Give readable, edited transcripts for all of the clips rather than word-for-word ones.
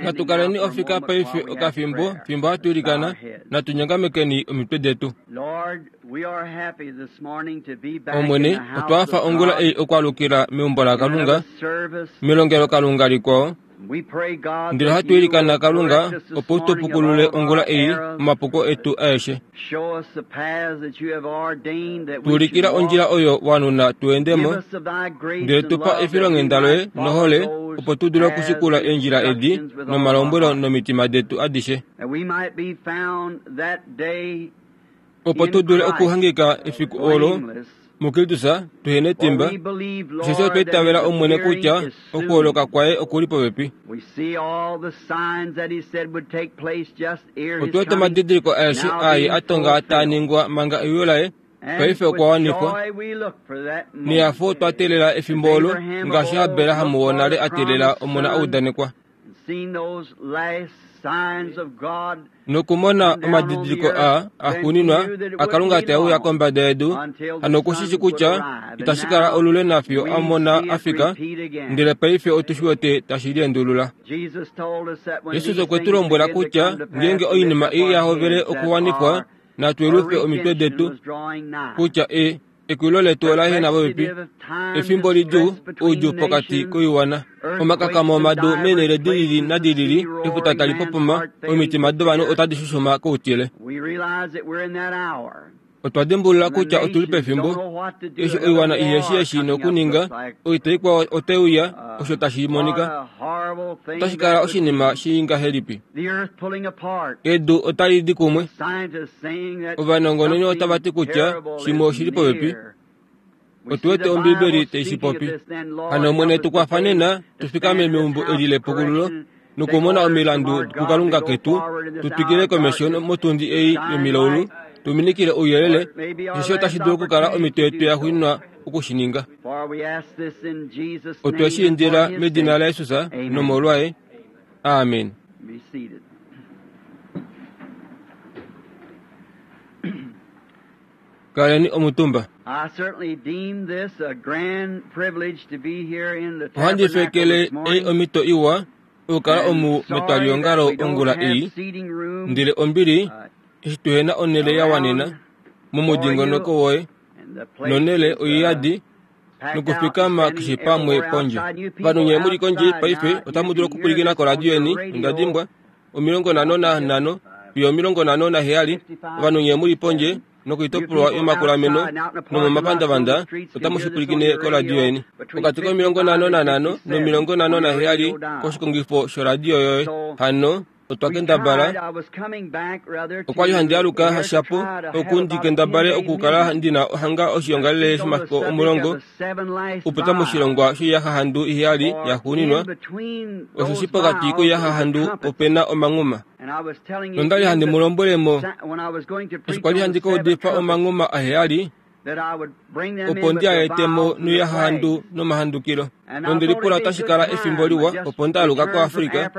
Natu kaleni ofika paife okafimbo fimbo hatu ilikana, natu nyongamekeni omitwe detu. Omwene, otwa hafa ongula ei okwaalukila meumbo laKalunga, melongelokalunga likwao, ndele ohatu ilikana Kalunga opo u tu pukulule ongula ei omapuko etu aeshe. Tu ulikila ondjila oyo wa nuna tu ende mo, ndele tu pa efilonghenda loye nohole opo tu dule okushikula eendjila edi nomalombwelo nomitima detu adishe. Opo tu dule okuhangika efiku olo muKristus tu he netimba, osheshi otwa itavela Omwene kutya okuholoka kwaye oku li popepi. Otu wete omadidiliko aeshe aa a tonga taa ningwa manga euyo laye paife okwa wanifwa. Nehafo otwa teelela efimbo olo ngaashi Abraham wonale a teelela omona a udanekwa. Nokumona omadidiliko aa axuuninwa aKalunga tae uya kombada yedu, hano oku shi shi kutya itashi kala olule nafiyo a mona a fika, ndele paife otu shi wete tashi liendulula. Jesus okwe tu lombwela kutya ngeenge oinima ei ya hovele okuwanifwa, natu yelufe omitwe detu, kutya e Ekwilo letu ola ehena popepi, efimbo lidjuu, oudjuu pokati koiwana, omakakamo omadu meenhele di lili nadi lili, efuta tali popoma, omitima dovanhu otadi shushuma koutile. Otwa dimbulula kutya otu li pefimbo eshi oiwana ihe shi eshi nokuninga, oita ikwao otai uya, osho tashi monika. Otashi kala oshinima shii ngahelipi? Edu otali di kumwe. Ovanongononi otava ti kutya shimwe oshi li popepi. Otu wete Ombibeli tai shi popi. Hano Omwene tu kwafa nena tu fikame meumbo eli lepukululo nokumona omilandu kuKalunga ketu, tu twikile komesho motundi ei yomilaulu, tu minikile ouyelele, osheshi otashi dulu okukala omhito yetu ya xuuninwa oku shi ninga. Otwe shi indila medina laJesus nomolwaye. Amen. Kaleni omutumba. Ohandi fekele ei omhito iwa okukala omu metwaliongalo ongula ei, ndele ombili eshi tuhena onhele ya wanena momudingonoko woye nonhele oiyadi nokufikama keshe pamwe pondje. Ovanhu nye mu li kondje paife otamu dulu okupwilikina koradio yeni, onda dimbwa, 55 fiyo 57, ovanhu nye mu li pondje nokoitopolwa yomakulameno nomomapandavanda otamu shi pwilikine koradio yeni. Pokati ko 55 no57 koshikongifo shoradio yoye. Hano otwa kendabala okwa li handi aluka hashapo oku ndi kendabale okukala ndi na hanga oshiongalele shomafiku 10 okupita moshilongwa shoiyahahandu iheyali yaxuuninwa, osheshi pokati koiyahahandu ope na omanghuma. Nonda li handi mu lombwele mo eshi kwa li handi ka udifa omanghuma aheyali, opo ndi a ete mo noiyahahandu nomahandukilo. Nonde lipula otashi kala efimbo liwa opo nda aluka koAfrica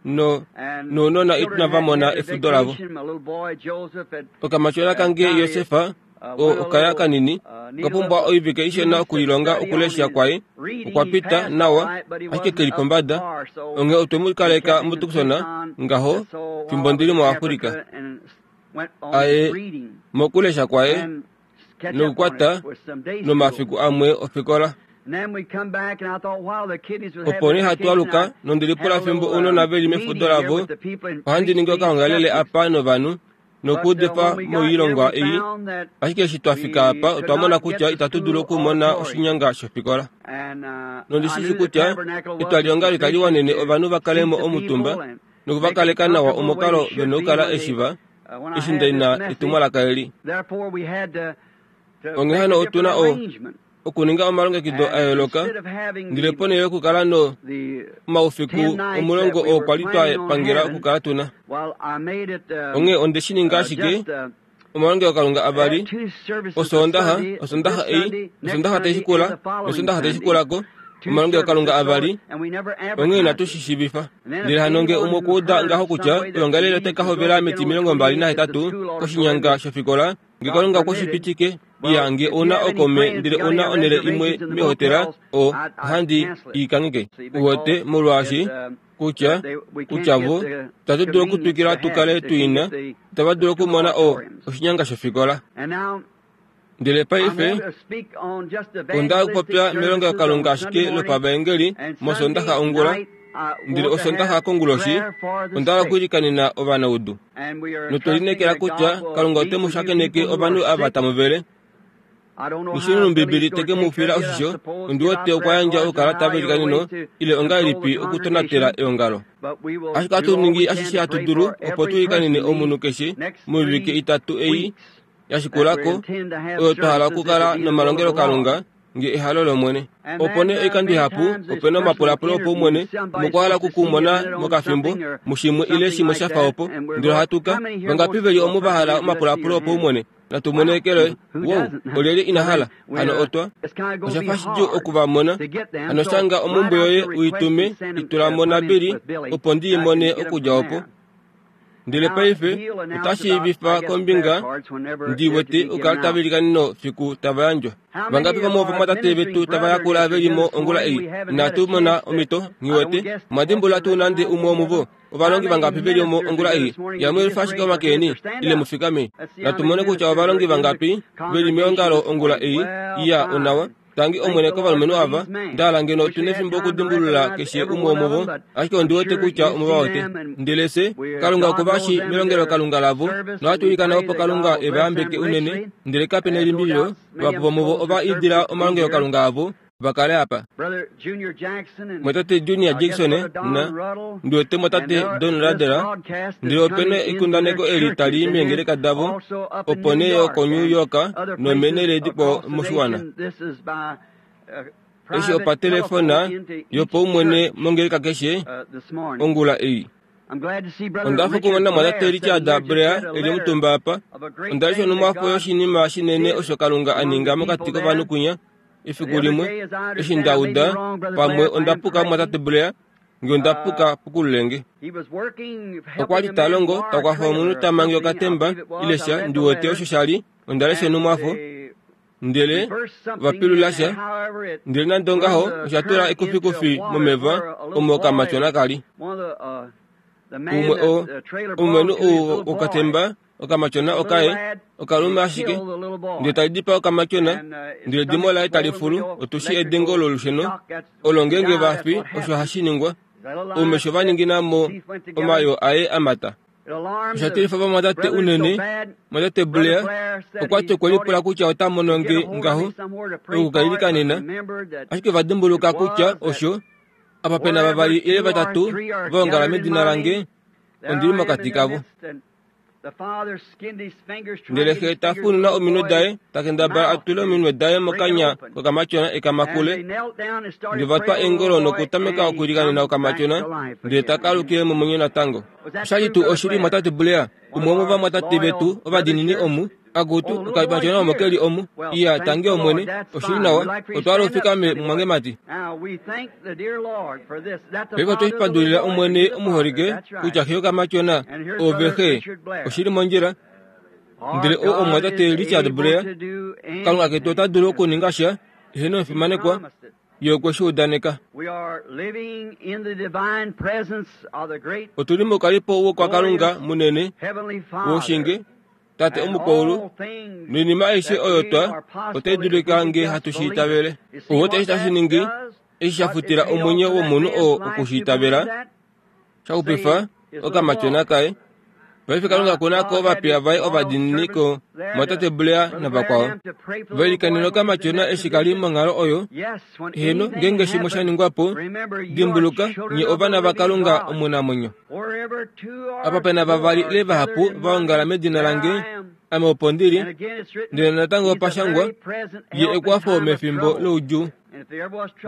no nounona inava mona efudo lavo. Okamatyona kange Josefa o okaya kanini oka pumbwa oivike ishona okulilonga okulesha kwaye okwa pita nawa ashike ke li pombada onghee otwe mu kaleka muTucson ngaho fimbo ndi li moAfrica. Aye mokulesha kwaye nokukwata nomafiku amwe ofikola. Opo nee hatu aluka nonde lipula fimbo ounona ve li mefudo lavo, ohandi ningi okahongalele apa novanhu nokuudifa moilongwa ei. Ashike eshi twa fika apa otwa mona kutya itatu dulu okumona oshinyanga shofikola. Nondi shi shii kutya etwaliongalo itali wanene ovanhu va kale mo omutumba noku va kaleka nawa omokalo ve na okukala eshi va eshi nda na etumwalaka eli. Onghee hano otu na o, okuninga omalongekido a yooloka, ndele ponhele yokukala no omaufiku 10 oo kwa li twa pangela okukala tu na. Onghee onde shi ninga ashike omalongelokalunga avali, Osoondaxa, Osondaxa ei, Osondaxa tai shikula, nOsondaxa tai shikula ko, omalongelokalunga avali, onghee inatu shi shiivifa. Ndele hano nge umwe okwa uda ngaho kutya oyoongalele otai ka hovela meti 28 koshinyanga shofikola, Nge Kalunga okwe shi pitike, iya, nge ou na okome ndele ou na onhele imwe meehotela, o, ohandi i kangheke. Uwete, molwaashi, kutya, kutya vo, itatu dulu okutwikila tu kale tu i na, itava dulu okumona o, oshinyanga shofikola. Ndele paife, onda okupopya melongelokalunga ashike lopavaengeli mOsoondaxa ongula, ndele Osoondaxa konguloshi onda hala okwiilikanena ovanaudu. Notwe lineekela kutya Kalunga ote mu shakeneke ovanhu ava tamu vele. Nishini te ke mu fila oshisho, ondi wete okwa yandja oukalata veilikaneno ile ongahelipi okutonatela eongalo. Ashike ohatu ningi ashishe hatu dulu opo tu ilikanene omunhu keshe moivike itatu ei ya shikula ko oyo twa hala okukala nomalongelokalunga nge ehalo lOmwene. Opo nee oikando ihapu ope na omapulapulo opaumwene omokwahala oku ku mona mokafimbo mushimwe ile shimwe sha fa opo. Ndele ohatu ka, vangapi ve li omu va hala omapulapulo opaumwene? Natu mone eke loye. Wow, olyelye ina hala? Hano otwa. Osha fa shidjuu oku va mona. Hano shanga omhumbwe yoye u i tume, i tula mo naBilly, opo ndi i mone okudja opo. Ndele paife ota shiivifa kombinga ndi wete okukala tava ilikaneno fiku tava yandjwa. Vangapi vomovamwatate vetu tava yakula ve li mo ongula ei? Inatu mona omhito, nghi wete. Omwa dimbulula tuu nande umwe womuvo? Ovalongi vangapi ve li omo ongula ei? Yamwe elufa ashike omake eni, ile mu fikame. Natu mone kutya ovalongi vangapi ve li meongalo ongula ei. Iya, onawa. Tangi Omwene kovalumenhu ava, nda hala ngeno otu nefimbo okudimbulula keshe umwe womuvo, ashike ondi wete kutya omu va wete. Ndele fye, Kalunga oku va shii melongelokalunga lavo, nohatu ilikana opo Kalunga e va yambeke unene, ndele kape nelimbililo, vahapu vomuvo ova idila omalongelokalunga avo va kale apa. Mwatate Junior Jackson na, ndi wete mwatate Don Ruddell, ndele ope na ekundaneko eli tali i meengeleka davo, opo nee yo koNew York nomeenhele dikwao moshiwana. Eshi opatelefona yopaumwene mongeleka keshe ongula ei. Onda fa okumona mwatate Richard Blair e li omutumba apa. Onda lesha onhumwafo yoshinima shinene osho Kalunga a ninga mokati kovanhu kwinya efiku limwe eshi nda uda pamwe onda puka mwatate Blair nge onda puka pukululenge. Okwa li ta longo ta kwafa omunhu ta mange okatemba ile sha ndi wete osho sha li onda lesha onhumwafo ndele va pilula sha ndele nande ongaho osha tula ekufikufi momeva omo okamatyona ka li. Umwe o omulumenhu ou wokatemba Okamatyona okaye, okalume ashike, ndele tali dipaa okamatyona, ndele edimo laye tali fulu, otu shii edengo lolusheno olo ngeenge va fi osho hashi ningwa, oumesho va ningina mo omayoo aye a mata. Osha tilifa vamwatate unene. Mwatate Blair okwa ti okwe lipula kutya ota mono nge ngaho oku ka ilikanena, ashike va dimbuluka kutya osho, apa pe na vavali ile vatatu va ongala medina lange, ondi li mokati kavo. Ndele xe ta fununa ominwe daye, ta kendabala a tule ominwe daye mokanya kokamatyona e ka makule. Ndele va twa eengolo nokutameka okwiilikanena okamatyona, ndele taka alukile momwenyo natango. Osha li tuu oshili, mwatate Blair, umwe womovamwatate vetu ovadiinini omu? Akutu, okamatyona omo ke li omu. Iya, tangi Omwene. Oshili nawa. Otwa hala u fikame, mumwangemati. Paife otwe shi pandulila Omwene omuholike kutya xe yokamatyona ove xe. Oshili mondjila. Ndele o omumwatate Richard Blair, Kalunga ketu ota dulu okuninga sha, eheno omufimanekwa, Ye okwe shi udaneka. Otu li moukalipo wokwaKalunga munene woshinge Tate omukwaulu, noinima aishe oyo twa otai dulika nge hatu shi itavele. Owo eshi tashi ningi, eshi sha futila omwenyo womunhu oo oku shi itavela, sha xupifa okamatyona kaye. Paife Kalunga oku na ko ovapiya vaye ovadiinini ko mwatate Blair navakwao. Va ilikanena okamatyona eshi ka li monghalo oyo. Heeno, ngeenge shimwe sha ningwa po, dimbuluka, nye ovana vaKalunga omunamwenyo. Apa pe na vavali ile vahapu va ongala medina lange, ame opo ndi li. Ndele natango opa shangwa, Ye ekwafo mefimbo loudjuu.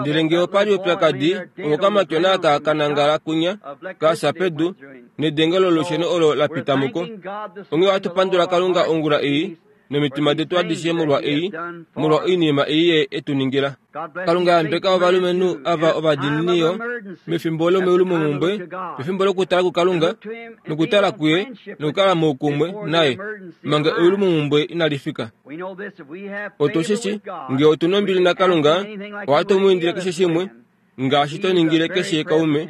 Ndele ngee opa li oupyakadi, owo okamatyona aka ka nangala kunya, ka fya pedu, nedenge lolusheno olo la pita muko. Onghee ohatu pandula Kalunga ongula ei. nomitima detu adishe molwa ei, molwa oinima ei ye e tu ningila. Kalunga yambeka ovalumenhu ava ovadiinini yo mefimbo lomeulumomhumbwe, pefimbo lokutala kuKalunga, nokutala kuye nokukala moukumwe naye manga eulumomhumbwe inali fika. Otu shi shi, nge otu nombili naKalunga, ohatu mu indile keshe shimwe, ngaashi to ningile keshe kaume,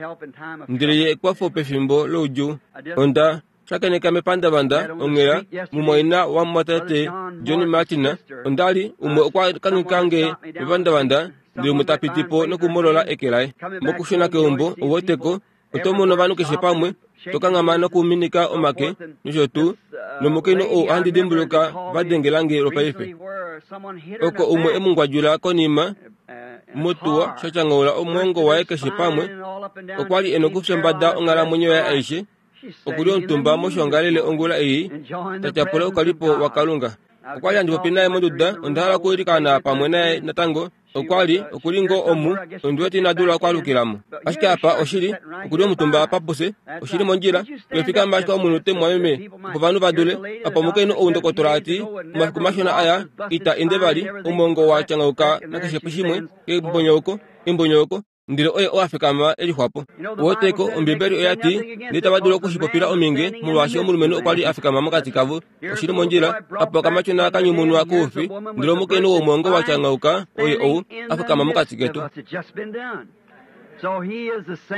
ndele ye ekwafo pefimbo loudjuu. Onda shakeneka mepandavanda onghela mumwaina wamumwatate Johnny Martin. Onda li umwe okwa kanuka nge mepandavanda ndele umwe ta piti po nokumolola eke laye. Mokushuna keumbo, ouweteko, oto mono ovanhu keshe pamwe, to kanghama nokuminika omake, nosho tuu, nomukainhu ou ohandi dimbuluka va dengela nge lwopaife. Oko umwe e mu ngwadjula konima motuwa sha tyanghaula omwoongo waye keshe pamwe, okwa li e nokufya mbada onghalamwenyo yaye aishe, Oku li omutumba moshoongalele ongula ei, ta tyapula oukalipo waKalunga. Okwa li handi popi naye monduda, onda hala okwiilikana pamwe naye natango. Okwa li, oku li ngoo omu, ondi wete ina dula okwaalukila mo. Ashike apa, oshili, oku li omutumba apa pufye. Oshi li mondjila. Twefikama ashike omunute, mumwameme, opo ovanhu va dule. Apa omukainhu ou ndokotola a ti, omafiku mashona aya, ita ende vali, omwoongo wa tyangauka nakeshe shimwe, kembonyouko, embonyouko. Ndele oye oo a fikama e lixwapo. Uweteko, Ombibeli oya ti, Ndele tava dulu oku shi popila ominge, molwaashi omulumenhu okwa li a fikama mokati kavo. Oshi li mondjila. Apa okamatyona ka nyumunwa koufi, ndele omukainhu womwoongo wa tyangauka oye ou, a fikama mokati ketu.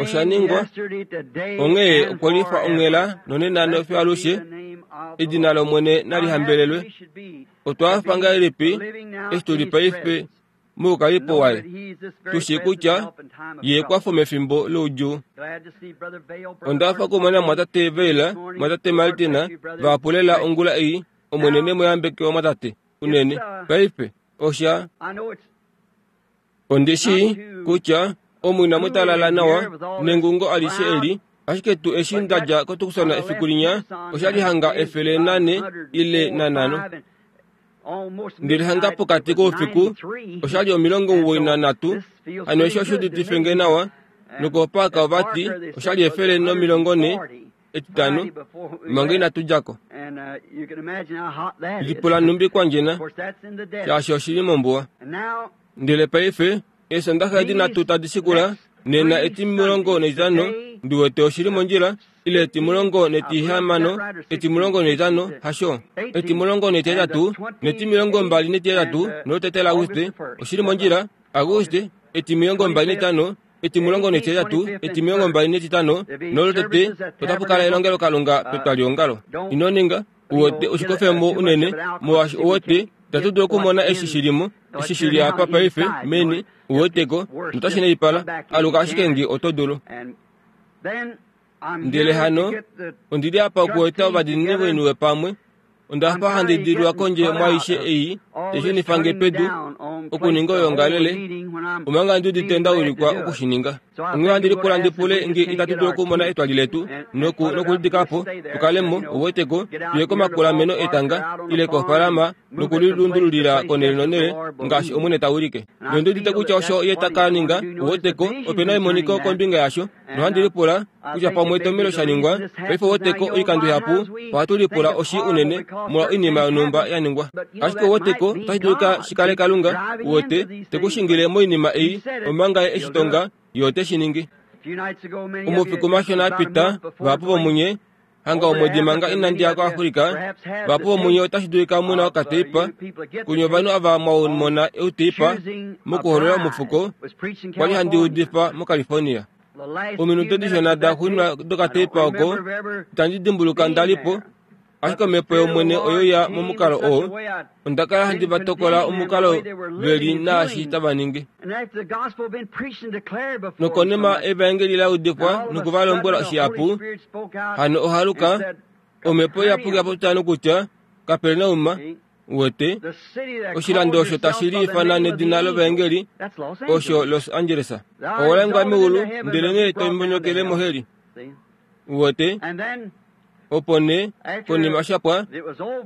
Osha ningwa. Onghee okwe lifa onghela nonena nofiyo alushe. Edina lOmwene nali hambelelwe. Otwa hafa ngahelipi eshi tu li paife moukalipo waye, tu shii kutya ye ekwafo mefimbo loudjuu. Onda hafa okumona mwatate Vayle, mwatate Martin, vahapu lela ongula ei, Omwene ne mu yambeke omwatate, unene. Paife, osha. Ondi shii kutya omu inamu talala nawa nengungo alishe eli, ashike tuu eshi nda dja koTucson efiku linya, osha li hanga 104 ile nanhano. Ndele hanga pokati koufiku osha li 93, hano eshi osha uditife nge nawa. Nokopaaka ova ti osha li 140 Etitano, manga inatu dja ko. Lipula nhumbi kwa ndjena, shaashi oshi li mombuwa. Ndele paife, Eesondaxa edi nhatu tadi shikula, nena etimulongo netitano, ndi wete oshi li mondjila, ile etimulongo netihamano, etimulongo netitano, hasho, etimulongo netihetatu, netimilongo mbali netihetatu, nolotete laAguste, oshi li mondjila, Aguste, etimilongo mbali netano, etimulongo netihetatu, etimilongo mbali netitano, nolotete, otapu kala elongelokalunga petwaliongalo. Ino ninga, uwete oshikofemo unene, molwaashi uwete, itatu dulu okumona eshi shi li mo, eshi shi li apa paife, meni, uweteko, notashi naipala, aluka ashike nge oto dulu. Ndele hano, ondi li apa okueta ovadiinini voiniwe pamwe, Onda fa handi dilwa kondje mwaaishe ei te shunifa nge pedu okuninga oyoongalele, omanga ndi udite nda ulikwa oku shi ninga. Onghee ohandi lipula ndi pule nge itatu dulu okumona etwali letu noku, nokulidika po, tu kale mo, uwete ko, tu ye komakulameno etanga, ile kofaalama, noku li lundululila konhele nonhele, ngaashi Omwene ta wilike. Nondi udite kutya osho Ye ta ka ninga, uwete ko, ope na emoniko kombinga yasho. Nohandi lipula kutya pamwe etomhelo sha ningwa paife woteko oikando ihapu ohatu lipula oshi unene molwa oinima yonhumba ya ningwa. Ashike woteko otashi dulika shi kale Kalunga wote te ku shingile moinima ei omanga ye eshi tonga ye ote shi ningi. Omafiku mashona a pita vahapu vomunye hanga omwedi manga inandi ya koAfrika, vahapu vomunye otashi dulika mu na okateipa kunye ovanhu ava mwa mona outeipa mokuholola omufuko kwa li handi udifa moCalifornia. Ominute dishona da xuuninwa dokateipa oko itandi dimbuluka nda li po, ashike omhepo yOmwene oyo ya momukalo oo. Onda kala handi va tokola omukalo ve li naashi tava ningi. Nokonima evaengeli la udifwa noku va lombwela shihapu, hano ohaluka, omhepo iyapuki ya popya nokutya, Kapernaum, uwete, oshilando osho tashi liifana nedina lovaengeli, osho Los Angeles. Owa lengwa meulu, ndelenee to mbonyokele moheli. Uwete? Opo nee, konima sha pwa,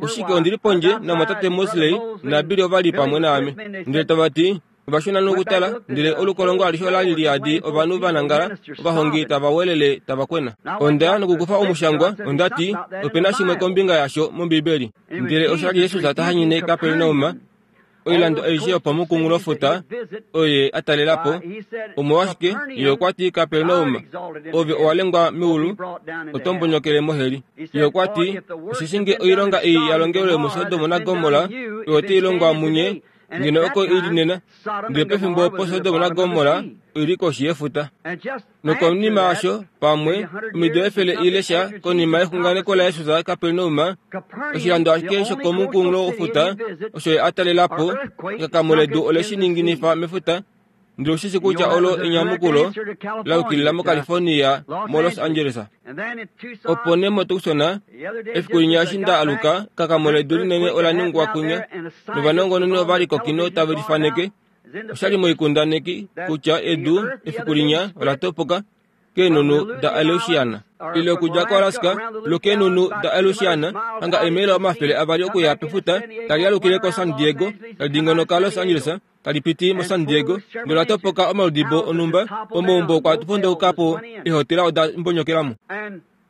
oshike ondi li pondje namwatate Mosley naBilly ova li pamwe naame. Ndele tava ti, Ova shuna nokutala, ndele olukolongo alishe ola li liyadi ovanhu va nangala, ovahongi tava welele tava kwena. Onda ya nokukufa omushangwa, onda ti, Ope na shimwe kombinga yasho mOmbibeli. Ndele osha li Jesus ta hanyene Kapernaum, oilando aishe yopomukunghulofuta oye a talela po. Omolwashike, ye okwa ti, Kapernaum, ove owa lengwa meulu, oto mbonyokele moheli. Ye okwa ti, Osheshi nge oilonga ei ya longelwe muSodom naGomorra, oyo otai longwa munye, ngeno oko i li nena. Ndele pefimbo opo Sodom naGomorra oi li koshi yefuta. Nokonima yasho, pamwe, omido efele ile sha konima yexunganeko laJesus Kapernaum, oshilando ashike shokomukunghulo wofuta osho ye a talela po, ekakamo ledu ole shi ninginifa mefuta, ndele oshishi kutya olo enyamukulo la yukilila moCalifornia moLos Angeles. Opo nee moTucson, efiku linya eshi nda aluka, ekakamo ledu linene ola ningwa kunya, novanongononi ova li kokino tave lifaneke. Osha li moikundaneki kutya edu efiku linya ola topoka keenhunhu daAleusiana ile okudja koAlaska lokeenhunhu daAleusiana hanga eemaila 200 okuya pefuta tali alukile koSan Diego tali dingonoka Los Angeles tali piti moSan Diego nola topoka omaludibo onhumba omaumbo okwa pondouka po eehotela oda mbonyokelamo.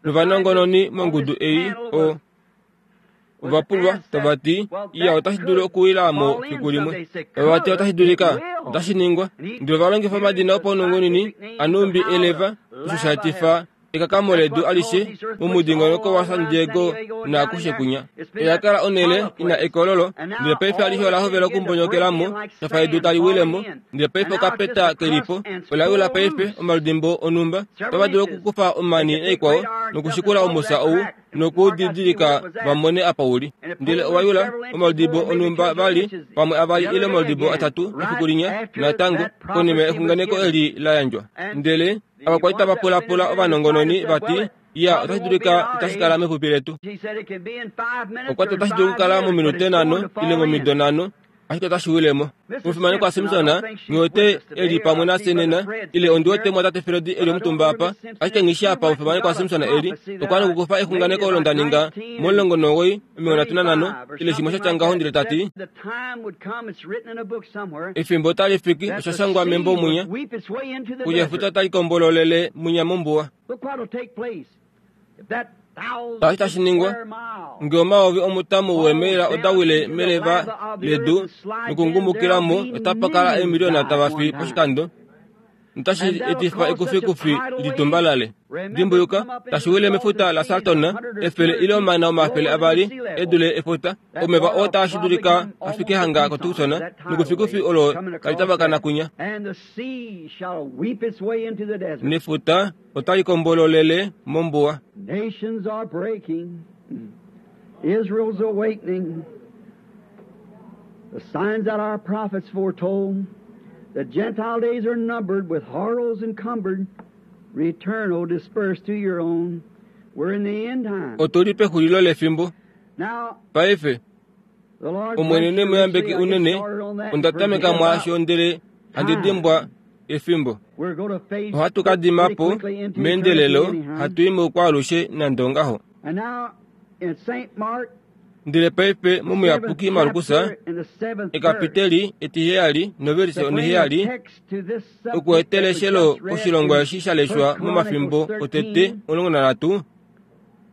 Novanongononi mongudu ei o ova pulwa tava ti, Iya, otashi dulu okuwila mo fiku limwe. Ova ti otashi dulika, otashi ningwa. Ndele ova longifa omadina opaunongononi anhumbi eleva, osho sha etifa ekakamo ledu alishe momudingonoko waSan Diego naakushe kunya. Oya kala onhele i na ekololo, ndele paife alishe ola hovela okumbonyokela mo, sha fa edu tali wile mo. Ndele paife okapeta ke li po, ola wila paife omaludimbo onhumba. Otava dulu okukufa omani naikwao nokushikula omufya ou nokuudidilika va mone apa u li. Ndele owa yula omaludibo onhumba vali, pamwe avali ile omaludibo atatu efiku linya, natango, konima exunganeko eli la yandjwa. Ndele ava kwa li tava pulapula ovanongononi va ti, Ya, otashi dulika itashi kala mepupi letu. Okwa ti otashi dulu okukala mominute nhano ile momido nhano, ashike otashi wile mo. Omufimanekwa Simpson, nghi wete e li pamwe nafye nena, ile ondi wete mwatate Fred e li omutumba apa, ashike nghi shii apa omufimanekwa Simpson e li. Okwa nokukufa exunganeko olo nda ninga mo19 35 ile shimwe sha tya ngaho ndele ta ti, Efimbo otali fiki, osha shangwa membo mwinya, kutya efuta otali kombololele mwinya mombuwa. Tashi tashi ningwa, nge omayovi omutamu weemaila oda wile meleva ledu nokungumukila mo, otapa kala eemiliona tava fi poshikando, notashi etifa ekufikufi litumbalale. Dimbuluka, tashi wile mefuta laSalton, efele ile omana 200 e dule efuta, omeva oo taashi dulika a fike hanga koTucson, nekufikufi olo tali tavakana kunya. Nefuta otali kombololele mombuwa. Nations are breaking. Israel's awakening. The signs that our prophets foretold. The Gentile days are numbered with horrors encumbered. Return, O dispersed to your own. We're in the end time. Otu li pexulilo lefimbo. Now, Paife, the Lord Omwene bless ne you mu yambeke richly. I get unene, started on that. onda tameka Forget mwaasho about ndele handi time. dimbwa efimbo. We're going to phase Ohatu ka dima pretty po quickly into meendelelo, eternity anyhow. hatu i moukwaalushe nande ongaho. And now, in St. Mark, Ndele paife the seventh momuyapuki Markus, chapter and the seventh verse, ekapiteli etiheyali novelise to bring a oniheyali, text to this subject oku that etela was eshelo just read koshilongwa in eshi sha First leshwa Chronicles momafimbo otete 13, 13,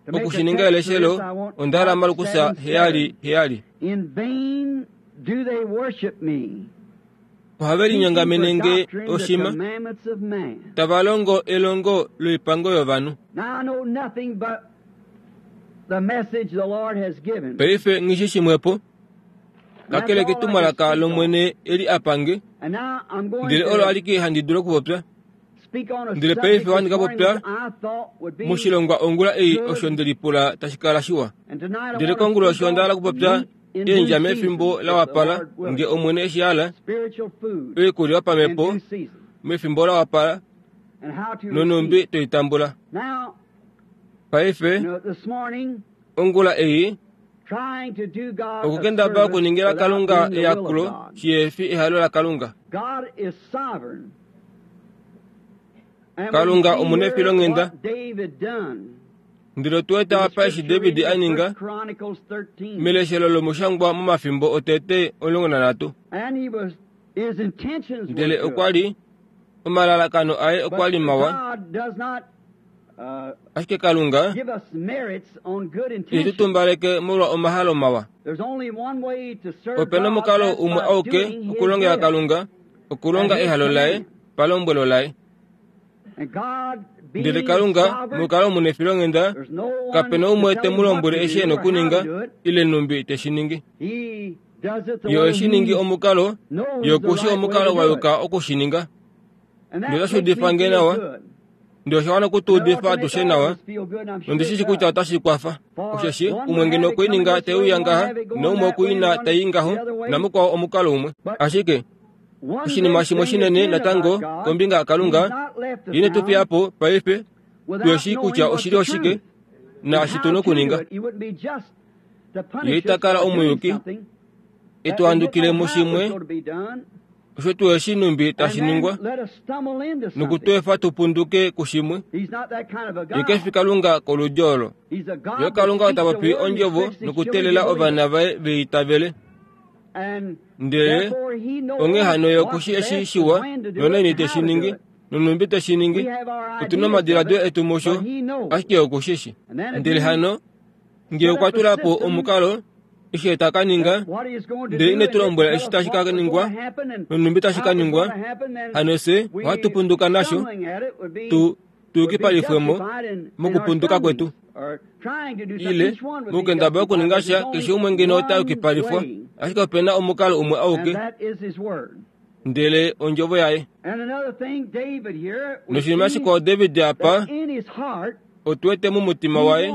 to make oku a shi ninga text to eleshelo this, I want onda hala Mark Markus 7 heyali 7. heyali. In vain do they worship me, Ohave teaching for linyongamene nge doctrine the oshima, commandments of man. tava longo elongo loipango yovanhu. Now I know nothing but the message the Lord has given. Paife nghi shi shimwepo, And that's kakele all I can ketumwalaka speak on. lOmwene eli a pange, And now I'm going ndele olo to alike handi dulu okupopya. speak on a Ndele subject paife this ohandi ka morning popya which I thought would be moshilongwa ongula ei good. osho nde lipula tashi kala shiwa. And tonight I Ndele want to konguloshi speak onda hala on okupopya meat in due eendja mefimbo season, la if the wapala, Lord nge willing. Omwene eshi hala, Spiritual food oikulya in yopamhepo due season, mefimbo la wapala, and how to receive nonhumbi it. toi tambula. Now, Paife, you know, this morning, ongula ei, trying to do God a okukendabala service okuningila without Kalunga doing the will of eyakulo God. shihefi ehalo laKalunga. God is sovereign. And we Kalunga see here omunefilonghenda, what David done. ndele otu wete In the apa eshi scripture David reading a of ninga 1 Chronicles 13. meleshelo lomushangwa momafimbo otete 13. And he was Ndele okwa li omalalakano aye okwa li mawa, ashike Kalunga ihe tu tumbaleke molwa omahalo mawa. Ope na omukalo umwe auke okulongela Kalunga, okulonga ehalo laye palombwelo laye. Ndele Kalunga mokukala omunefilonghenda, kape na umwe te mu lombwele eshi e na okuninga ile nhumbi te shi ningi. Ye ohe shi ningi omukalo, ye oku shi omukalo wa yuka oku shi ninga. Ndele otashi udifa nge nawa, ndele osha wana oku tu udifa atushe nawa, nondi shi shi kutya otashi kwafa. Osheshi umwe ngeno okwe i ninga te uya ngaha, naumwe okwe i na tai ngaho, namukwao omukalo umwe. Ashike oshinima shimwe shinene natango kombinga yaKalunga, ye ine tu fiya po paife tu shii kutya oshili oshike naashi tu na okuninga. Ye ita kala omuyuki e tu handukile mushimwe osho tu eshi numbi tashi ningwa noku tu efa tu punduke kushimwe. Ye ke fi Kalunga koludyo olo. Ye Kalunga ota popi ondjovo nokuteelela ovana vaye ve itavele. Ndele onghee hano ye oku shi eshi shiwa nonaini te shi ningi nonhumbi te shi ningi. Otu na omadiladilo etu musho, ashike oku shi shi. Ndele hano Ngee okwa tula po omukalo, eshi ta ka ninga, ndele ine tu lombwela eshi tashi ka ningwa nonhumbi tashi ka ningwa, hano fye ohatu punduka nasho, tu tuyukipalifwe mo mokupunduka kwetu. Ile, mokukendabala okuninga sha, keshe umwe ngeno ota yukipalifwa, ashike ope na omukalo umwe auke, ndele ondjovo yaye. Noshinima shikwao David apa, otu wete momutima waye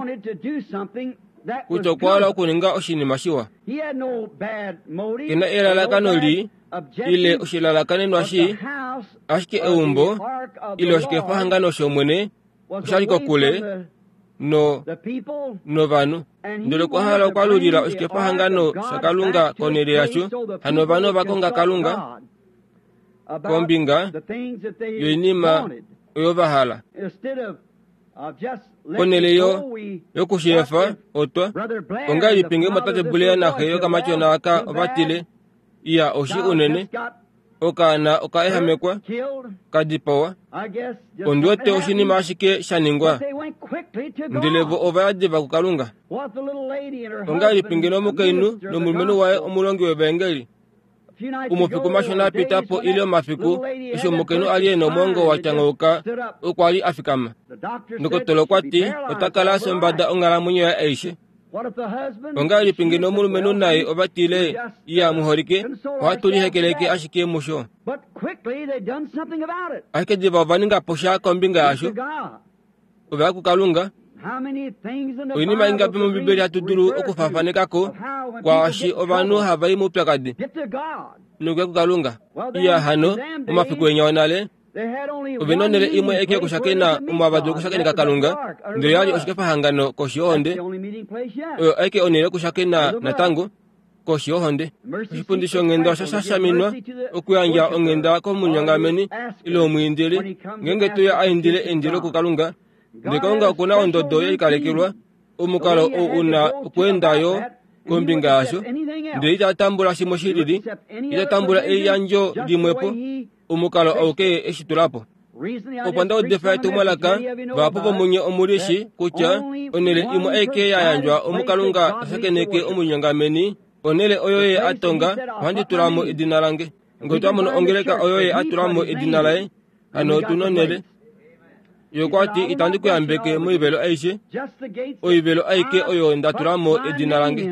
kutya okwa hala okuninga oshinima shiwa. Ke na elalakano lii ile oshilalakanenwa shii, ashike eumbo ile oshikefahangano shOmwene osha li kokule no novanhu. Ndele okwa hala okwalulila oshikefahangano shaKalunga konhele yasho, hano ovanhu ova konga Kalunga kombinga yoinima oyo va hala. Ponhele yo yokushiyefa otwa ongahelipi ngee omwatate Blair naxe yokamatyona aka ova tile, Iya, oshi unene, okaana oka ehamekwa, ka dipawa. Ondi wete oshinima ashike sha ningwa. Ndele vo ova ya diva kuKalunga. Ongahelipi ngeno omukainhu nomulumenhu waye omulongi wevaengeli Omafiku mashona a pita po ile omafiku eshi omukainhu a li e na omwoongo wa tyangauka okwa li a fikama. Ndokotola okwa ti ota kala a sombada onghalamwenyo yaye aishe. Ongahelipi ngeno omulumenhu naye ova tile, Iya, muholike, ohatu lihekeleke ashike musho. Ashike diva ova ninga po sha kombinga yasho. Ova ya kuKalunga. Oinima ingapi mOmbibeli hatu dulu okufaafaneka ko kwaashi ovanhu hava i moupyakadi nokuya kuKalunga? Iya hano, momafiku enya onale, ove na onhele imwe aike yokushakena omo hava dulu okushakeneka Kalunga, ndele oya li oshikefahangano koshi yohonde. Oyo aike onhele yokushakena natango. koshi yohonde. Oshipundi shonghenda osha shashaminwa okuyandja onghenda komunyongameni ile omwiindili ngeenge to uya a indile eindilo kuKalunga. Ndele Kalunga oku na ondodo ye likalekelwa, omukalo ou u na okweenda yo kombinga yasho, ndele ita tambula shimwe shi lili, ita tambula eliyandjo limwepo, omukalo auke ye e shi tula po. Opo nda udifa etumwalaka, vahapu vomunye omu li shi kutya onhele imwe aike ya yandjwa omu Kalunga ta shakeneke omunyongameni, onhele oyo ye a tonga, ohandi tula mo edina lange. Ngee otwa mono ongeleka oyo ye a tula mo edina laye, hano otu nonhele. Ye okwa ti, Itandi ku yambeke moivelo aishe, oivelo aike oyo nda tula mo edina lange.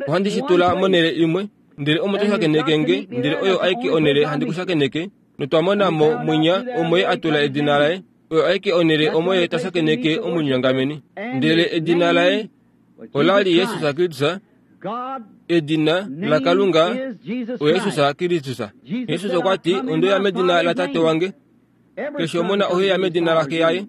Ohandi shi tula monhele imwe, ndele omo to shakeneke nge, ndele oyo aike onhele handi ku shakeneke. Notwa mona mo mwinya omo ye a tula edina laye, oyo aike onhele omo ye ta shakeneke omunyongameni. Ndele edina laye ola li Jesus Kristus, edina laKalunga oJesus Kristus. Jesus okwa ti, Onde uya medina laTate wange. Keshe omona ohe uya medina laxe yaye,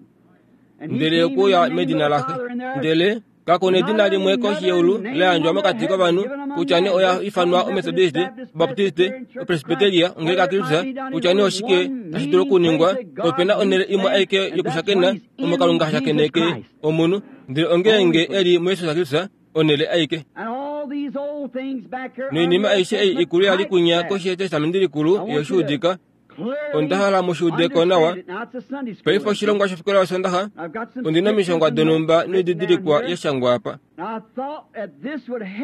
ndele okwe uya medina laxe. Ndele Kaku na edina limwe koshi yeulu la yandjwa mokati kovanhu, kutya nee oya ifanwa Ometodiste, Obaptiste, Opresbiteria, Ongeleka yaKristus, kutya nee oshike tashi dulu okuningwa, ope na onhele imwe aike yokushakena omo Kalunga ha shakeneke omunhu, ndele ongeenge e li muJesus Kristus, onhele aike. Noinima aishe ei ikulu ya li kunya koshi yEtestamenti Likulu yoshuudika, onda hala mu shi ude ko nawa. Paife oshilongwa shofikola yOsoondaxa, ondi na omishangwa donhumba noididilikwa ya shangwa apa.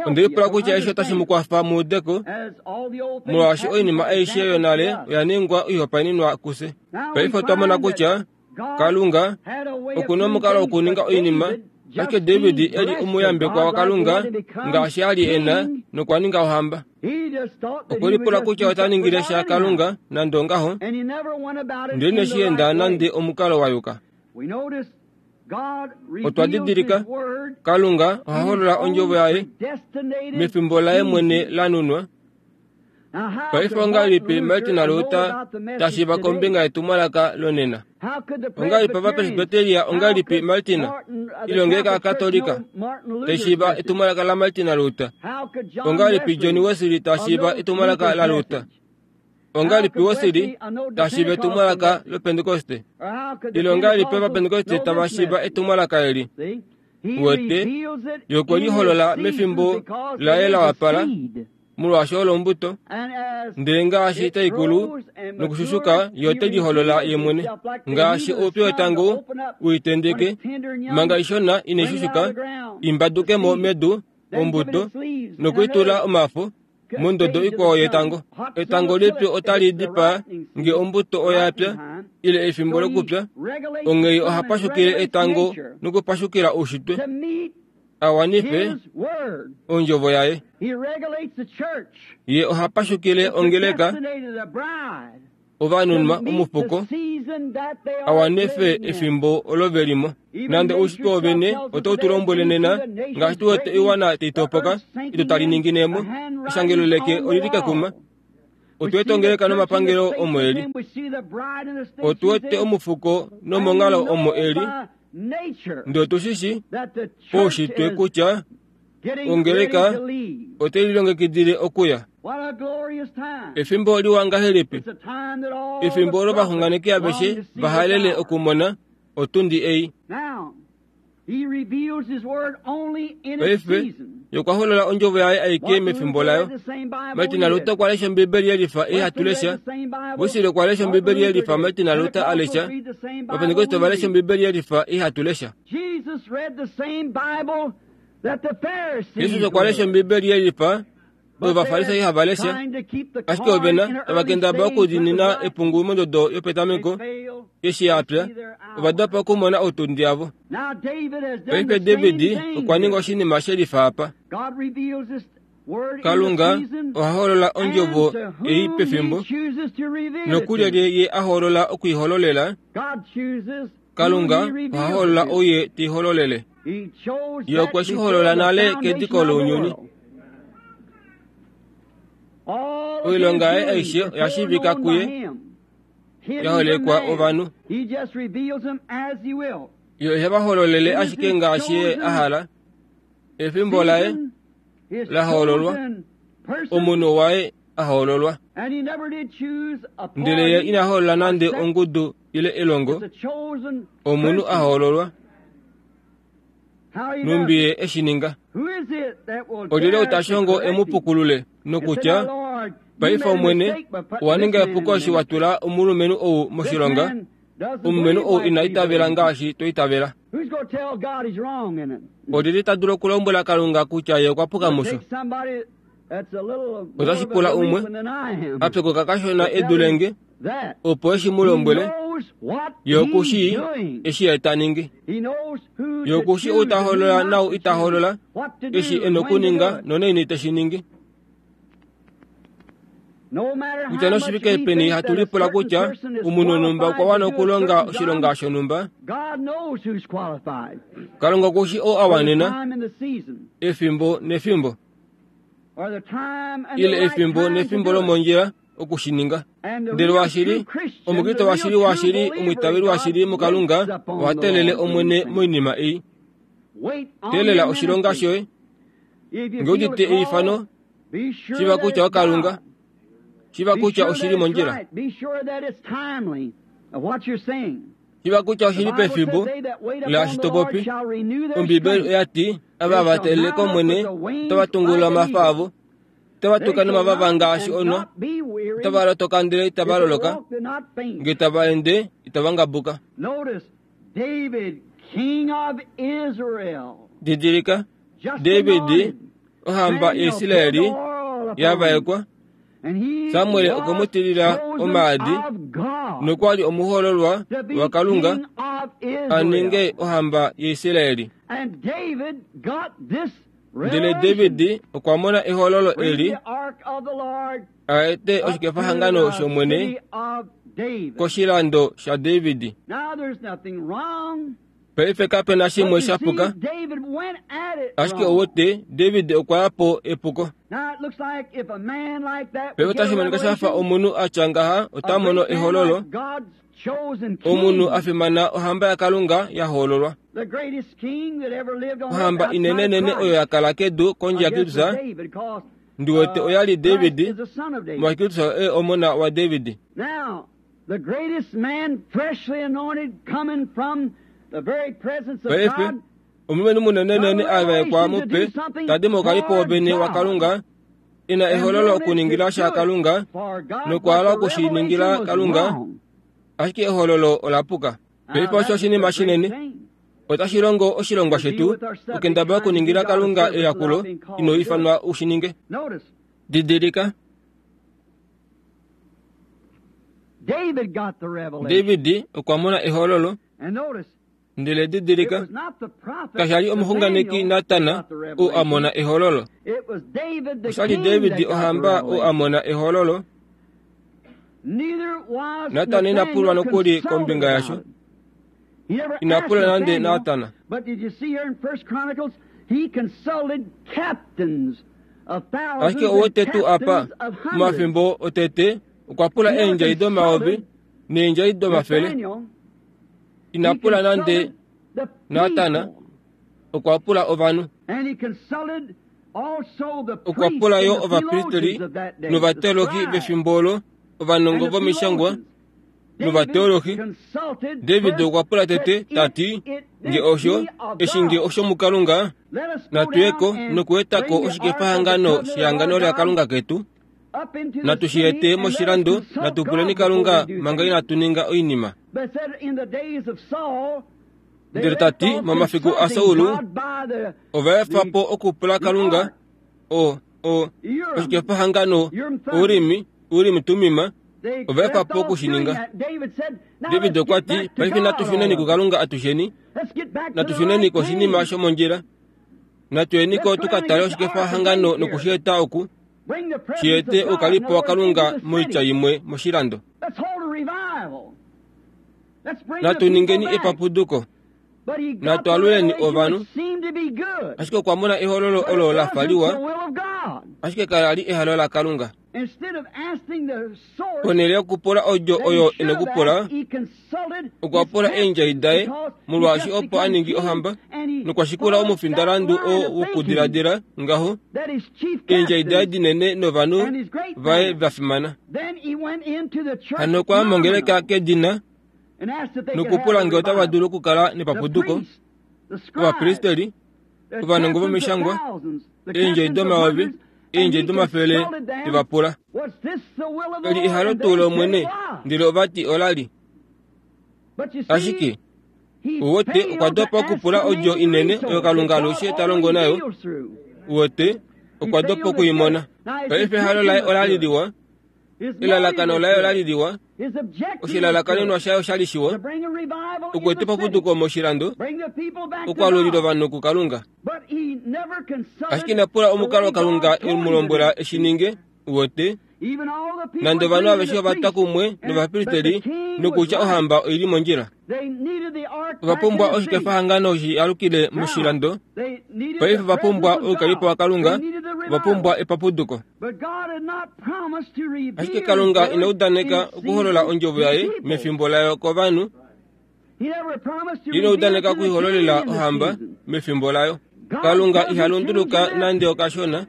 Onde lipula kutya eshi otashi mu kwafa mu ude ko, molwaashi oinima aishe yonale oya ningwa oihopaenenwa kufye. Paife otwa mona kutya Kalunga oku na omukalo wokuninga oinima, ashike David e li omuyambekwa waKalunga ngaashi a li e na nokwa ninga ohamba. Okwe lipula kutya ota ningile sha Kalunga nande ongaho, ndele ineshi enda nande omukalo wa yuka. Otwa didilika, Kalunga oha holola ondjovo yaye mefimbo laye mwene la nunwa. Paife ongahelipi Martin Luther ta shiiva kombinga yetumwalaka lonena? Ongahelipi Ovapresbyteria, ongahelipi Martin, ile ongeleka yaKatolika, tai shiiva etumwalaka laMartin Luther? Ongahelipi John Wesley ta shiiva etumwalaka laLuther? Ongahelipi Wesley ta shiiva etumwalaka lOpentekoste? Ile ongahelipi Ovapentekoste tava shiiva etumwalaka eli? Wete, ye okwe liholola mefimbo laye la wapala, molwaashi olo ombuto. Ndele ngaashi tai kulu nokushushuka, ye ote liholola ye mwene. Ngaashi oupyu wetango u i tendeke, manga ishona inai shushuka, i mbaduke mo medu, ombuto, noku i tula omafo, mondodo ikwao yetango. Etango lipyu otali dipaa nge ombuto oya pya, ile efimbo lokupya, onghee oha pashukile etango nokupashukila oushitwe, a wanife ondjovo yaye. Ye oha pashukile ongeleka, ovanunwa omufuko, a wanife efimbo olo ve li mo. Nande oushitwe wovene otau tu lombwele nena, ngaashi tu wete oiwana tai topoka, edu tali ningine mo, eshangelo leke oli li kekuma. Otu wete ongeleka nomapangelo omo e li. Otu wete omufuko nomonghalo omo e li. Ndele otu shi shii poushitwe kutya ongeleka otai lilongekidile okuya. Efimbo liwa ngahelipi! Efimbo olo ovaxunganeki aveshe va halele okumona otundi ei. Paife, Ye okwa holola Ondjovo Yaye aike mefimbo layo. Martin Luther okwa lesha Ombibeli yelifa ei hatu lesha. Wesley okwa lesha Ombibeli yelifa Martin Luther a lesha. Ovapentekoste ova lesha Ombibeli yelifa ei hatu lesha. Jesus okwa lesha Ombibeli yelifa oyo Ovafarisai hava lesha, ashike ove na tava kendabala okudiinina epungu mondodo yopetameko eshi ya pya, ova dopa okumona otundi yavo. Paife David okwa ninga oshinima she lifa apa. Kalunga oha holola ondjovo ei pefimbo, nokulyelye ye a hoolola oku i hololela? Kalunga oha holola ou ye te i hololele. Ye okwe shi holola nale kediko lounyuni. Oilonga yaye aishe oya shiivika kuye, ya holekwa ovanhu. Ye ohe va hololele ashike ngaashi ye a hala. Efimbo laye la hoololwa, omunhu waye a hoololwa. Ndele ye ina hoolola nande ongudu ile elongo, omunhu a hoololwa. Nhumbi ye e shi ninga. Olyelye ou ta shongo e mu pukulule nokutya, Paife Omwene, owa ninga epuko eshi wa tula omulumenhu ou moshilonga, omulumenhu ou ina itavela ngaashi twa itavela. Olyelye ta dulu okulombwela Kalunga kutya ye okwa puka musho? Otashi pula umwe a pyokoka kashona e dule nge, opo e shi mu lombwele. Ye oku shii eshi ye ta ningi. Ye oku shii ou ta holola naau ita holola, eshi e nokuninga nonaini te shi ningi. Kutya noshivike peni hatu lipula kutya omunhu wonhumba okwa wana okulonga oshilonga shonhumba, Kalunga oku shii oo a wanena efimbo nefimbo, ile efimbo nefimbo lomondjila oku shi ninga. Ndele washili, Omukriste washili washili, omwiitaveli washili muKalunga oha teelele Omwene moinima ei. Teelela oshilonga shoye. Nge udite eifano, shiva kutya oKalunga, shiva kutya oshi li mondjila. Shiva kutya oshi li pefimbo laashi to popi. Ombiibeli oya ti, Ava va teelele kOmwene otava tungulula omafa avo, otava tuka nomavava ngaashi onhwa, otava lotoka ndele itava loloka, nge tava ende itava ngabuka. Didilika, David, ohamba yaIsrael ya vaekwa, Samuel okwe mu tilila omaadi nokwa li omuhoololwa waKalunga a ninge ohamba yaIsrael. Ndele David okwa mona ehololo eli a ete oshikefahangano shOmwene koshilando shaDavid. Paife kape na shimwe sha puka, ashike ouwete David okwa ya po epuko. Paife otashi monika sha fa omunhu a tya ngaha ota mono ehololo, omunhu a fimana ohamba yaKalunga ya hoololwa. Ohamba inenenene oyo ya kala kedu kondje yaKristus, ndi wete oya li David, molwaashi Kristus oye omona waDavid. Paife, omulumenhu munenenene a vaekwa mupe, ta di mokalipo wovene waKalunga, e na ehololo okuningila sha Kalunga, nokwa hala oku shi ningila Kalunga, ashike ehololo ola puka. Paife osho oshinima shinene. Otashi longo oshilongwa shetu okendabala okuningila Kalunga eyakulo ino ifanwa u shi ninge. Didilika. David okwa mona ehololo. Ndele didilika, kasha li omuxunganeki Natan oo a mona ehololo. Osha li David ohamba oo a mona ehololo. Natan ina pulwa nokuli kombinga yasho. Ina pula nande Natan. Ashike ouwete tuu apa, momafimbo otete, okwa pula eendjai domayovi neendjai domafele. Ina pula nande Natan, okwa pula ovanhu. Okwa pula yo ovapristeri novateologi vefimbo olo, ovanongo vomishangwa novateologi. David okwa pula tete ta ti, Nge osho, eshi nge osho muKalunga, natu ye ko nokueta ko oshikefahangano shehangano laKalunga ketu. Natu shi ete moshilando, natu puleni Kalunga manga inatu ninga oinima. Ndele ta ti, momafiku aSaul, ova efa po okupula Kalunga, o, o, oshikefahangano, Urimi, Urimi Tumima, ova efa po oku shi ninga. David okwa ti, Paife natu shuneni kuKalunga atusheni, natu shuneni koshinima shomondjila. Natu yeni ko tu ka tale oshikefahangano noku shi eta oku, shi ete oukalipo waKalunga moitya imwe moshilando. Natu ningeni epapuduko. Natu aluleni ovanhu. Ashike okwa mona ehololo olo la fa liwa, ashike kala li ehalo laKalunga. Ponhele yokupula odjo oyo e na okupula, okwa pula eendjai daye, molwaashi opo a ningi ohamba, nokwa shikula omufindalandu oo wokudiladila ngaho, eendjai daye dinene novanhu vaye va fimana. Hano okwa ya mongeleka kedina nokupula ngee otava dulu okukala nepapuduko, ovapristeli, ovanongo vomishangwa, eendjai domayovi, eendjai domafele te va pula. Eli ehalo tuu lOmwene? Ndele ova ti ola li. Ashike, uwete, okwa dopa okupula odjo inene oyo Kalunga alushe ta longo nayo. Uwete, okwa dopa oku i mona. Paife ehalo laye ola li liwa, Elalakano laye ola li liwa, oshilalakanenwa shaye osha li shiwa, okueta epapuduko moshilando, okwaalulila ovanhu kuKalunga. Ashike ina pula omukalo Kalunga e mu lombwela e shi ninge, uwete, nande ovanhu aveshe ova twa kumwe novapristeli nokutya ohamba oi li mondjila. Ova pumbwa oshikefahangano shi alukile moshilando. Paife ova pumbwa oukalipo waKalunga, ova pumbwa epapuduko. Ashike Kalunga ina udaneka okuholola ondjovo yaye mefimbo layo kovanhu. Ina udaneka okuihololela ohamba mefimbo layo. Kalunga iha lunduluka nande okashona.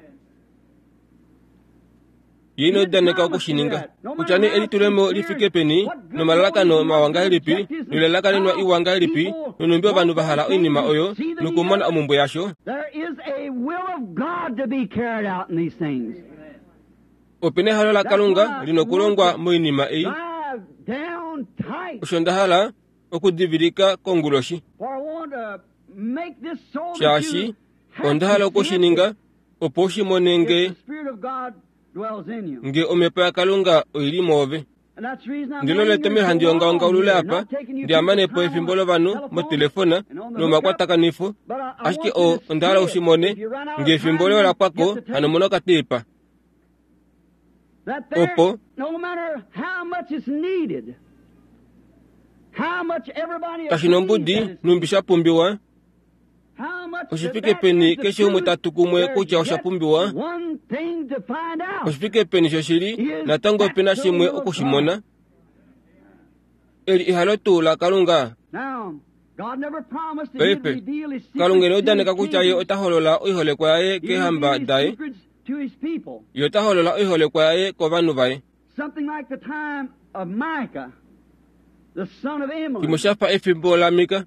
Ye ina udaneka oku shi ninga. Kutya nee elitulemo li fike peni, nomalalakano mawa ngahelipi, noilalakanenwa iwa ngahelipi, nonhumbi ovanhu va hala oinima oyo nokumona omumbwe yasho, ope na ehalo laKalunga li nokulongwa moinima ei. Osho nda hala okudivilika konguloshi. Shaashi onda hala oku shi ninga opo u shi mone nge nge omhepo yaKalunga oi li mwoove. Ndele olo etomhelo handi ongaonga olule apa, ndi amane po efimbo lovanhu motelefona nomakwatakanifo, ashike o, onda hala u shi mone, nge efimbo loye ola pwa ko, hano mona okateipa. Opo kashi nombudi nhumbi sha pumbiwa, Oshifike peni keshe umwe ta tu kumwe kutya osha pumbiwa? Oshifike peni shoshili natango ope na shimwe oku shi mona? Eli ehalo tuu laKalunga? Paife, Kalunga ina udaneka kutya Ye ota holola oiholekwa yaye keehamba daye. Ye ota holola oiholekwa yaye kovanhu vaye. Shimwe sha fa efimbo laMika,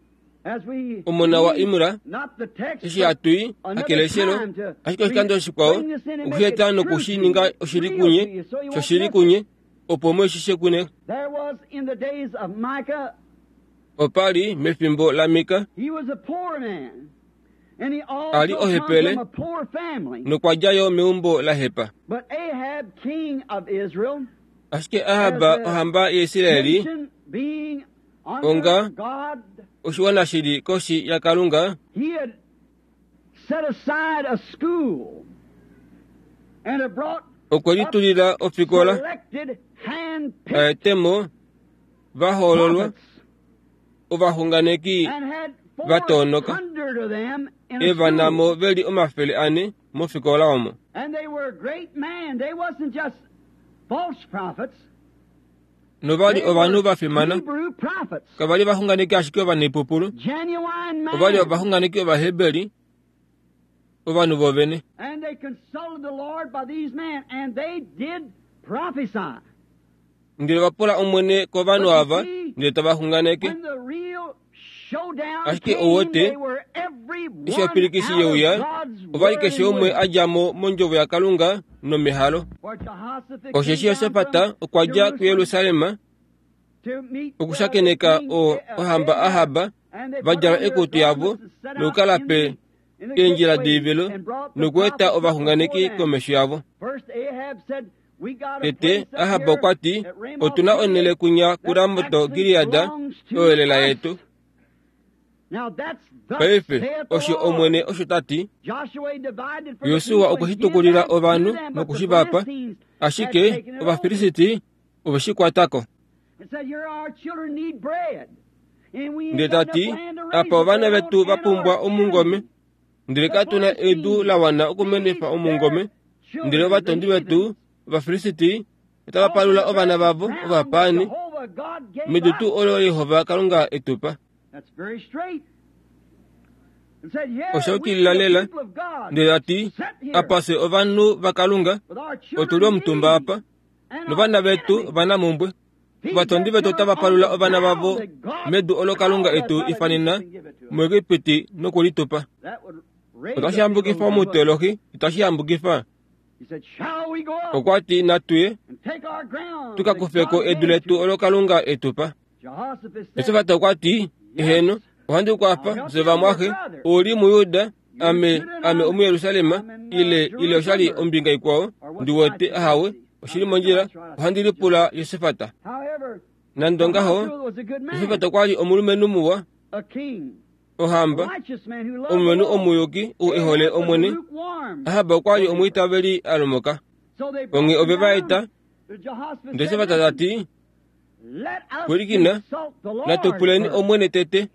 omona waImra, eshi hatu i hakeleshelo, ashike oshikando shikwao oku shi eta noku shi ninga oshili kunye, shoshili kunye, opo mu shi shekune. Opa li mefimbo laMika, a li ohepele nokwa dja yo meumbo la hepa. Ashike Ahab, ohamba yaIsrael, onga oshiwana shi li koshi yaKalunga, okwe litulila ofikola a ete mo va hoololwa ovaxunganeki va toonoka e va na mo ve li 400 mofikola omo. Nova li ovanhu va fimana. Kava li vaxunganeki ashike ovanaipupulu, ova li ovaxunganeki Ovaheberi, ovanhu vovene. Ndele va pula Omwene kovanhu ava, ndele tava xunganeke. Ashike ou wete, eshi opilikisi ye uya, ova li keshe umwe a dja mo mondjovo yaKalunga nomehalo. Osheshi Josafat okwa dja kuJerusalem okushakeneka o, ohamba Ahab, va djala ekutu yavo nokukala pe eendjila doivelo nokueta ovaxunganeki komesho yavo. Tete, Ahab okwa ti, Otu na onhele kunya kuRamot-Gilead, oyo lela yetu. Paife, osho Omwene osho ta ti. Josua okwe shi tukulila ovanhu noku shi va pa, ashike Ovafilisti ove shi kwata ko. Ndele ta ti, Apa ovana vetu va pumbwa omungome. Ndele katu na edu la wana okumenifa omungome, ndele ovatondi vetu, Ovafilisti, otava palula ovana vavo ovapaani medu tuu olo Jehova Kalunga e tu pa. Osha yukilila lela. Ndele a ti, Apa fye ovanhu vaKalunga, otu li omutumba apa, novana vetu ovanamumbwe. Ovatondi vetu otava palula ovana vavo medu olo Kalunga e tu ifanena muEgipiti noku li tu pa. Otashi hambukifa omuteolohi, itashi hambukifa? Okwa ti, Natu ye, tu ka kufe ko edu letu olo Kalunga e tu pa. Josafat okwa ti, Eheno, ohandi ku kwafa, fye vamwaxe. Ou li muJuda, ame, ame omuJerusalem, ile, ile osha li ombinga ikwao, ndi wete, ahawe, oshi li mondjila, ohandi lipula Josafat. Nande ongaho, Josafat okwa li omulumenhu muwa, ohamba, omulumenhu omuyuki ou e hole Omwene. Ahab okwa li omwiitaveli a lomoka. Onghee ove va eta, ndele Josafat ta ti, Pwilikina, natu puleni Omwene tete.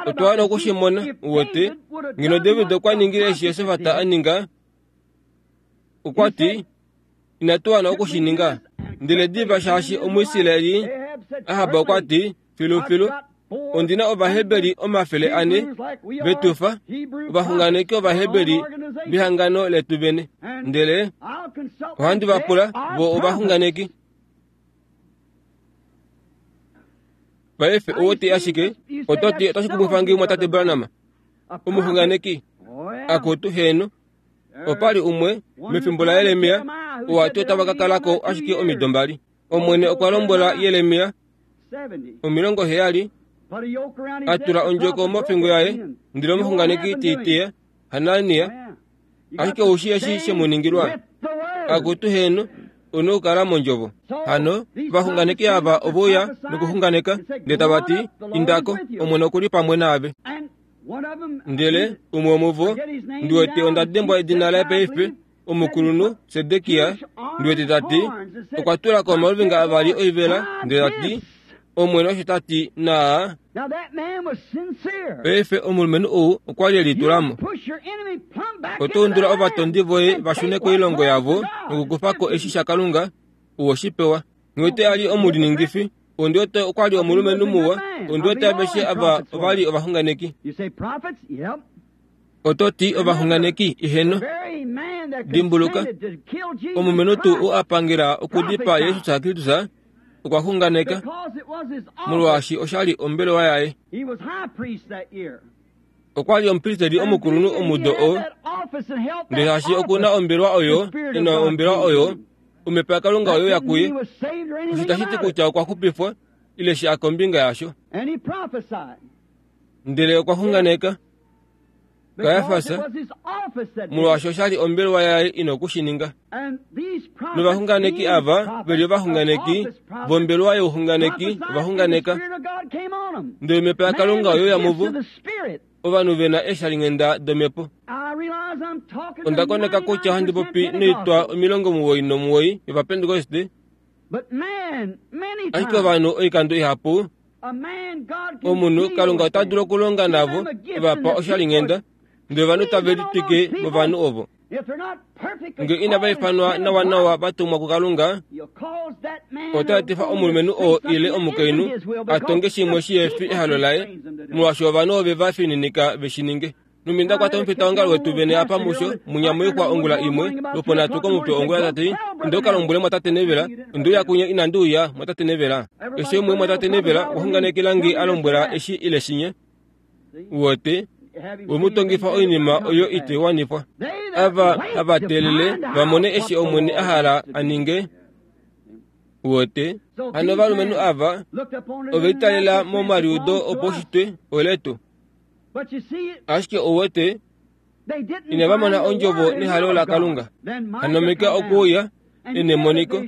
Otwa wana oku shi mona, uwete, ngeno David okwa ningile eshi Josafat a ninga. Okwa ti, Inatu wana oku shi ninga. Ndele diva shaashi Omuisraeli, Ahab okwa ti, Filufilu, ondi na Ovaheberi 400 ve tu fa, ovaxunganeki Ovaheberi vehangano letu vene. Ndele. Ohandi va pula vo ovaxunganeki. Paife ou ti ashike, oto ti otashi kumwifa nge mwatate Branham, omuxunganeki? Akutu, heeno. Opa li umwe mefimbo laJeremia oo a ti otava ka kala ko ashike omido mbali. Omwene okwa lombwela Jeremia 70 a tula ondjoko mofingo yaye ndele omuxunganeki te i teya, Hanania. Ashike ou shii eshi she mu ningilwa? Akutu, heeno, u na okukala mondjovo. Hano, ovaxunganeki ava ove uya nokuxunganeka, ndele tava ti, Inda ko, Omwene oku li pamwe naave. Ndele umwe womuvo, ndi wete onda dembwa edina laye paife, omukulunhu Sedekia, ndi wete ta ti, okwa tula ko omaluvinga avali oivela, ndele ta ti, Omwene osho ta ti, naa. Paife omulumenhu ou okwa li e litula mo. Oto undula ovatondi voye va shune koilongo yavo nokukufa ko eshi shaKalunga, u shi pewa. Nghi a li omuliningifi, ondi wete okwa li omulumenhu muwa, ondi wete aveshe ava ova li ovaxunganeki. Oto ti ovaxunganeki, eheno. Dimbuluka, omulumenhu tuu ou a pangela okudipaa Jesus Kristus okwa xunganeka, molwaashi osha li ombelewa yaye. Okwa li omupristeli omukulunhu omudo oo, ndele shaashi oku na ombelewa oyo, e na ombelewa oyo, omhepo yaKalunga oyo ya kuye. Osho itashi ti kutya okwa xupifwa ile sha kombinga yasho. Ndele okwa xunganeka Kajafas, molwaashi osha li ombelewa yaye i na oku shi ninga. Novaxunganeki ava ve li ovaxunganeki vombelewa youxunganeki ova xunganeka, ndele omhepo yaKalunga oye uya muvo, ovanhu ve na eeshalinghenda domhepo. Onda koneka kutya ohandi popi noitwa 99 yOvapentekoste, ashike ovanhu oikando ihapu Omunhu Kalunga ota dulu okulonga navo e va pa oshalinghenda, ndele ovanhu tave litwike movanhu ovo. Nge inava ifanwa nawanawa va tumwa kuKalunga, ota etifa omulumenhu oo ile omukainhu a tonge shimwe shi he fi ehalo laye, molwaashi ovanhu ove va fininika ve shi ninge. Numbi nda kwata omufitaongalo wetu vene apa musho, munya moixwa ongula imwe, lwoponhatu komutwe ongula ta ti, Inda u ka lombwele mwatate Neville, onde uya kunye inandi uya, mwatate Neville. Keshe umwe mwatate Neville okwa xunganekela nge a lombwela eshi ile shinye. Uwete, we mu tongifa oinima oyo ite wanifwa. Ava hava teelele va mone eshi Omwene a hala a ninge. Uwete, hano ovalumenhu ava ove litalela momaliudo opaushitwe oletu. Ashike ou wete, inava mona ondjovo nehalo laKalunga. Hano Mika okwe uya e nemoniko.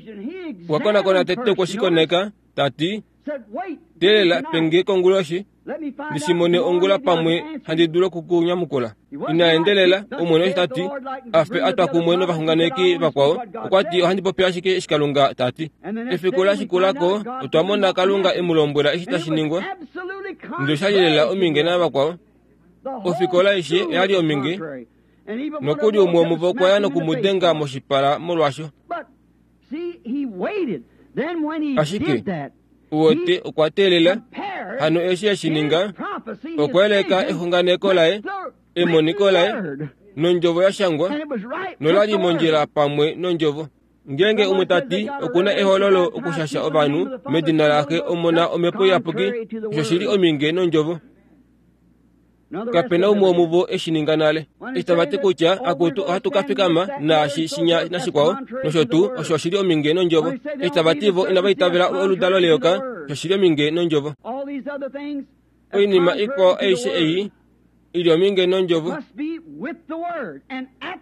Okwa konakona tete okwe shi koneka, ta ti, Teelela, pe nge konguloshi, ndi shi mone ongula pamwe handi dulu oku ku nyamukula. Ina endelela, Omwene osho ta ti, a fe a twa kumwe novaxunganeki vakwao. Okwa ti, Ohandi popi ashike eshi Kalunga ta ti. Efiku la shikula ko, otwa mona Kalunga e mu lombwela eshi tashi ningwa. Ndele osha li lela ominge navakwao. Ofikola aishe oya li ominge, nokuli umwe womuvo okwa ya noku mu denga moshipala molwasho. Ashike, uwete, okwa teelela. Hano eshi e shi ninga, okwa yeleka exunganeko laye, emoniko laye, nondjovo ya shangwa, nola li mondjila pamwe nondjovo. Ngeenge umwe ta ti oku na ehololo okushasha ovanhu medina laXe, Omona, Omhepo Iyapuki, osho shi li ominge nondjovo. Kape na umwe womuvo e shi ninga nale. Eshi tava ti kutya, Akutu, ohatu ka fikama naashi shinya nashikwao, nosho tuu, osho oshi li ominge nondjovo. Eshi tava ti vo inava itavela oludalo leyoka, osho oshi li ominge nondjovo. Oinima ikwao aishe ei i li ominge nondjovo.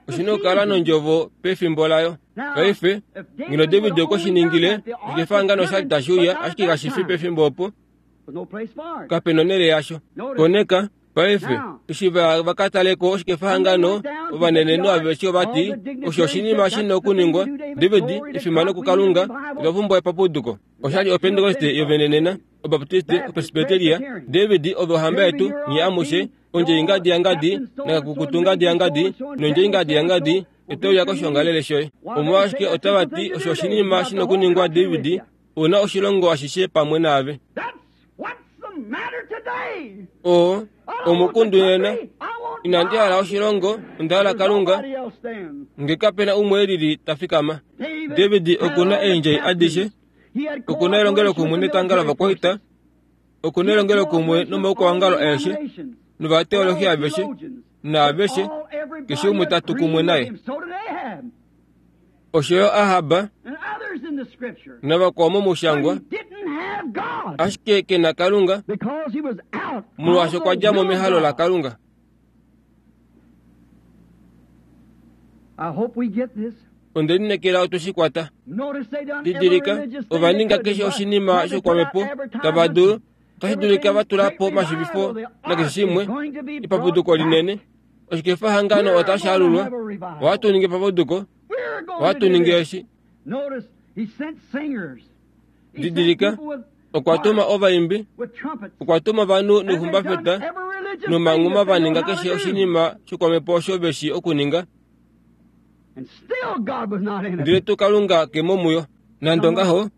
Oshi na okukala nondjovo pefimbo layo. Paife, ngeno David okwe shi ningile, oshikefahangano osha li tashi uya, ashike kashi fi pefimbo opo. Kape na onhele yasho. Koneka, paife, eshi va, va ka tale ko oshikefahangano, ovanenenhu aveshe ova ti, Osho oshinima shi na okuningwa. David, efimano kuKalunga, otwa pumbwa epapuduko. Osha li Opentekoste yovenenena, Obaptiste, Opresbiteria. David, ove ohamba yetu, nye amushe, ondje ingadi yangadi, nakakukutu ngadi yangadi, nondje ingadi yangadi, ote uya koshoongalele shoye. Omolwashike otava ti osho oshinima shi na okuningwa, David? U na oshilongo ashishe pamwe naave. Oo omukundu nena. Inandi hala oshilongo, onda hala Kalunga. Nge kape na umwe elili ta fikama. David oku na eendjai adishe, oku na elongelokumwe netanga lovakwaita, oku na elongelokumwe nomaukwawangalo aeshe, novateolohi aveshe, naaveshe, keshe umwe ta tu kumwe naye. Osho yo Ahab navakwao momushangwa, ashike ke na Kalunga, molwaashi okwa dja mo mehalo laKalunga. Onde lineekela otwe shi kwata. Didilika, ova ninga keshe oshinima shoukwamhepo tava dulu, otashi dulika va tula po omashivifo nakeshe shimwe, epapuduko linene. Oshikefahangano otashi alulwa. Ohatu ningi epapuduko. Ohatu ningi eshi. Didilika, okwa tuma ovaimbi, okwa tuma ovanhu noixumbafeta nomanghuma va ninga keshe oshinima shokwamhepo osho ve shii okuninga. Ndele tuu Kalunga ke mo muyo. Nande ongaho,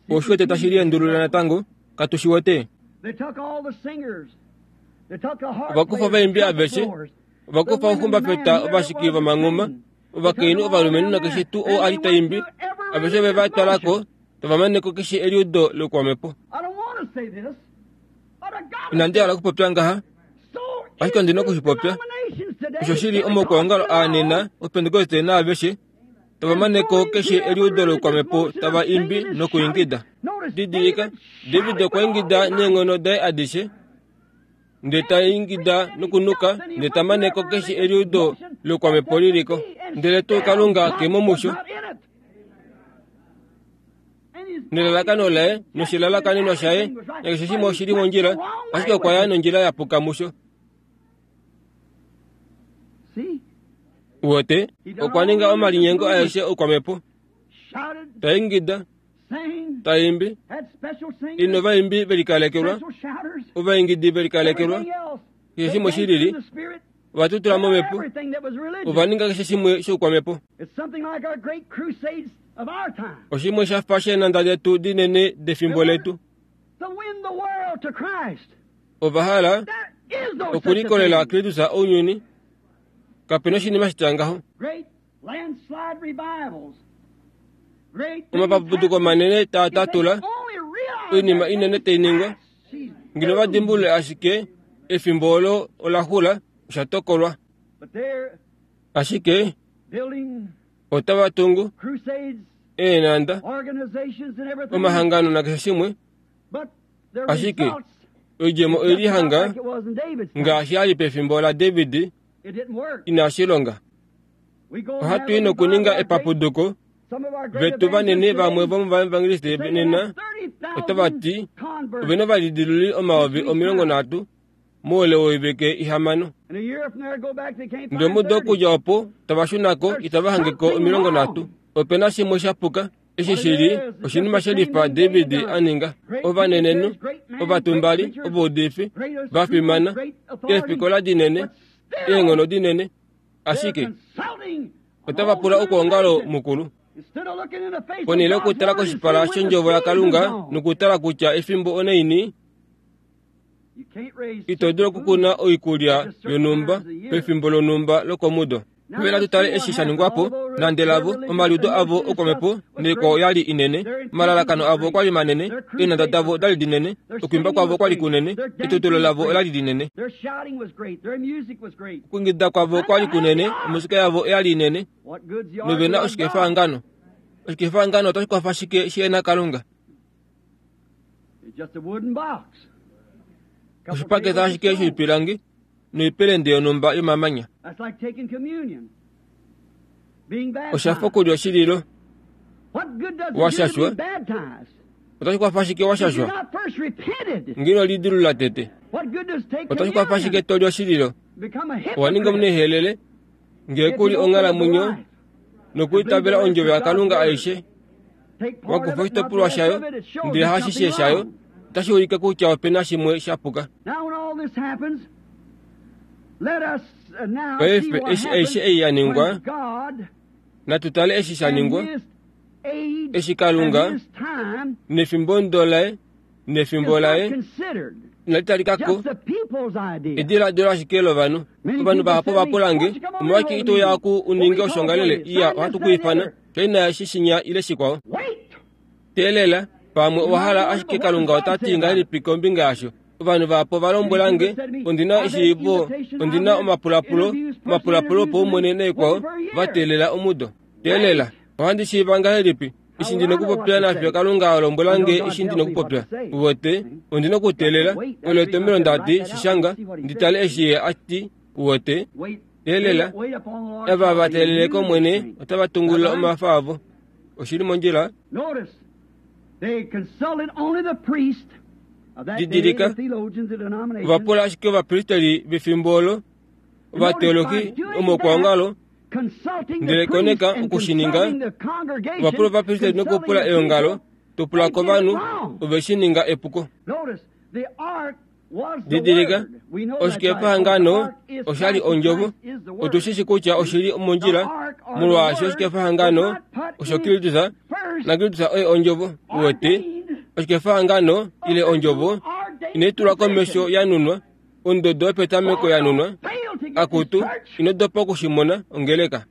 Ou wete tashi liendulula natango, katu shi wete? Ova kufa ovaimbi aveshe, ova kufa ouxumbafeta ovashiki vomanghuma, ovakainhu ovalumenhu nakeshe tuu ou a li ta imbi, aveshe ove va twala ko, tava mane ko keshe eliudo loukwamhepo. Inandi hala okupopya ngaha, ashike ondi na oku shi popya. Osho shi li omaukwaongalo aa nena, Opentekoste naaveshe, tava mane ko keshe eliudo loukwamhepo tava imbi nokuingida. Didilika, David okwa ingida neenghono daye adishe, ndele ta ingida nokunuka, ndele ta mane ko keshe eliudo loukwamhepo li li ko. Ndele tuu Kalunga ke mo musho. Nelalakano laye noshilalakanenwa shaye nakeshe shimwe oshi li mondjila, ashike okwa ya nondjila ya puka musho. Uwete, okwa ninga omalinyengo aeshe oukwamhepo, ta ingida, ta imbi, inovaimbi ve likalekelwa, ovaingidi ve likalekelwa, keshe shimwe shi lili, ova tutula momhepo, ova ninga keshe shimwe shoukwamhepo. Oshimwe sha fa sheenanda detu dinene defimbo letu. Ova hala okulikolela Kristus ounyuni. Kape na oshinima shitya ngaho. Omapapuduko manene taa tatula, oinima inene tai ningwa. Ngeno va dimbulule ashike efimbo olo ola xula, osha tokolwa. Ashike otava tungu eenhanda, omahangano nakeshe shimwe. Ashike oidjemo oye lihanga ngaashi ya li pefimbo laDavid, inashi longa. Ohatu i nokuninga epapuduko. Vetu vanene vamwe vomovaevangeliste nena otava ti ove na ovalidiluli 30,000 moule woivike ihamano. Ndele omudo okudja opo tava shuna ko itava hange ko 30. Ope na shimwe sha puka. Eshi shi li oshinima she lifa David a ninga. Ovanenenhu, ovatumbali, ovaudifi va fimana, eefikola dinene, eenghono dinene, ashike otava pula okwoongalo mukulu. Ponhele yokutala koshipala shOndjovo yaKalunga nokutala kutya efimbo onaini, Ito dulu okukuna oikulya yonhumba pefimbo lonhumba lokomudo. Paife natu tale eshi sha ningwa po. Nande lavo, omaliudo avo okwamhepo noikwao oya li inene, omalalakano avo okwa li manene, eenhanda davo oda li dinene, okwiimba kwavo okwa li kunene, etutulo lavo ola li linene, okuingida kwavo okwa li kunene, omusika yavo oya li inene, nove na oshikefahangano. Oshikefahangano otashi kwafa shike shi na Kalunga? Oshipakete ashike shoipilangi noipelende yonhumba yomamanya. Osha fa okulya oshililo wa shashwa. Otashi kwafa ashike wa shashwa ngee ino lidilulula tete. Otashi kwafa ashike to li oshililo owa ninga omunehelele ngee ku li onghalamwenyo nokwiitavela ondjovo yaKalunga aishe. Wa kufa oshitopolwa shayo ndele hashishe shayo, otashi ulike kutya ope na shimwe sha puka. Paife eshi aishe ei ya ningwa, natu tale eshi sha ningwa, eshi Kalunga nefimbo laye nefimbo laye. Inali talika ko ediladilo ashike lovanhu. Ovanhu vahapu ova pula nge, Omolwashike ito uya oku u ninge oshoongalele? Iya, ohatu ku ifana. Shaina eshi shinya ile shikwao. Teelela, pamwe owa hala ashike Kalunga ota ti ngahelipi kombinga yasho. Ovanhu vahapu ova lombwela nge, Ondi na eshiivo, ondi na omapulapulo, omapulapulo opaumwene naikwao, va teelela omudo. Teelela, ohandi shiiva ngahelipi eshi ndi nokupopya nafyo Kalunga a lombwela nge eshi ndi nokupopya? Uwete, ondi nokuteelela. Olo etomhelo nda ti, Shi shanga, ndi tale eshi Ye a ti. Uwete? Teelela. Ava va teelele kOmwene otava tungulula omafa avo. Oshi li mondjila? Didilika, ova pula ashike ovapristeli vefimbo olo, ovateologi omaukwaongalo, ndele koneka oku shi ninga, ova pula ovapristeli nokupula eongalo, to pula kovanhu, ove shi ninga epuko. Didilika, oshikefahangano osha li ondjovo. Otu shi shi kutya oshi li mondjila, molwaashi oshikefahangano osho Kristus, naKristus oye ondjovo. Uwete, oshikefahangano ile ondjovo inai tulwa komesho ya nunwa, ondodo yopetameko ya nunwa. Akutu, ino dopa oku shi mona, ongeleka.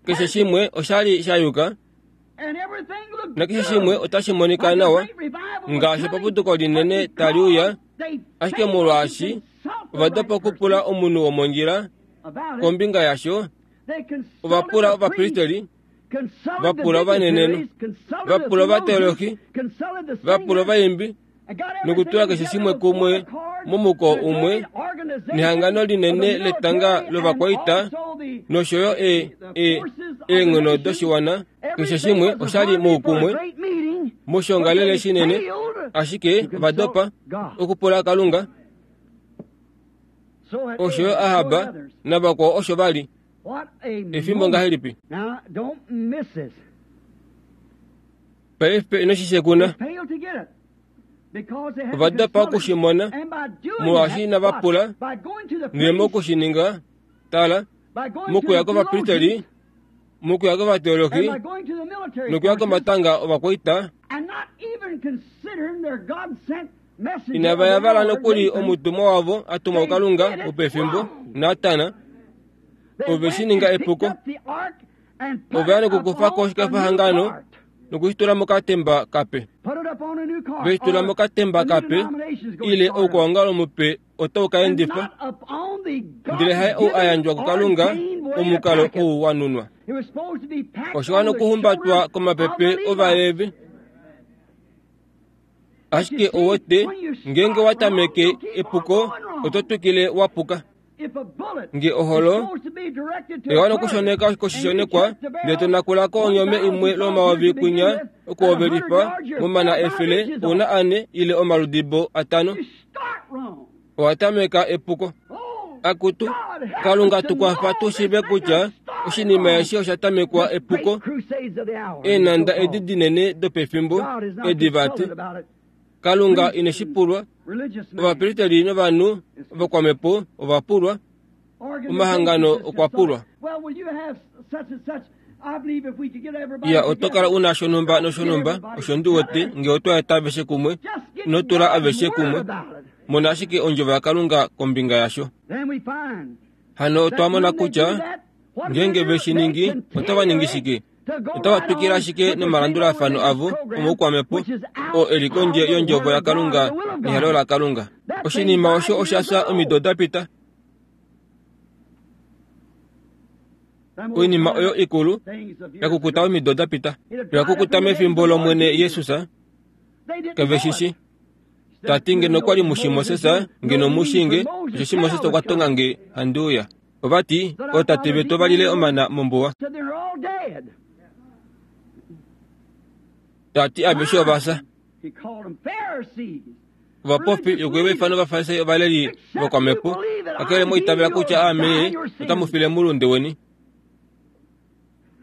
Keshe shimwe osha li sha yuka. Nakeshe shimwe otashi monika nawa ngaashi epapuduko linene tali uya, ashike molwaashi ova dopa okupula omunhu womondjila kombinga yasho, ova pula ovapristeli, va pula ovanenenhu, va pula ovateolohi, va pula ovaimbi, nokutula keshe shimwe kumwe momuko umwe nehangano linene letanga lovakwaita nosho yo e, e, eenghono doshiwana. Keshe shimwe osha li moukumwe moshiongalele shinene, ashike ova dopa okupula Kalunga. Osho yo Ahab navakwao osho va li. Efimbo ngahelipi? Paife ino shi shekuna. Ova dopa oku shi mona, molwaashi inava pula. Ndele moku shi ninga, tala, mokuya kovapristeli, mokuya kovateologi, nokuya komatanga ovakwaita, inava yavala nokuli omutumwa wavo a tumwa kuKalunga wopefimbo, Natan, ove shi ninga epuko. Ove ya nokukufa ko oshikefahangano noku shi tula mokatemba kape. Ve shi tula mokatemba kape, ile oukwaongalo mupe otau ka endifa, ndele haye ou a yandjwa kuKalunga omukalo ou wa nunwa. Osha wana okuhumbatwa komapepe Ovalevi. Ashike ou wete, ngeenge wa tameke epuko, oto twikile wa puka. Nge oholo oya wana okushoneka koshishonekwa, ndele to nakula ko onyome imwe lomayovi kwinya okuhovelifa momana efele ouna ane ile omaludibo atano, owa tameka epuko. Akutu, Kalunga tu kwafa tu shiive kutya oshinima eshi osha tamekwa epuko. Eenhanda edi dinene dopefimbo edi vati Kalunga ine shi pulwa. Ovapristeli novanhu vokwamhepo ova pulwa. Omahangano okwa pulwa. Ya, oto kala u na shonhumba noshonhumba, osho ndi wete, nge otwa eta aveshe kumwe, ino tula aveshe kumwe. Mona ashike ondjovo yaKalunga kombinga yasho. Hano otwa mona kutya ngeenge ve shi ningi, otava ningi shike? Otava twikile ashike nomalandulafano avo omoukwamhepo oo e li kondje yOndjovo yaKalunga nehalo laKalunga. Oshinima osho osha fya omido da pita. Oinima oyo ikulu ya kukuta omido da pita, oya kukuta mefimbo lOmwene Jesus. Kave shi shi. Ta ti ngeno okwa li mushi Moses, ngeno mu shi nge, osheshi Moses okwa tonga nge handi uya. Ova ti, Ootate vetu ova lile omana mombuwa. Ta ti aveshe ova fya. Ovapofi yokuye va ifana Ovafarisai ovaleli vokwamhepo, kakele mwa itavela kutya aame otamu file moulunde weni.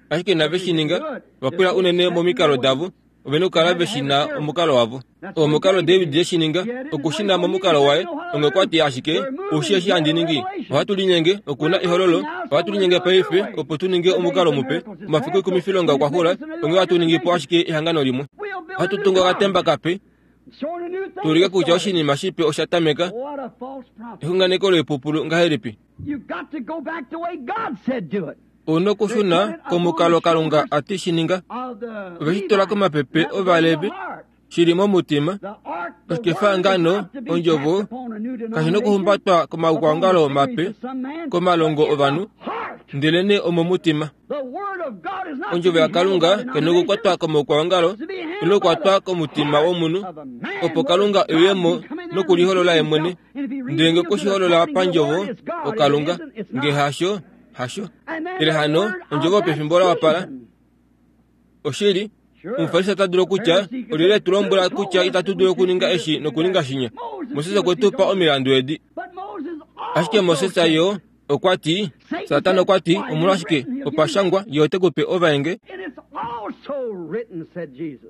Ashike inave shi ninga, va pwila unene momikalo davo, ove na okukala ve shi na omukalo wavo. Oo omukalo David e shi ninga, oku shi na momukalo waye, onghee okwa ti ashike, Ou shii eshi handi ningi? Ohatu linyenge, oku na ehololo, ohatu linyenge paife opo tu ninge omukalo mupe. Omafiku oikumifilonga okwa xula, onghee ohatu ningi po ashike ehangano limwe. Ohatu tungu okatemba kape. Tuulike kutya oshinima shipe osha tameka. Exunganeko loipupulu ngahelipi? Ou na okushuna komukalo Kalunga a ti shi ninga. Ove shi tula komapepe Ovalevi, shi li momutima. Oshikefahangano, ondjovo, kashi nokuhumbatwa komaukwaongalo mape, komalongo ovanhu, ndelenee omomutima. Ondjovo yaKalunga kai nokukwatwa komaukwaongalo, ile okukwatwa komutima womunhu, opo Kalunga e uye mo nokuliholola ye mwene. Ndele nge okwe shi holola pandjovo, oKalunga. Nge hasho, hasho. Ndele hano ondjovo yopefimbo la wapala. Oshili, Omufarisi ota dulu okutya, Olyelye e tu lombwela kutya itatu dulu okuninga eshi nokuninga shinya? Moses okwe tu pa omilandu edi. Ashike Moses yo okwa ti, Satana okwa ti, Omolwashike, opa shangwa, Ye ote ku pe ovaenge.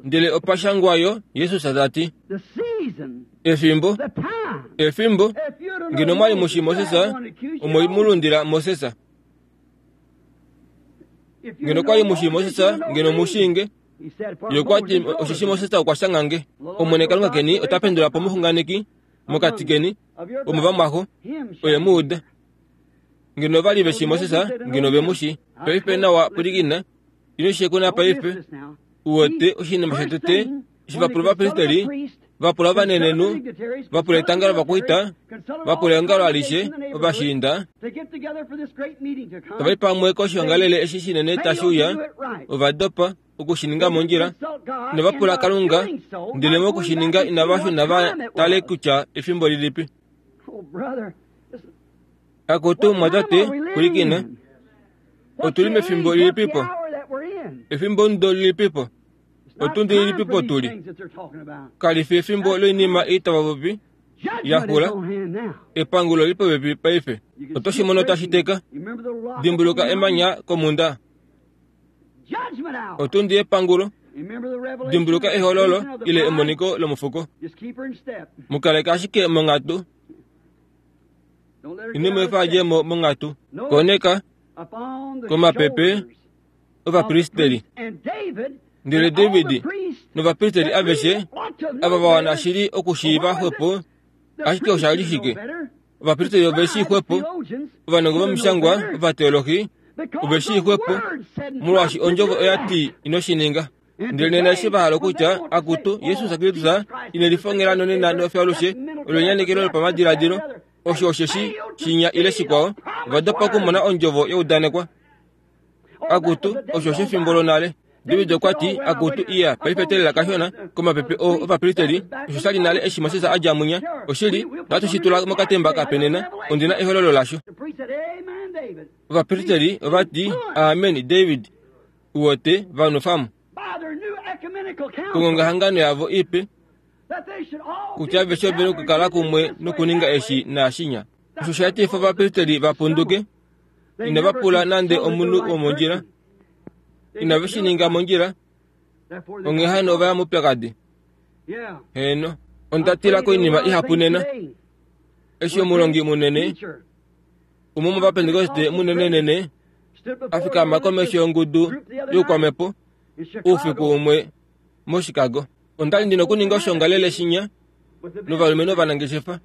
Ndele opa shangwa yo, Jesus ta ti. Efimbo, efimbo, ngeno mwa li mu shii Moses, omwe mu lundila Moses. Ngeno kwa li mu shii Moses, ngeno mu shii nge. Ye okwa ti, Osheshi Moses okwa shanga nge. Omwene Kalunga keni ota pendula po omuxunganeki mokati keni, womovamwaxo, oye mu uda. Ngeno ova li ve shii Moses, ngeno ve mu shii. Paife nawa pwilikina, ino shekuna paife. U wete oshinima shotete eshi va pula ovapristeli, va pula ovanenenhu, va pula etanga lovakwaita, va pula eongalo alishe, ovashiinda, tava i pamwe koshiongalele eshi shinene tashi uya, ova dopa oku shi ninga mondjila, inava pula Kalunga, ndele moku shi ninga inava shuna va tale kutya efimbo lilipi. Akutu mwatate, pwilikina. Otu li mefimbo lilipipo? Efimbomudo lilipipo? Otundi lilipipo tu li? Kali fi efimbo loinima ei tava popi ya xula. Epangulo li popepi paife. Oto shi mono tashi teka. Dimbuluka emanya komhunda. Otundi yepangulo. Dimbuluka ehololo ile emoniko lomufuko. Mu kaleka ashike monghatu. Ino mu efa a dje mo monghatu. Koneka komapepe ovapristeli. Ndele David novapristeli aveshe ava va wana shili okushiiva xwepo, ashike osha li shike? Ovapristeli ove shii xwepo, ovanongo vomishangwa, ovateolohi ove shii xwepo, molwaashi ondjovo oya ti ino shi ninga. Ndele nena eshi va hala okutya, Akutu, Jesus Kristus ine lifongela nonena nofyaalushe, olo enyanekelo lopamadiladilo, osho osheshi shinya ile shikwao, ova dopa okumona ondjovo ya udanekwa. Akutu, osho oshefimbo lonale. David okwa ti, Akutu, iya, paife teelela kashona, komapepe o, ovapristeli, osho sha li nale eshi Moses a dja mwinya. Oshili, ohatu shi tula mokatemba kape nena. Ondi na ehololo lasho. Ovapristeli ova ti, Amen, David. Uwete, va nwefa mo. Kongongahangano yavo ipe, kutya aveshe ove nokukala kumwe nokuninga eshi naashinya. Osho sha etifa ovapristeli va punduke. Inava pula nande omunhu womondjila. Inave shi ninga mondjila. Onghee hano ova ya moupyakadi. Heeno. Onda tila koinima ihapu nena. Eshi omulongi munene, umwe womovapentekoste munenenene, a fikama komesho yongudu youkwamhepo oufiku umwe moChicago. Onda li ndi na okuninga oshoongalele shinya novalumenhu ovanangeshefa.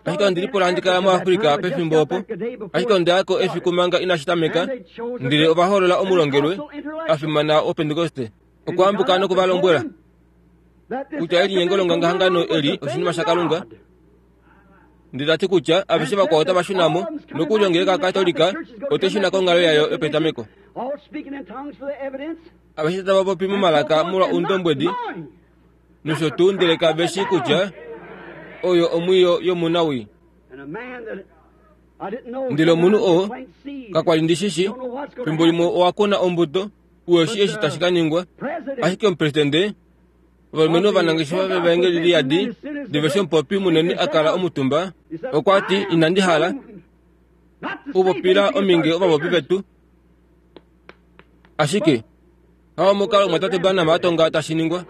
Ashike ondi lipula handi kala muAfrica pefimbo opo. Ashike onda ya ko efiku manga inashi tameka, ndele ova hoolola omulongelwe a fimana wOpentekoste. Okwa ambuka noku va lombwela kutya elinyengo longangahangano eli oshinima shaKalunga. Ndele ta ti kutya aveshe vakwao otava shuna mo, nokuli ongeleka yaKatolika otai shuna konghalo yayo yopetameko. Aveshe tava popi momalaka molwa oundombwedi nosho tuu ndele kave shii kutya oyo omwiyo yomunawii. Ndele omunhu oo, kakwa li ndi shi shi, fimbo limwe owa kuna ombuto, uhe shii eshi tashi ka ningwa. Ashike omupresidende, ovalumenhu ovanangeshefa vevaengeli li yadi, ndele eshi omupopi munene a kala omutumba, okwa ti, Inandi hala okupopila ominge ovapopi vetu, Ashike hao omukalo omumwatate Branham a tonga tashi ningwa.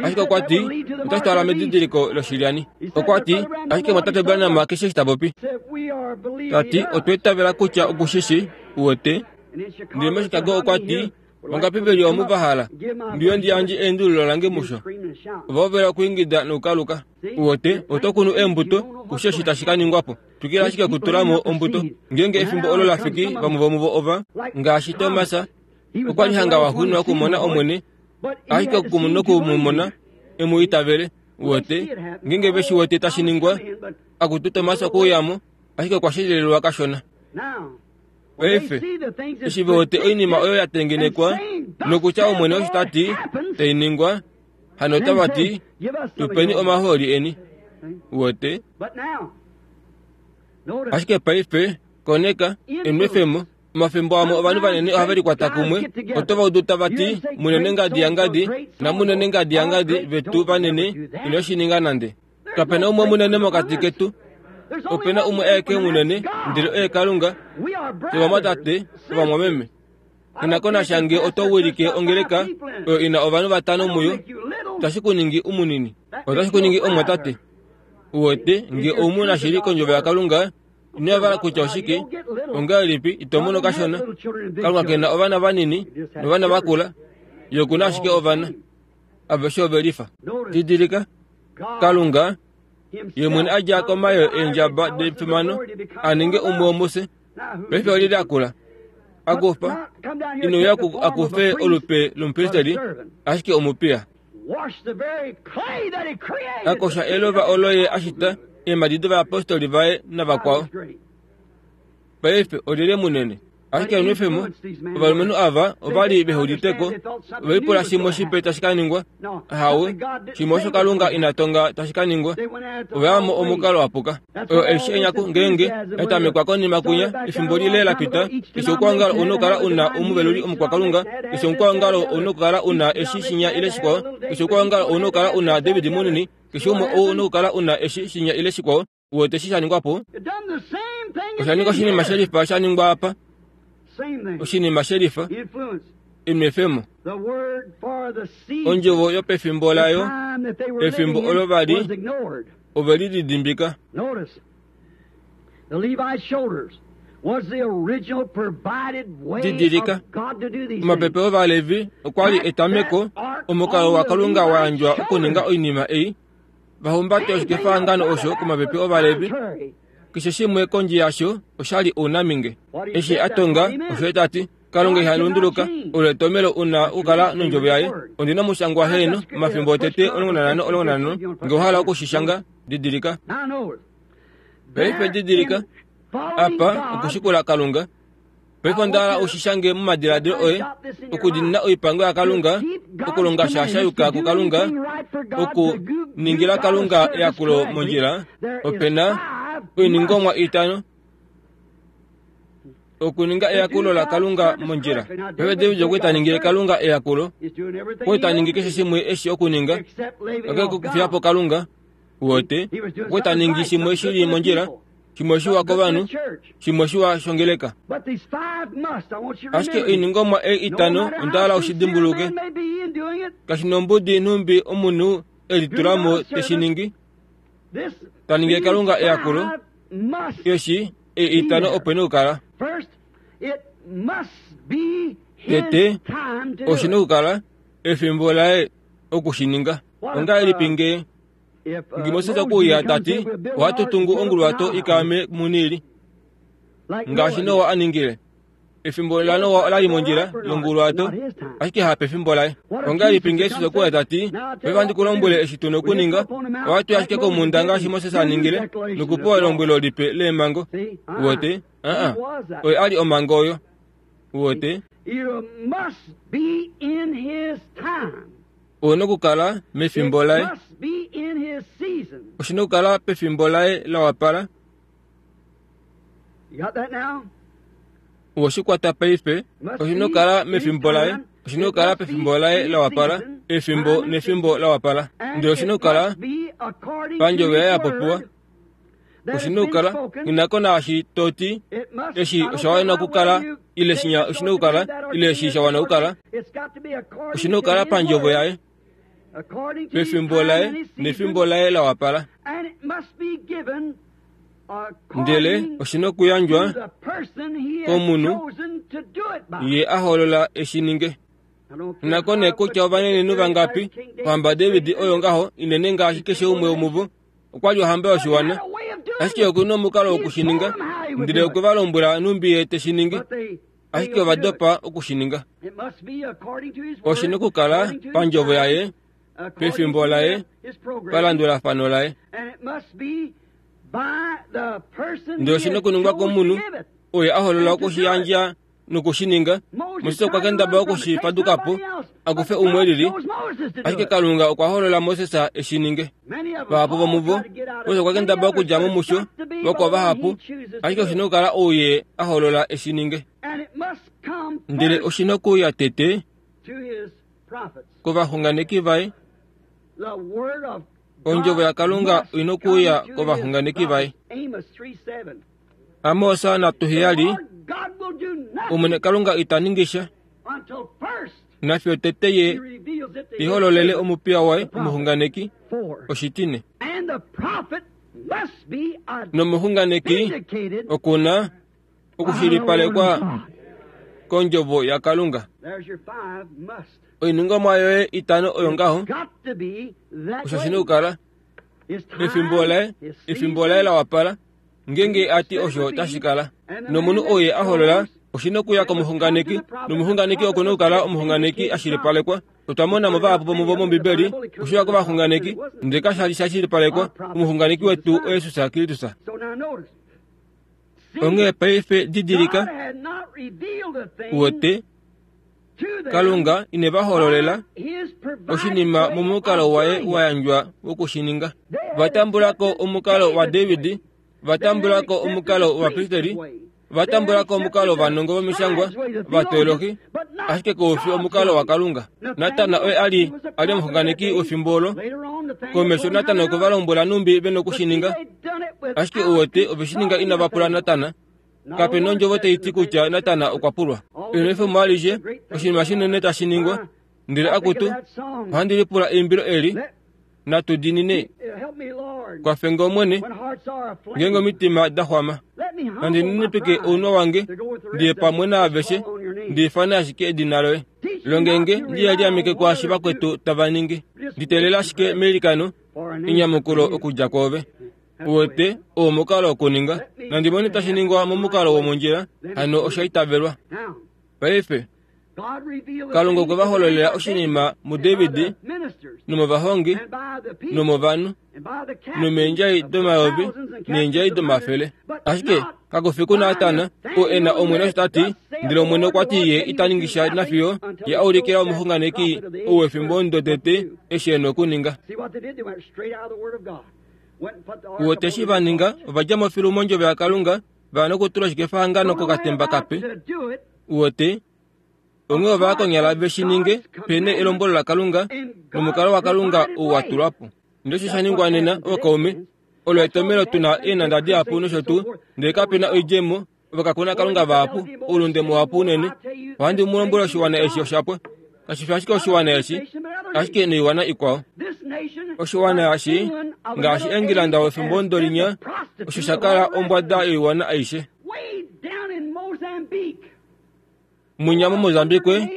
Ashike okwa ti, otashi twala medidiliko loshilyani. Okwa ti, ashike omumwatate Branham keshe eshi ta popi. Ta ti, otwa itavela kutya oku shi shi, uwete. Ndele moChicago okwa ti, Vangapi ve li omu va hala ndiyo ndi yandje eendululo lange musho? Ova hovela okuingida nokukaluka. Uwete, oto kunu eembuto, kushi eshi tashi ka ningwa po. Twikila ashike okutula mo ombuto. Ngeenge efimbo olo la fiki, vamwe vomuvo ova, ngaashi Tomas, okwa li hanga wa xuuninwa okumona Omwene, ashike noku mu mona, e mu itavele. Uwete, ngeenge ve shi wete tashi ningwa, akutu Tomas okwe uya mo, ashike okwa shilililwa kashona. Paife, eshi ve wete oinima oyo ya tengenekwa, nokutya Omwene osho ta ti, tai ningwa, hano otava ti, Tu peni omahooli eni. Uwete? Ashike paife, koneka, enwefemo. Omafimbo amwe ovanhu vanene ohave likwata kumwe, oto va udu tava ti, Munene ngadi yangadi, namunene ngadi yangadi vetu vanene, ino shi ninga nande. Kape na umwe munene mokati ketu. Ope na umwe aeke munene, ndele oye Kalunga. Fye ovamwatate, ovamwameme. Nghi ko nasha nge oto wilike ongeleka oyo i na ovanhu vatano muyo, otashi ku ningi u munini. Otashi ku ningi omumwatate. U wete, nge ou mu na shili kOndjovo yaKalunga, ino yavala kutya oshike, ongahelipi ito mono kashona. Kalunga ke na ovana vanini novana vakula, Ye oku na ashike ovana. Aveshe ove lifa. Didilika, Kalunga ye mwene a dja komayoo eendjaba defimano a ninge umwe womufye. Paife olyelye a kula? A kufa. Ine uya a kufe olupe lomupristeli, ashike omupiya. A kosha elova olo ye a shita eemhadi dovayapostoli vaye navakwao. Paife olyelye munene? Ashike enwefemo, ovalumenhu ava ova li vehe udite ko, ove lipula shimwe shipe tashi ka ningwa. Ahawe, shimwe osho Kalunga ina tonga tashi ka ningwa. Ova ya mo omukalo wa puka. Oyo eshi enyaku ngeenge ya tamekwa konima kwinya efimbo lile la pita, keshe oukwaongalo ou na okukala u na omuveluli omukwakalunga, keshe omukwaongalo ou na okukala u na eshi shinya ile shikwao, keshe oukwaongalo ou na okukala u na David munini, keshe umwe ou na okukala u na eshi shinya ile shikwao. Uwete eshi sha ningwa po? Osha ninga oshinima shelifa sha ningwa apa. Oshinima shelifa. Enwefemo. Ondjovo yopefimbo layo, efimbo olo va li, ove li lidimbika. Didilika, omapepe Ovalevi okwa li etameko, omukalo waKalunga wa yandjwa okuninga oinima ei. Va humbate oshikefahangano osho komapepe Ovalevi. Keshe shimwe kondje yasho osha li ounaminge. Eshi a tonga osho ye ta ti, Kalunga iha lunduluka, olo etomelo u na okukala nondjovo yaye. Ondi na omushangwa heeno, omafimbo otete 15 15, nge owa hala oku shi shanga, didilika. Paife didilika, apa, okushikula Kalunga. Paife onda hala u shi shange momadiladilo oye, okudiinina oipango yaKalunga, okulonga sha sha yuka kuKalunga, okuningila Kalunga eyakulo mondjila. Ope na oiningomwa itano okuninga eyakulo laKalunga mondjila. Paife David okwe ta ningile Kalunga eyakulo, okwe ta ningi keshe shimwe eshi okuninga, kakele kokufiya po Kalunga. Uwete, okwe ta ningi shimwe shi li mondjila, shimwe shiwa kovanhu, shimwe shiwa shongeleka. Ashike oiningomwa ei itano onda hala u shi dimbuluke. Kashi nombudi nhumbi omunhu e litula mo te shi ningi, ta ningile Kalunga eyakulo, eshi ei itano ope nokukala. Tete, oshi nokukala efimbo laye oku shi ninga. Ongahelipi nge Nge Moses okwe uya ta ti, Ohatu tungu onguluwato i kaame muNiili, ngaashi Noa a ningile. Efimbo laNoa ola li mondjila yonguluwato, ashike hapefimbo laye. Ongahelipi nge Jesus okwe uya ta ti, Paife ohandi ku lombwele eshi tu na okuninga, ohatu i ashike komhunda ngaashi Moses a ningile, nokupewa elombwelo lipe leemhango. Uwete? Aa, oye a li omhango oyo. Uwete? Ou na okukala mefimbo laye. Oshi na okukala pefimbo laye la wapala. Owe shi kwata paife. Oshi na okukala mefimbo laye. Oshi na okukala pefimbo laye la wapala. Efimbo nefimbo la wapala. Ndele oshi na okukala pandjovo yaye ya popiwa. Oshi na okukala nghi ko naashi to ti eshi osha wana okukala ile shinya oshi na okukala ile eshi sha wana okukala. Oshi na okukala pandjovo yaye, pefimbo laye nefimbo laye la wapala. Ndele oshi na okuyandjwa komunhu ye a hoolola e shi ninge. Nako nee kutya ovanenenhu vangapi, ohamba David oyo ngaho inene ngaashi keshe umwe womuvo, okwa li ohamba yoshiwana. Ashike oku na omukalo woku shi ninga, ndele okwe va lombwela nhumbi ye te shi ningi, ashike ova dopa oku shi ninga. Oshi na okukala pandjovo yaye, pefimbo laye, palandulafano laye. Ndele oshi na okuningwa komunhu oye a holola oku shi yandja noku shi ninga. Moses okwa kendabala oku shi faduka po, a kufe umwe lili, ashike Kalunga okwa holola Moses e shi ninge. Vahapu vomuvo, Moses okwa kendabala okudja mo musho, vakwao vahapu, ashike oshi na okukala ou ye a holola e shi ninge. Ndele oshi na okuuya tete kovaxunganeki vaye. Ondjovo yaKalunga oi na okuuya kovaxunganeki vaye. Amos natuheyali, Omwene Kalunga ita ningi sha nafiyo tete ye ihololele omupiya waye omuxunganeki oshitine. Nomuxunganeki oku na okushilipalekwa kondjovo yaKalunga. Oiningomwa yoye itano oyo ngaho, osho shi na okukala efimbo laye, efimbo laye la wapala. Ngeenge a ti osho otashi kala. Nomunhu ou ye a holola, oshi na okuya komuxunganeki, nomuxunganeki oku na okukala omuxunganeki a shilipalekwa. Otwa mona mo vahapu vomuvo mOmbibeli, oshiwa kovaxunganeki, ndele kasha li sha shilipalekwa. Omuxunganeki wetu oJesus Kristus. Onghee paife didilika, uwete, Kalunga ine va hololela oshinima momukalo waye wa yandjwa woku shi ninga. Va tambula ko omukalo waDavid, va tambula ko omukalo wovapristeri, va tambula ko omukalo wovanongo vomishangwa, ovateolohi, ashike kau fi omukalo waKalunga. Natan oye a li a li omuxunganeki wefimbo olo. Komesho Natan okwe va lombwela nhumbi ve noku shi ninga, ashike uwete ove shi ninga inava pula Natan. Kape na ondjovo tai ti kutya Natan okwa pulwa. Enwefemo alishe, oshinima shinene tashi ningwa. Ndele akutu, ohandi lipula eimbilo eli, Natu diinine. Kwafe nge Omwene, ngeenge omitima da xwama. Nandi ninipike ounwa wange, ndi ye pamwe naaveshe, ndi ifane ashike edina loye. Longe nge ndi ye liameke kwaashi vakwetu tava ningi. Ndi teelela ashike meilikano enyamukulo okudja kwoove. Uwete, oo omukalo wokuninga. Nandi mone tashi ningwa momukalo womondjila, hano osha itavelwa. Paife, Kalunga okwe va hololela oshinima muDavid nomovahongi nomovanhu nomeendjai domayovi neendjai domafele. Ashike kaku fi kuNatan oo e na Omwene osho ta ti, ndele Omwene okwa ti ye ita ningi sha nafiyo ye a ulikila omuxunganeki ou wefimbo omudo tete eshi e na okuninga. Uwete eshi va ninga? Ova dja mo filu mondjovo yaKalunga, va ya nokutula oshikefahangano kokatemba kape. Uwete? Onghee ova ya konyala ve shi ninge pe ne elombwelo laKalunga nomukalo waKalunga ou wa tulwa po. Ndele osho sha ningwa nena, ookaume, olo etomhelo tu na eenhanda dihapu nosho tuu, ndele kape na oidjemo, ova kakuna Kalunga vahapu, oulunde muhapu unene. Ohandi mu lombwele oshiwana eshi osha pwa. Kashi fi ashike oshiwana eshi, ashike noiwana ikwao. Oshiwana eshi, ngaashi Engilanda wefimbo ndolinya, osho sha kala ombwada yoiwana aishe. Munya moMozambique,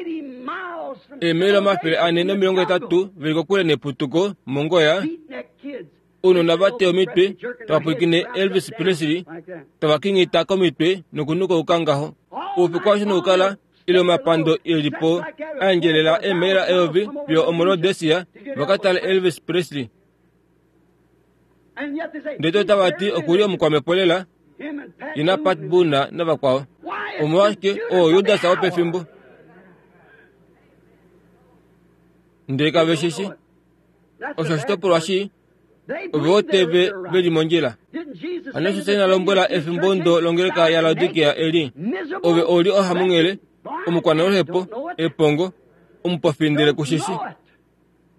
eemaila 480 veli kokule neputuko, mOngoya, ounona va teya omitwe tava pwilikine Elvis Presley tava kingita komitwe nokunukauka ngaho. Oufiku aushe nokukala ile omapando e li po a endjelela eemaila eyovi fiyo omoRhodesia va ka tale Elvis Presley. Ndele otava ti oku li omukwamhepo lela, ye naPat Boone navakwao. Omolwashike, oo Judas wopefimbo. Ndele kave shi shi. Osho oshitopolwa shii. Ove wote ve, ve li mondjila. Hano Jesus ina lombwela efimbo ndo longeleka yaLaodikea eli, Ove ou li ohamunghele, omukwanaluhepo, epongo, omupofi ndele ku shi shi.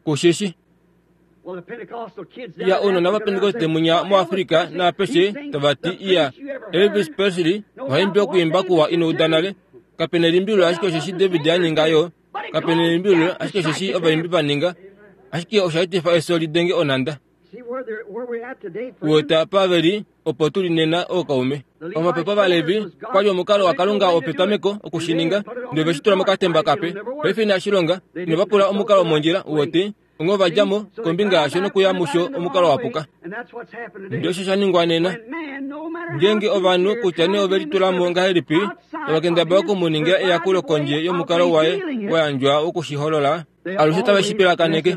Ku shi shi. Ya ounona vaPentekoste munya muAfrika naapeshe tava ti, Iya, Elvis Presley oha imbi okwiimba kuwa ino uda nale. Kape nelimbililo ashike osheshi David a ninga yo. Kape nelimbililo ashike osheshi ovaimbi va ninga. Ashike osha etifa efyo li denge onhanda. Uwete apa ve li opo tu li nena ookaume. Omapepo Ovalevi okwa li omukalo waKalunga wopetameko oku shi ninga, ndele ove shi tula mokatemba kape. Paife inashi longa, inava pula omukalo womondjila, uwete, onghee ova dja mo kombinga yasho nokuya musho omukalo wa puka. Ndele osho sha ningwa nena. Ngeenge ovanhu kutya nee ove litula mo ngahelipi, tava kendabala oku mu ningila eyakulo kondje yomukalo waye wa yandjwa woku shi holola, alushe tave shi pilakaneke.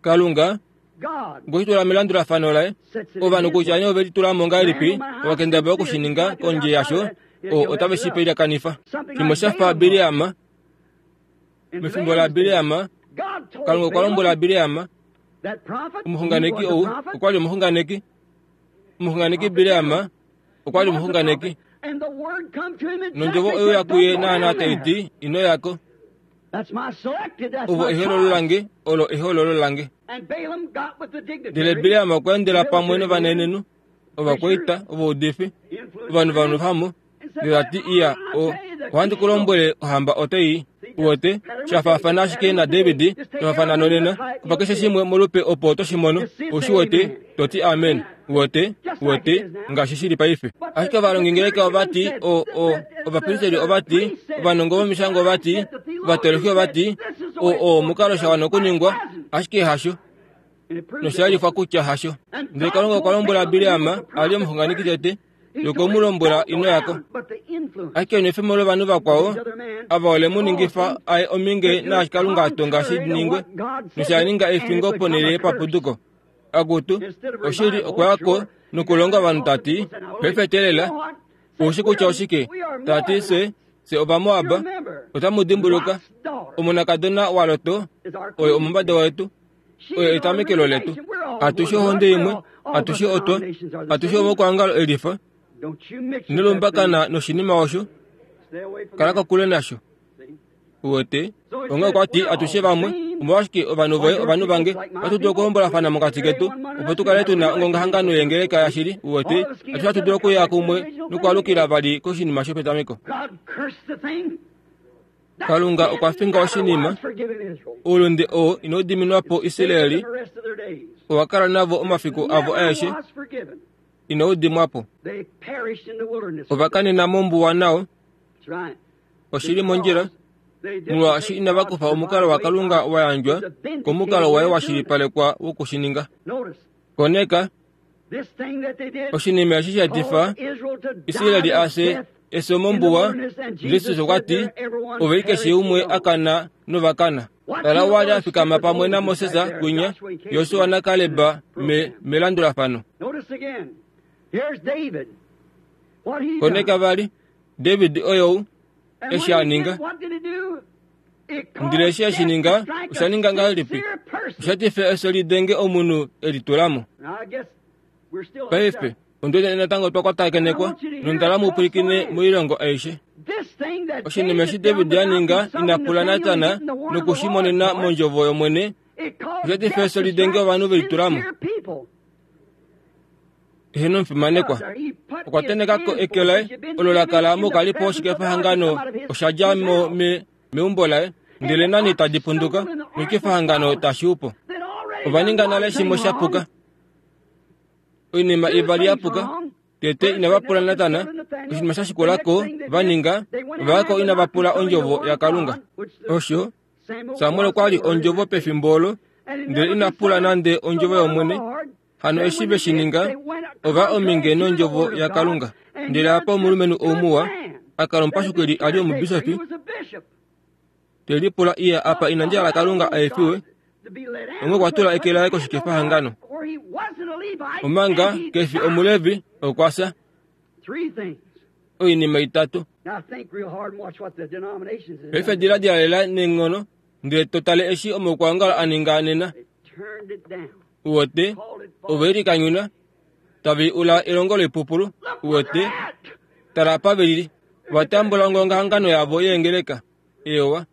Kalunga okwe shi tula melandulafano laye. Ovanhu kutya nee ove litula mo ngahelipi, ova kendabala oku shi ninga kondje yasho, otave shi pilyakanifa. Shimwe sha fa Bileam. Mefimbo laBileam, Kalunga okwa lombwela Bileam, omuxunganeki ou okwa li omuxunganeki. Omuxunganeki Bileam okwa li omuxunganeki. Nondjovo oyo ya kuye naanaa tai ti, Ino ya ko. Ovo ehoololo lange, olo ehoololo lange. Ndele Bileam okwa endela pamwe novanenenhu, ovakwaita, ovaudifi, ovanhu vanhu Ndele ta ti, Iya, o, ohandi ku lombwele, ohamba otai i. Uwete, sha faafana ashike naDavid, sha faafana nonena, kufa keshe shimwe molupe opo to shi mono, ou shi wete, to ti amen. Uwete, uwete, ngaashi shi li paife. Ashike ovalongingeleka ova ti, o, o, ovapristeli ova ti, ovanongo vomishangwa ova ti, ovatoloki ova ti, o, o, omukalo sha wana okuningwa, ashike hasho. Nosha yelifwa kutya hasho. Ndele Kalunga okwa lombwela Bileam, a li omuxunganeki tete, nokwe mu lombwela ino ya ko. Ashike enwefemo lovanhu vakwao ava ole mu ningifa a ye ominge naashi Kalunga a tonga shi ningwe, nosha ninga efingo ponhele yepapuduko. Akutu, oshili, okwa ya ko nokulonga ovanhu ta ti, Paife teelela, ou shi kutya oshike? Ta ti, Fye, fye Ovamoab, otamu dimbuluka, omonakadona waLot oye omumbada wetu. Oyo etamekelo letu. Atushe ohonde imwe, atushe otwa, atushe omokwangalo elifa. Ino lumbakana noshinima osho, kala kokule nasho. Uwete? Onghee okwa ti atushe vamwe, omolwashike ovanhu voye ovanhu vange, ohatu dulu okuhombolafana mokati ketu, opo tu kale tu na ongongahangano yengeleka yashili. Uwete? Atushe ohatu dulu okuya kumwe nokwaalukila vali koshinima shopetameko. Kalunga okwa finga oshinima, oulunde oo inau diminwa po Israeli owa kala navo omafiku avo aeshe, inau dimwa po. Ova kanena mombuwa nao. Oshi li mondjila, molwaashi inava kufa omukalo waKalunga wa yandjwa komukalo waye wa shilipalekwa woku shi ninga. Koneka, Oshinima eshi sha etifa Israeli a fye efyo mombuwa, Jesus okwa ti, Ove keshe umwe a kana nova kana. Tala wa li a fikama pamwe naMoses kwinya, Josua naKaleb me, melandulafano. Koneka vali, David oyou, eshi a ninga. Ndele eshi e shi ninga, osha ninga ngahelipi? Osha tifa efyo li denge omunhu e litula mo. Paife, ondi wete natango twa kwatakenekwa nondala mu pwilikine moilongo aishe. Oshinima eshi David a ninga ina pula Natan noku shi monena mondjovo yOmwene, osha tifa efyo li denge ovanhu ve litula mo. Eheno omufimanekwa okwa tenheka ko eke laye olo la kala mokalipo woshikefahangano osha dja mo me, meumbo laye ndele nani tadi punduka noshikefahangano tashi u po. Ova ninga nale shimwe sha puka. Oinima ivali ya puka. Tete inava pula Natan oshinima sha shikula ko va ninga, ova ya ko inava pula ondjovo yaKalunga. Osho Samuel okwa li ondjovo pefimbo olo, ndele ina pula nande ondjovo yOmwene. Hano eshi ve shi ninga, ova ominge nondjovo yaKalunga. Ndele apa omulumenhu ou muwa, a kala omupashukili a li omubisofi, te lipula iya apa inandi hala Kalunga a efiwe, onghee okwa tula eke laye koshikefahangano. Omanga ke fi Omulevi, okwa fya. Oinima itatu. Paife diladila lela neenghono, ndele to tale eshi omaukwaongalo a ninga nena. Uwete, ove likanyuna, tave ula elongo loipupulu. Uwete, tala apa ve lili. Va tambula ongongahangano yavo yeengeleka, eyowa.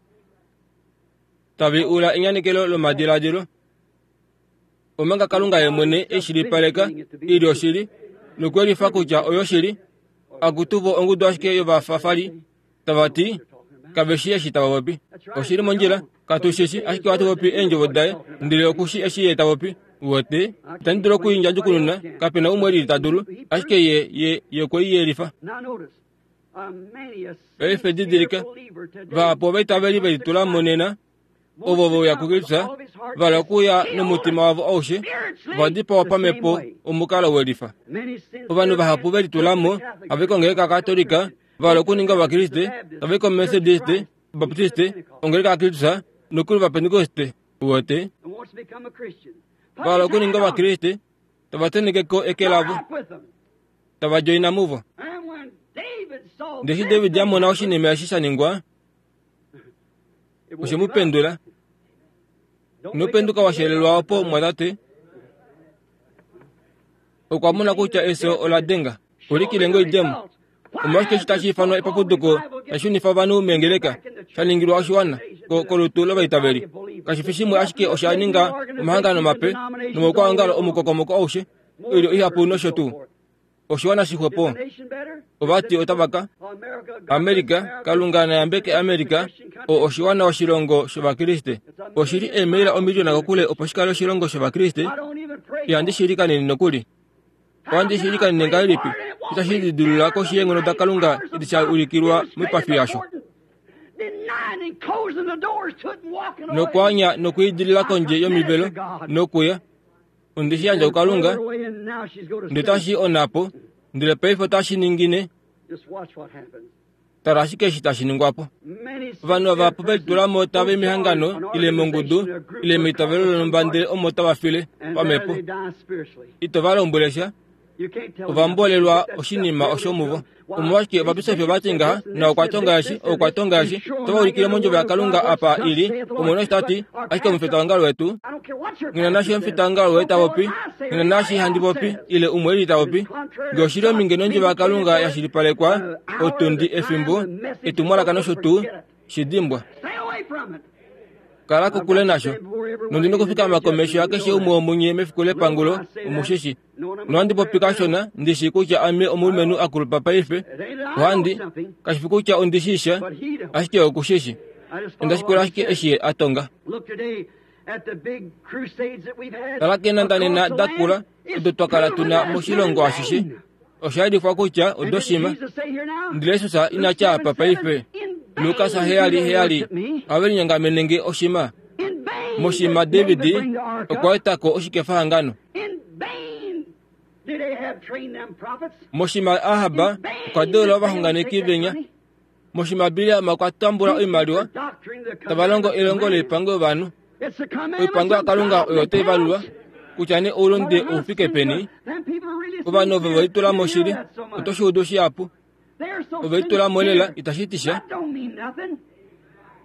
Tave ula enyanekelo lomadiladilo. Omanga Kalunga ye mwene e shilipaleka i li oshili, nokwelifa kutya oyoshili, akutu vo ongudu ashike yovafafali, tava ti, Kave shii eshi tava popi. Oshi li mondjila, katu shi shi, ashike ohatu popi eendjovo daye, ndele oku shi eshi ye ta popi. Uwete? Itandi dulu oku i ndjadjukununa, kape na umwe elili ta dulu, ashike ye, ye, ye okwe i yelifa. Paife didilika, vahapu ovaitaveli ve litula mo nena, ovo ve uya kuKristus, va hala okuya nomutima wavo aushe, ova dipawa pamhepo omukalo we lifa. Ovanhu vahapu ve litula mo, have kongeleka Katolika, va hala okuninga Ovakriste, tava i koMethodiste, Baptiste, ongeleka yaKristus, nokuli Ovapentekoste, uwete. Va hala okuninga Ovakriste, tava tenheke ko eke lavo, tava djoina muvo. Ndele eshi David a mona oshinima eshi sha ningwa, oshe mu pendula. Ino penduka wa shelelwa opo, mumwatate. Okwa mona kutya efyo ola denga. Ulikile nge oidjemo. Omolwashike eshi tashi ifanwa epapuduko tashi shunifa ovanhu meengeleka, sha ningilwa oshiwana, ko, kolutu lovaitaveli? Kashi fi shimwe ashike osha ninga omahangano mape nomaukwaongalo omukokomoko aushe, oilyo ihapu nosho tuu. Oshiwana shixwepo. Ova ti otava ka. Amerika, Kalunga na yambeke Amerika, o oshiwana oshilongo shOvakriste. Oshi li eemaila omiliona kokule opo shi kale oshilongo shOvakriste. Ihandi shi likanene nokuli. Ohandi shi likanene ngahelipi? Itashi lidilula koshi yeenghono daKalunga edi sha ulikilwa moipafi yasho. Nokwaanya nokwiidilila kondje yomivelo nokuya. Onde shi yandja kuKalunga, ndele tashi i onhapo, ndele paife otashi ningine. Tala ashike eshi tashi ningwa po. Ovanhu ava ve litula mo tava i mehangano, ile mongudu, ile meitavelo lonhumba ndele omo tava file pamhepo. Ito va lombwele sha. Ova mbolelwa oshinima osho muvo. Omolwashike ovabisofi ova ti ngaha, na okwa tonga eshi, okwa tonga eshi. Otava ulikile mondjovo yaKalunga apa i li, Omwene osho ta ti, ashike omufitaongalo wetu, nghi na naashi omufitaongalo woye ta popi, nghi na naashi handi popi, ile umwe eli ta popi. Nge oshi li ominge nondjovo yaKalunga ya shilipalekwa, otundi, efimbo, etumwalaka nosho tuu, shi dimbwa. Kala kokule nasho. Nondi nokufikama komesho yakeshe umwe womunye mefiku lepangulo, omu shi shi. Nohandi popi kashona, ndi shii kutya ame omulumenhu a kulupa paife. Ohandi, kashi fi kutya ondi shii sha, ashike oku shi shi. Onda shikula ashike eshi ye a tonga. Tala keenhanda nena da kula odo twa kala tu na moshilongo ashishe. Osha yelifwa kutya odoshima. Ndele Jesus ina tya apa paife. Lukas 7:7 Ohave linyongamene nge oshima. Moshima David okwa eta ko oshikefahangano. Moshima Ahab okwa deula ovaxunganeki venya. Moshima Bileam okwa tambula oimaliwa tava longo elongo loipango yovanhu. Oipango yaKalunga oyo tai valulwa kutya nee oulunde ou fike peni. Ovanhu ovo ve litula moshili oto shi udu shihapu. Ove litula mo lela itashi ti sha.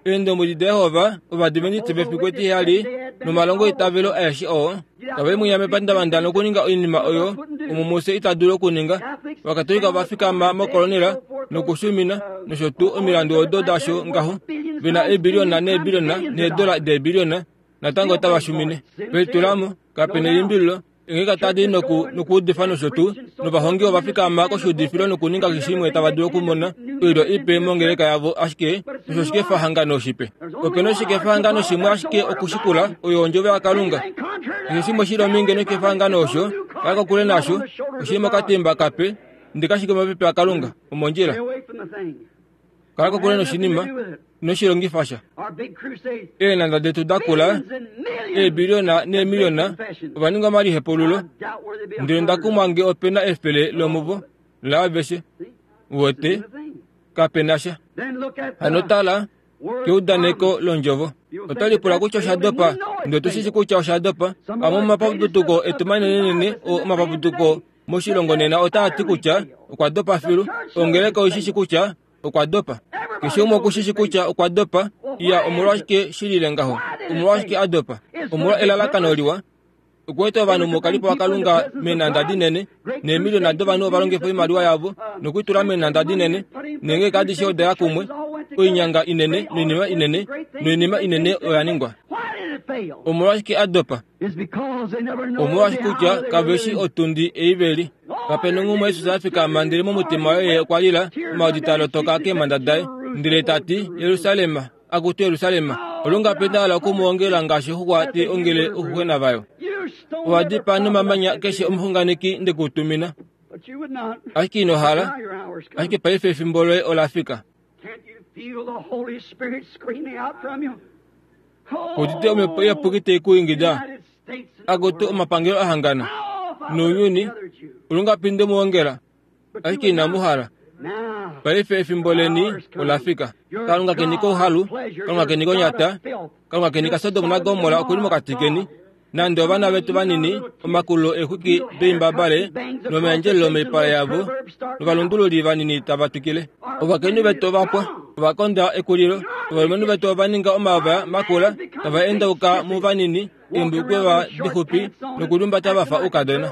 Eendombwedi daJehova Ovadiventiste vefiku etiheyali nomalongo eitavelo aeshe oo tava i mwinya mepandavanda nokuninga oinima oyo omo mufye ita dulu okuninga. Ovakatolika ova fikama mokolonela nokushumina nosho tuu omilandu odo dasho ngaho ve na eebiliona neebiliona needola deebiliona natango otava shumine. Ve litula mo, kape nelimbililo, Eengeleka tadi i noku, nokuudifa nosho tuu, novahongi ova fikama koshiudifilo nokuninga keshe shimwe tava dulu okumona oilyo ipe mongeleka yavo, ashike osho oshikefahangano shipe. Ope na oshikefahangano shimwe ashike okushikula, oyo Ondjovo yaKalunga. Keshe shimwe shi li ominge noshikefahangano osho, kala kokule nasho, oshi li mokatemba kape, ndele kashi li komapepe aKalunga, omondjila. Kala kokule noshinima, ino shi longifa sha. Eenhanda detu da kula, eebiliona neemiliona, ova ninga omalihepululo, ndele onda kumwa nge ope na efele lomuvo laaveshe. Uwete, kape na sha. Hano tala keudaneko londjovo. Oto lipula kutya osha dopa, ndele otu shi shi kutya osha dopa. Amwe omomapapuduko etu manenenene oo omapapuduko moshilongo nena otaa ti kutya okwa dopa filu. Ongeleka oi shi shi kutya okwa dopa. Keshe umwe oku shi shi kutya okwa dopa. Iya, omolwashike shi lile ngaho? Omolwashike a dopa? Omolwa elalakano liwa. Okueta ovanhu mokalipo waKalunga meenhanda dinene, neemiliona dovanhu ova longifa oimaliwa yavo nokuitula meenhanda dinene, neengeleka adishe oda ya kumwe, oinyanga inene noinima inene, noinima inene oya ningwa. Omolwashike a dopa? Omolwaashi kutya kave shi otundi ei ve li. Kape nonghumwe Jesus a fikama ndele momutima waye ye okwa lila, omaodi taa lotoka keemhanda daye, ndele ta ti, Jerusalem, Akutu Jerusalem, olungapi nda hala oku mu ongela ngaashi oxuxwa tai ongele ouxuxwena vayo. Owa dipaa nomamanya keshe omuxunganeki nde ku tumina. Ashike ino hala, ashike paife efimbo loye ola fika. Udite omhepo iyapuki tai ku ingida, Akutu omapangelo a hangana nounyuni, olungapi nde mu ongela, ashike inamu hala. Paife efimbo leni ola fika. Kalunga keni kouhalu, Kalunga keni konyata, Kalunga keni kaSodom naGomorra oku li mokati keni. Nande ovana vetu vanini, omakulo eexwiki doimbabale nomayandjelelo moipala yavo, novalundululi vanini tava twikile. Ovakainhu vetu ova pwa, ova konda ekulilo. Ovalumenhu vetu ova ninga omavaya makula, tava endauka muvanini, eembulukweva dixupi nokuliumbata va fa oukadona.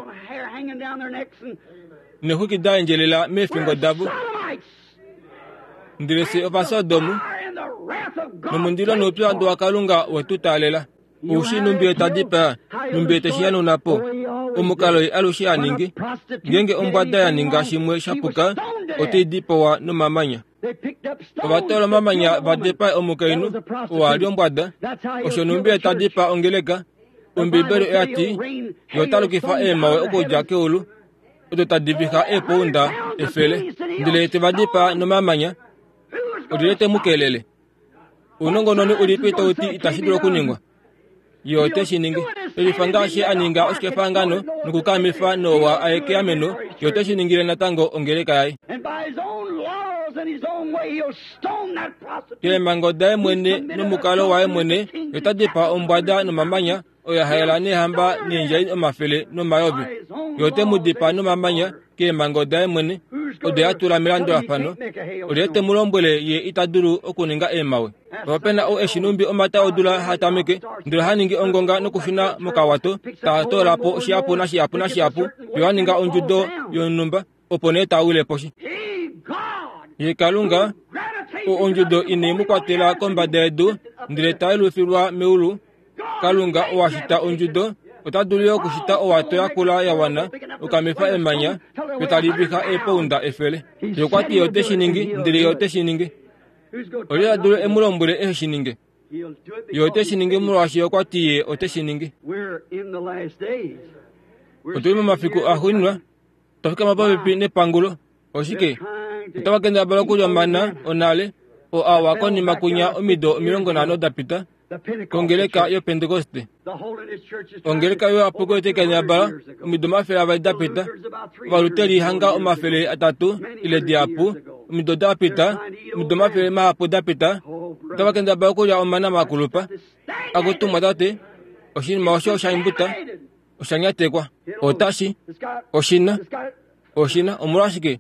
Neexwiki da endjelela meefingo davo. Ndele fye Ovasodomu, nomundilo noupyuhandu waKalunga we tu taalela. Oushi numbi ye ta dipaa, numbi ye te shi hanauna po. Omukalo ye alushe ha ningi. Ngeenge ombwada ya ninga shimwe sha puka, otai dipawa nomamanya. Ova toola omamanya va dipae omukainhu oo a li ombwada. Osho numbi ye ta dipaa ongeleka. Ombiibeli oya ti, Ye ota lukifa eemhawe okudja keulu, odo tadi vixa eepounda efele, ndele ye te va dipaa nomamanya. Olyelye te mu kelele? Ounongononi ulipi tau ti itashi dulu okuningwa? Ye ote shi ningi. Elifa ngaashi a ninga oshikefahangano nokukaamifa Noa a ye keameno, ye ote shi ningile natango ongeleka yaye. Keemhango daye mwene nomukalo waye mwene, ye ota dipaa ombwada nomamanya, oyo ya haela neehamba neendjai omafele nomayovi. Ye ote mu dipaa nomamanya keemhango daye mwene, odo a tula melandulafano. Olyelye te mu lombwele ye ita dulu okuninga eemhawe? Ope na ou e shi numbi omata odula ha tameke, ndele ha ningi ongonga nokushuna mokawato, ta toola po shihapu nashihapu nashihapu, fiyo a ninga ondjudo yonhumba, opo nee ta wile poshi. Ye Kalunga, oo ondjudo ine mu kwatela kombada yedu, ndele ta yelufilwa meulu, Kalunga oo a shita ondjudo, ota dulu yo okushita owato ya kula ya wana okamifa emanya yo tali viha eepounda efele. Ye okwa ti ye ote shi ningi, ndele ye ote shi ningi. Olye ta dulu e mu lombwele ehe shi ninge? Ye ote shi ningi molwaashi okwa ti ye ote shi ningi. Otu li momafiku axuuninwa, twa fikama popepi nepangulo. Oshike? Otava kendabala okulya omana onale, oo a wa konima kunya omido 50 da pita, kongeleka yOpentekoste. Ongeleka yoapuko otai kendabala omido 200 da pita, Ovaluteri hanga 300 ile dihapu omido da pita, omido omafele mahapu da pita, otava kendabala okulya omana makulupa. Akutu mwatate, oshinima osho osha imbuta, osha nyatekwa. Otashi, oshi na, oshi na, omolwashike,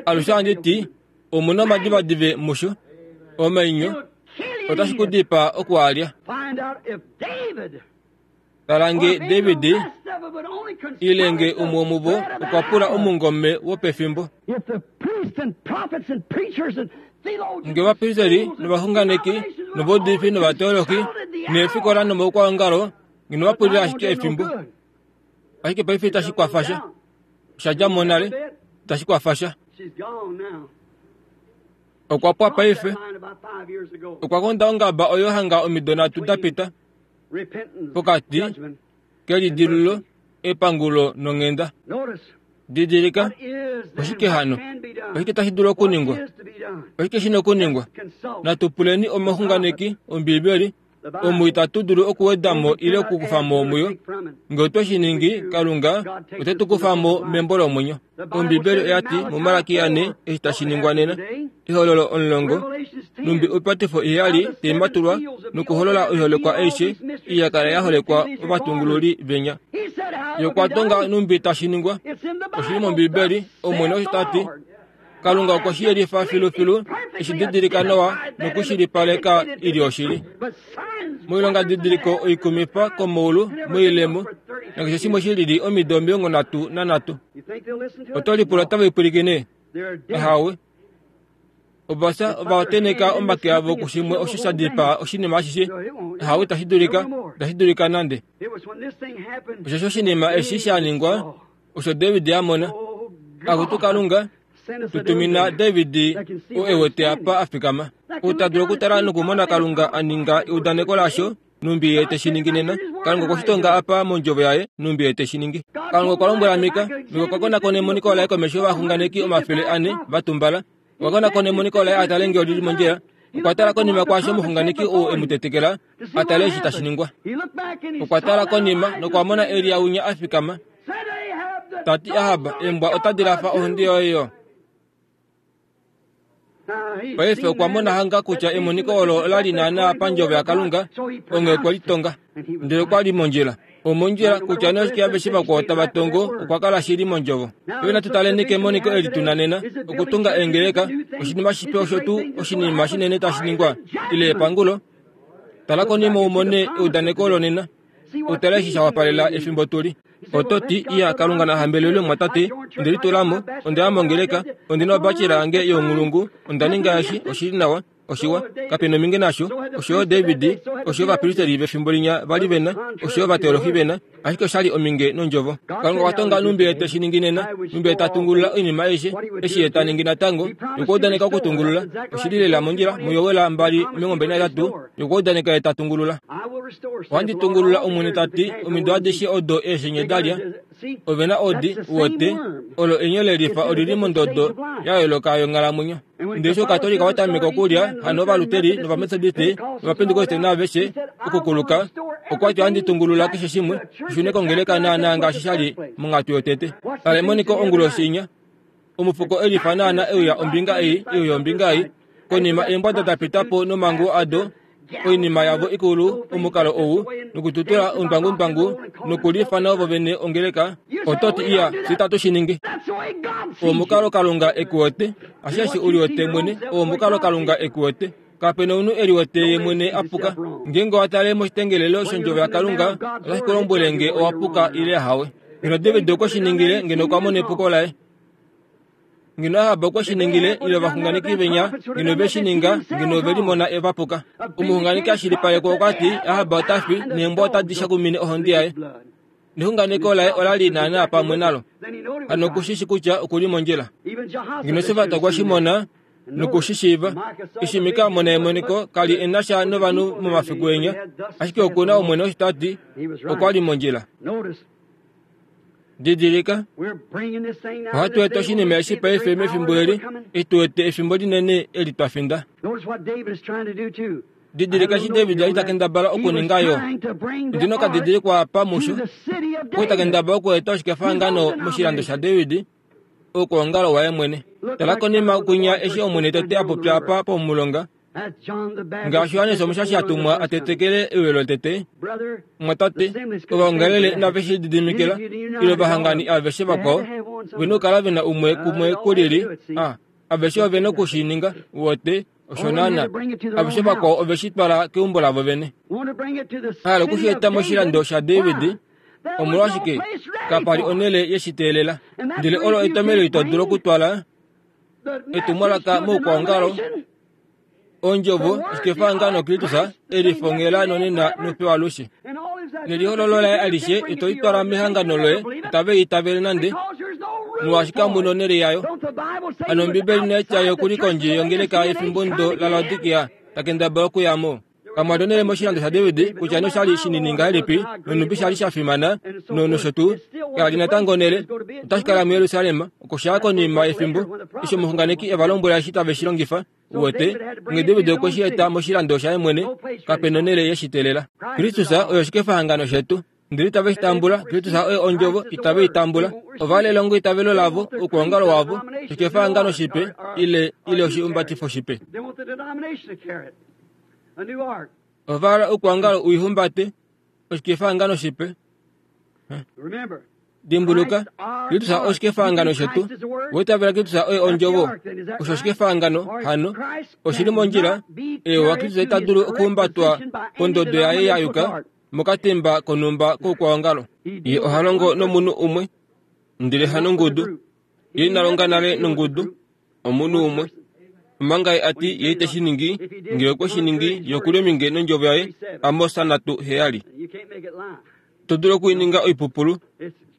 alushe ohandi ti, omu na omadivadive musho, omainyo, otashi ku dipaa oku a lya. Tala nge David ile nge umwe womuvo okwa pula omungome wopefimbo. Nge ovapristeri novaxunganeki novaudifi novateolohi neefikola nomaukwaongalo ngeno va pulile ashike efimbo. Ashike paife itashi kwafa sha. Osha dja mo nale, itashi kwafa sha. Okwa pwa paife. Okwa konda ongaba oyo hanga omido nhatu da pita. Pokati kelidilululo, epangulo nonghenda. Didilika, oshike hano? Oshike tashi dulu okuningwa? Oshike shi na okuningwa? Natu puleni omuxunganeki, Ombiibeli, omu itatu dulu okuweda mo ile okukufa mo muyo. Nge otwe shi ningi, Kalunga ote tu kufa mo membo lomwenyo. Ombibeli oya ti muMalaki 4 eshi tashi ningwa nena, Ehololo 10, Numbi oipatifo iheyali tai matulwa nokuholola oiholekwa aishe ei ya kala ya holekwa ovatungululi venya. Ye okwa tonga numbi tashi ningwa. Oshi li mOmbibeli, Omwene osho ta ti. Kalunga okwe shi yelifa filufilu, e shi didilika nawa nokushilipaleka i li oshili. Moilongadidiliko oikumifa komaulu, moilemo, nakeshe shimwe shi lili omido 33. Oto lipula otava ipwilikine? Ahawe. Ova fya, ova tenheka omake avo kushimwe osho sha dipaa oshinima ashishe. Ahawe, itashi dulika, itashi dulika nande. Osheshi oshinima eshi sha ningwa, osho David a mona. Akutu Kalunga! Tu tumina David oo e wete apa a fikama, ou ta dulu okutala nokumona Kalunga a ninga eudaneko lasho, numbi ye te shi ningi nena. Kalunga okwe shi tonga apa mondjovo yaye, numbi ye te shi ningi. Kalunga okwa lombwela Mika, Mika okwa konakona emoniko laye komesho yovaxunganeki 400 va tumbala. Okwa konakona emoniko laye a tale ngee oli li mondjila. Okwa tala konima kwaasho omuxunganeki oo e mu tetekela a tale eshi tashi ningwa. Okwa tala konima nokwa mona Elia winya a fikama, ta ti, Ahab, eembwa otadi lafa ohonde yoye yo. Paife okwa mona hanga kutya emoniko olo ola li naanaa pandjovo yaKalunga, onghee okwe li tonga. Ndele okwa li mondjila. Omondjila, kutya nee oshike aveshe vakwao tava tongo, okwa kala shili mondjovo. Paife natu taleni kemoniko eli tu na nena, okutunga eengeleka, oshinima shipe osho tuu oshinima shinene tashi ningwa, ile epangulo. Tala konima u mone eudaneko lonena, u tale eshi sha wapalela efimbo tu li. Oto ti, Iya, Kalunga na hambelelwe, mumwatate, onde litula mo, onda ya mongeleka, ondi na obachelor yange younghulungu, onda ninga eshi, oshi li nawa. Oshiwa, kape na ominge nasho. Osho yo David, osho yo ovapristeri vefimbo linya va li ve na, osho yo ovateolohi ve na, ashike osha li ominge nOndjovo. Kalunga okwa tonga nhumbi Ye te shi ningi nena, nhumbi Ye ta tungulula oinima aishe, eshi Ye ta ningi natango, Ye okwa udaneka okutungulula. Oshi li lela mondjila, muJoel 2:23, Ye okwa udaneka Ye ta tungulula. Ohandi tungulula, Omwene ta ti, omido adishe odo eeshenye da lya. Ove na odi, uwete, olo enyo lelifa oli li mondodo ya yooloka yonghalamwenyo. Ndele eshi Okatolika wa tameka okulya, hano Ovaluteri nOvametodiste nOvapentekoste naaveshe, okukuluka, okwa ti ohandi tungulula keshe shimwe, shi shune kongeleka naanaa ngaashi sha li monghatu yotete. Tala emoniko onguloshi inya. Omufuko e lifa naanaa e uya ombinga ei, e uya ombinga ei, konima eembwada da pita po nomanguwo ado, oinima yavo ikulu, omukalo ou, nokututula omutwangutwangu, nokuliifana ovo vene ongeleka, oto ti, Iya, fye itatu shi ningi. Oo omukalo Kalunga e ku wete. Asheshi u liwete mwene, oo omukalo Kalunga e ku wete. Kape na omunhu e liwete ye mwene a puka. Ngeenge owa tale moshitengelelo shOndjovo yaKalunga, otashi ku lombwele nge owa puka ile ahawe. Ngeno David okwe shi ningile, ngeno okwa mona epuko laye. Ngeno Ahab okwe shi ningile, ile ovaxunganeki venya, ngeno ve shi ninga, ngeno ove limona va puka. Omuxunganeki a shilipalekwa okwa ti, Ahab ota fi, neembwa otadi shakumine ohonde yaye. Nexunganeko laye ola li naanaa pamwe nalo. Hano oku shi shi kutya oku li mondjila. Ngeno Josafat okwe shi mona noku shi shiiva. Eshi Mika a mona emoniko, ka li e na sha novanhu momafiku enya, ashike oku na Omwene osho ta ti, okwa li mondjila. Didilika, ohatu eta oshinima eshi paife mefimbo eli, eshi tu wete efimbo linene eli twa finda. Didilika eshi David a li ta kendabala okuninga yo. Ondi na okadidilikwa apa musho. Okwa ta kendabala okueta oshikefahangano moshilando shaDavid, oukwaongalo waye mwene. Tala konima kwinya eshi Omwene tete a popya apa pomulonga, Ngaashi Johannes Omushashi a tumwa a tetekele euyo lotete, omwatate, ovaongalele inave shi lididimikila, ile ovahangani aveshe vakwao, ve na okukala ve na umwe kumwe ku lili. A, aveshe ove na oku shi ninga, wote, osho naana. Aveshe vakwao ove shi twala keumbo lavo vene. Hala oku shi eta moshilando shaDavid, omolwashike kapa li onhele ye shi teelela. Ndele olo etomhelo ito dulu okutwala etumwalaka moukwaongalo, Ondjovo oshikefahangano Kristus e lifongela nonena nopewalushe. Nelihololo laye alishe ito li twala mehangano loye, itave li itavele nande, molwaashi kamu nonhele yayo. Hano Ombibeli inai tya ye oku li kondje yongeleka yefimbo ndo laLaodikia ta kendabala okuya mo. Kamwa li onhele moshilando shaDavid, kutya nee osha li shinini ngahelipi nonhumbi sha li sha fimana nosho tuu, kala li natango onhele. Otashi kala muJerusalem, oko sha ya konima yefimbo, eshi omuxunganeki e va lombwela eshi tave shi longifa. Uwete, nge David okwe shi eta moshilando shaye mwene, kape nonhele ye shi teelela. Kristus oye oshikefahangano shetu. Ndele itave shi tambula. Kristus oye Ondjovo, itave i tambula. Ova hala elongoitavelo lavo, oukwaongalo wavo, oshikefahangano shipe, ile, ile oshihumbatifo shipe. Ova hala oukwaongalo u ihumbate, oshikefahangano shipe. Dimbuluka, Kristus oshikefahangano shetu. Owa itavela Kristus oye Ondjovo. Osho oshikefahangano, hano. Oshi li mondjila. Eewa, Kristus ita dulu okuhumbatwa pondodo yaye ya yuka mokatemba konhumba koukwaongalo. Ye oha longo nomunhu umwe, ndele hanongudu. Ye ina longa nale nongudu, omunhu umwe. Omanga ye a ti ye ite shi ningi, ngee okwe shi ningi, ye oku li ominge nondjovo yaye, Amos 3:7. Ito dulu oku i ninga oipupulu.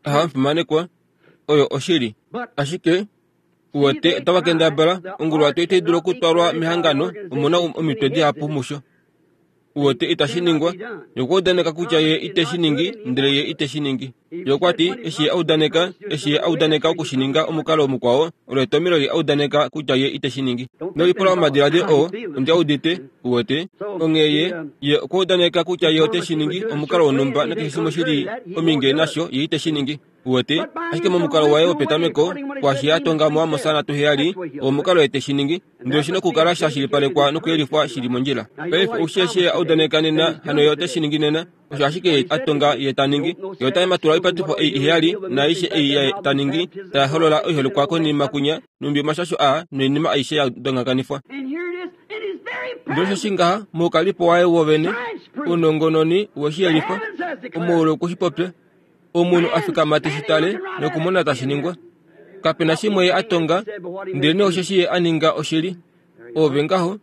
Aha, omufimanekwa, oyo oshili. Ashike, Uwete, otava kendabala, onguluwato itai dulu okutwalwa mehangano, omu na omitwe dihapu musho. Uwete, itashi ningwa. Ye okwa udaneka kutya Ye ite shi ningi, ndele Ye ite shi ningi. Ye okwa ti, eshi Ye a udaneka, eshi Ye a udaneka oku shi ninga omukalo mukwao, olo etomhelo Ye a udaneka kutya Ye ite shi ningi. Nolipula omadiladilo oo, ondi a udite, uwete. Onghee Ye, Ye okwa udaneka kutya Ye ote shi ningi omukalo wonhumba nakeshe shimwe shi li ominge nasho, Ye ite shi ningi. Uwete? Ashike momukalo waye wopetameko, kwaashi Ye a tonga muAmos 7, oo omukalo Ye te shi ningi. Ndele oshi na okukala sha shilipalekwa nokuyelifwa shi li mondjila. Paife ou shi eshi Ye a udaneka nena, hano Ye ote shi ningi nena. Osho ashike Ye a tonga Ye ta ningi. Ye ota matula oipatifo ei iheyali naaishe ei Ye ta ningi, tai holola oiholekwa konima kwinya, nhumbi omashasho aa noinima aishe ya dongakanifwa. Ndele osho shi ngaha, moukalipo waye wovene, ounongononi we shi yelifa, omoule oku shi popya. Omunhu a fikama te shi tale nokumona tashi ningwa. Kape na shimwe ye a tonga, ndelenee osheshi ye a ninga oshili. Oove ngaho,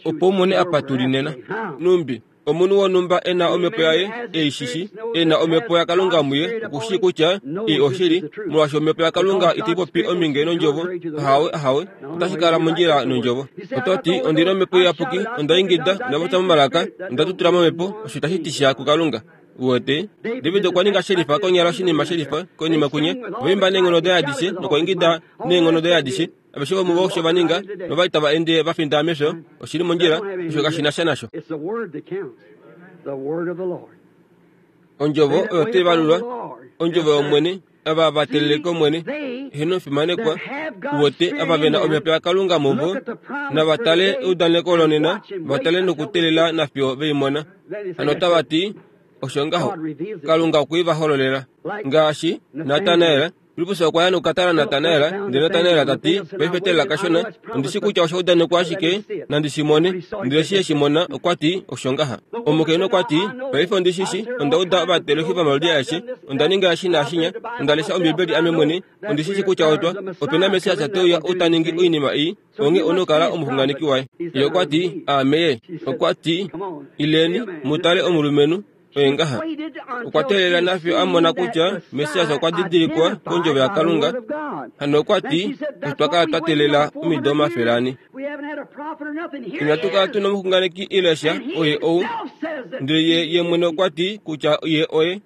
opo u mone apa tu li nena. Numbi omunhu wonhumba e na omhepo yaye e i shishi, e na omhepo yaKalunga muye, oku shii kutya ei oshili, molwaashi omhepo yaKalunga itai popi ominge nOndjovo. Ahawe, ahawe, otashi kala mondjila nOndjovo. Oto ti, Ondi na Omhepo Iyapuki, onda ingida, onda popya momalaka, onda tutula momhepo, osho itashi ti sha kuKalunga. Uwete, David okwa ninga shelifa konyala oshinima shelifa konima kwinya. Ova imba neenghono daye adishe nokwa ingida neenghono daye adishe. Aveshe vomuvo osho va ninga, nova li tava ende va finda mefyo. Oshi li mondjila, osho kashi na sha nasho. Ondjovo oyo tai valulwa, Ondjovo yOmwene, ava va telele kOmwene, heeno fimanekwa, uwete, ava ve na Omhepo yaKalunga muvo, nava tale eudaneko lonena, va tale nokuteelela nafiyo ve i mona. Hano otava ti, Osho ngaho. Kalunga okwe i va hololela. Ngaashi Natanael, Filippus okwa ya nokukatala Natanael, ndele Natanael ta ti, Paife teelela kashona, ondi shi kutya osha udanekwa ashike nandi shi mone. Ndele eshi e shi mona, okwa ti, Osho ngaha. Omukainhu okwa ti, Paife ondi shi shi, onda uda ovateleki vomaludi aeshe, onda ninga eshi naashinya, onda lesha Ombibeli ame mwene, ondi shi shi kutya otwa, ope na Messias te uya ou ta ningi oinima ei, onghee ou na okukala omuxunganeki waye. Ye okwa ti, Aame ye. Okwa ti, Ileni, mu tale omulumenhu. Oye ngaha. Okwa teelela nafiyo a mona kutya Messias okwa didilikwa kOndjovo yaKalunga. Hano okwa ti, Otwa kala twa teelela omido omafele ane. Inatu kala tu na omuxunganeki ile sha, oye ou. Ndele ye, ye mwene okwa ti kutya ye oye.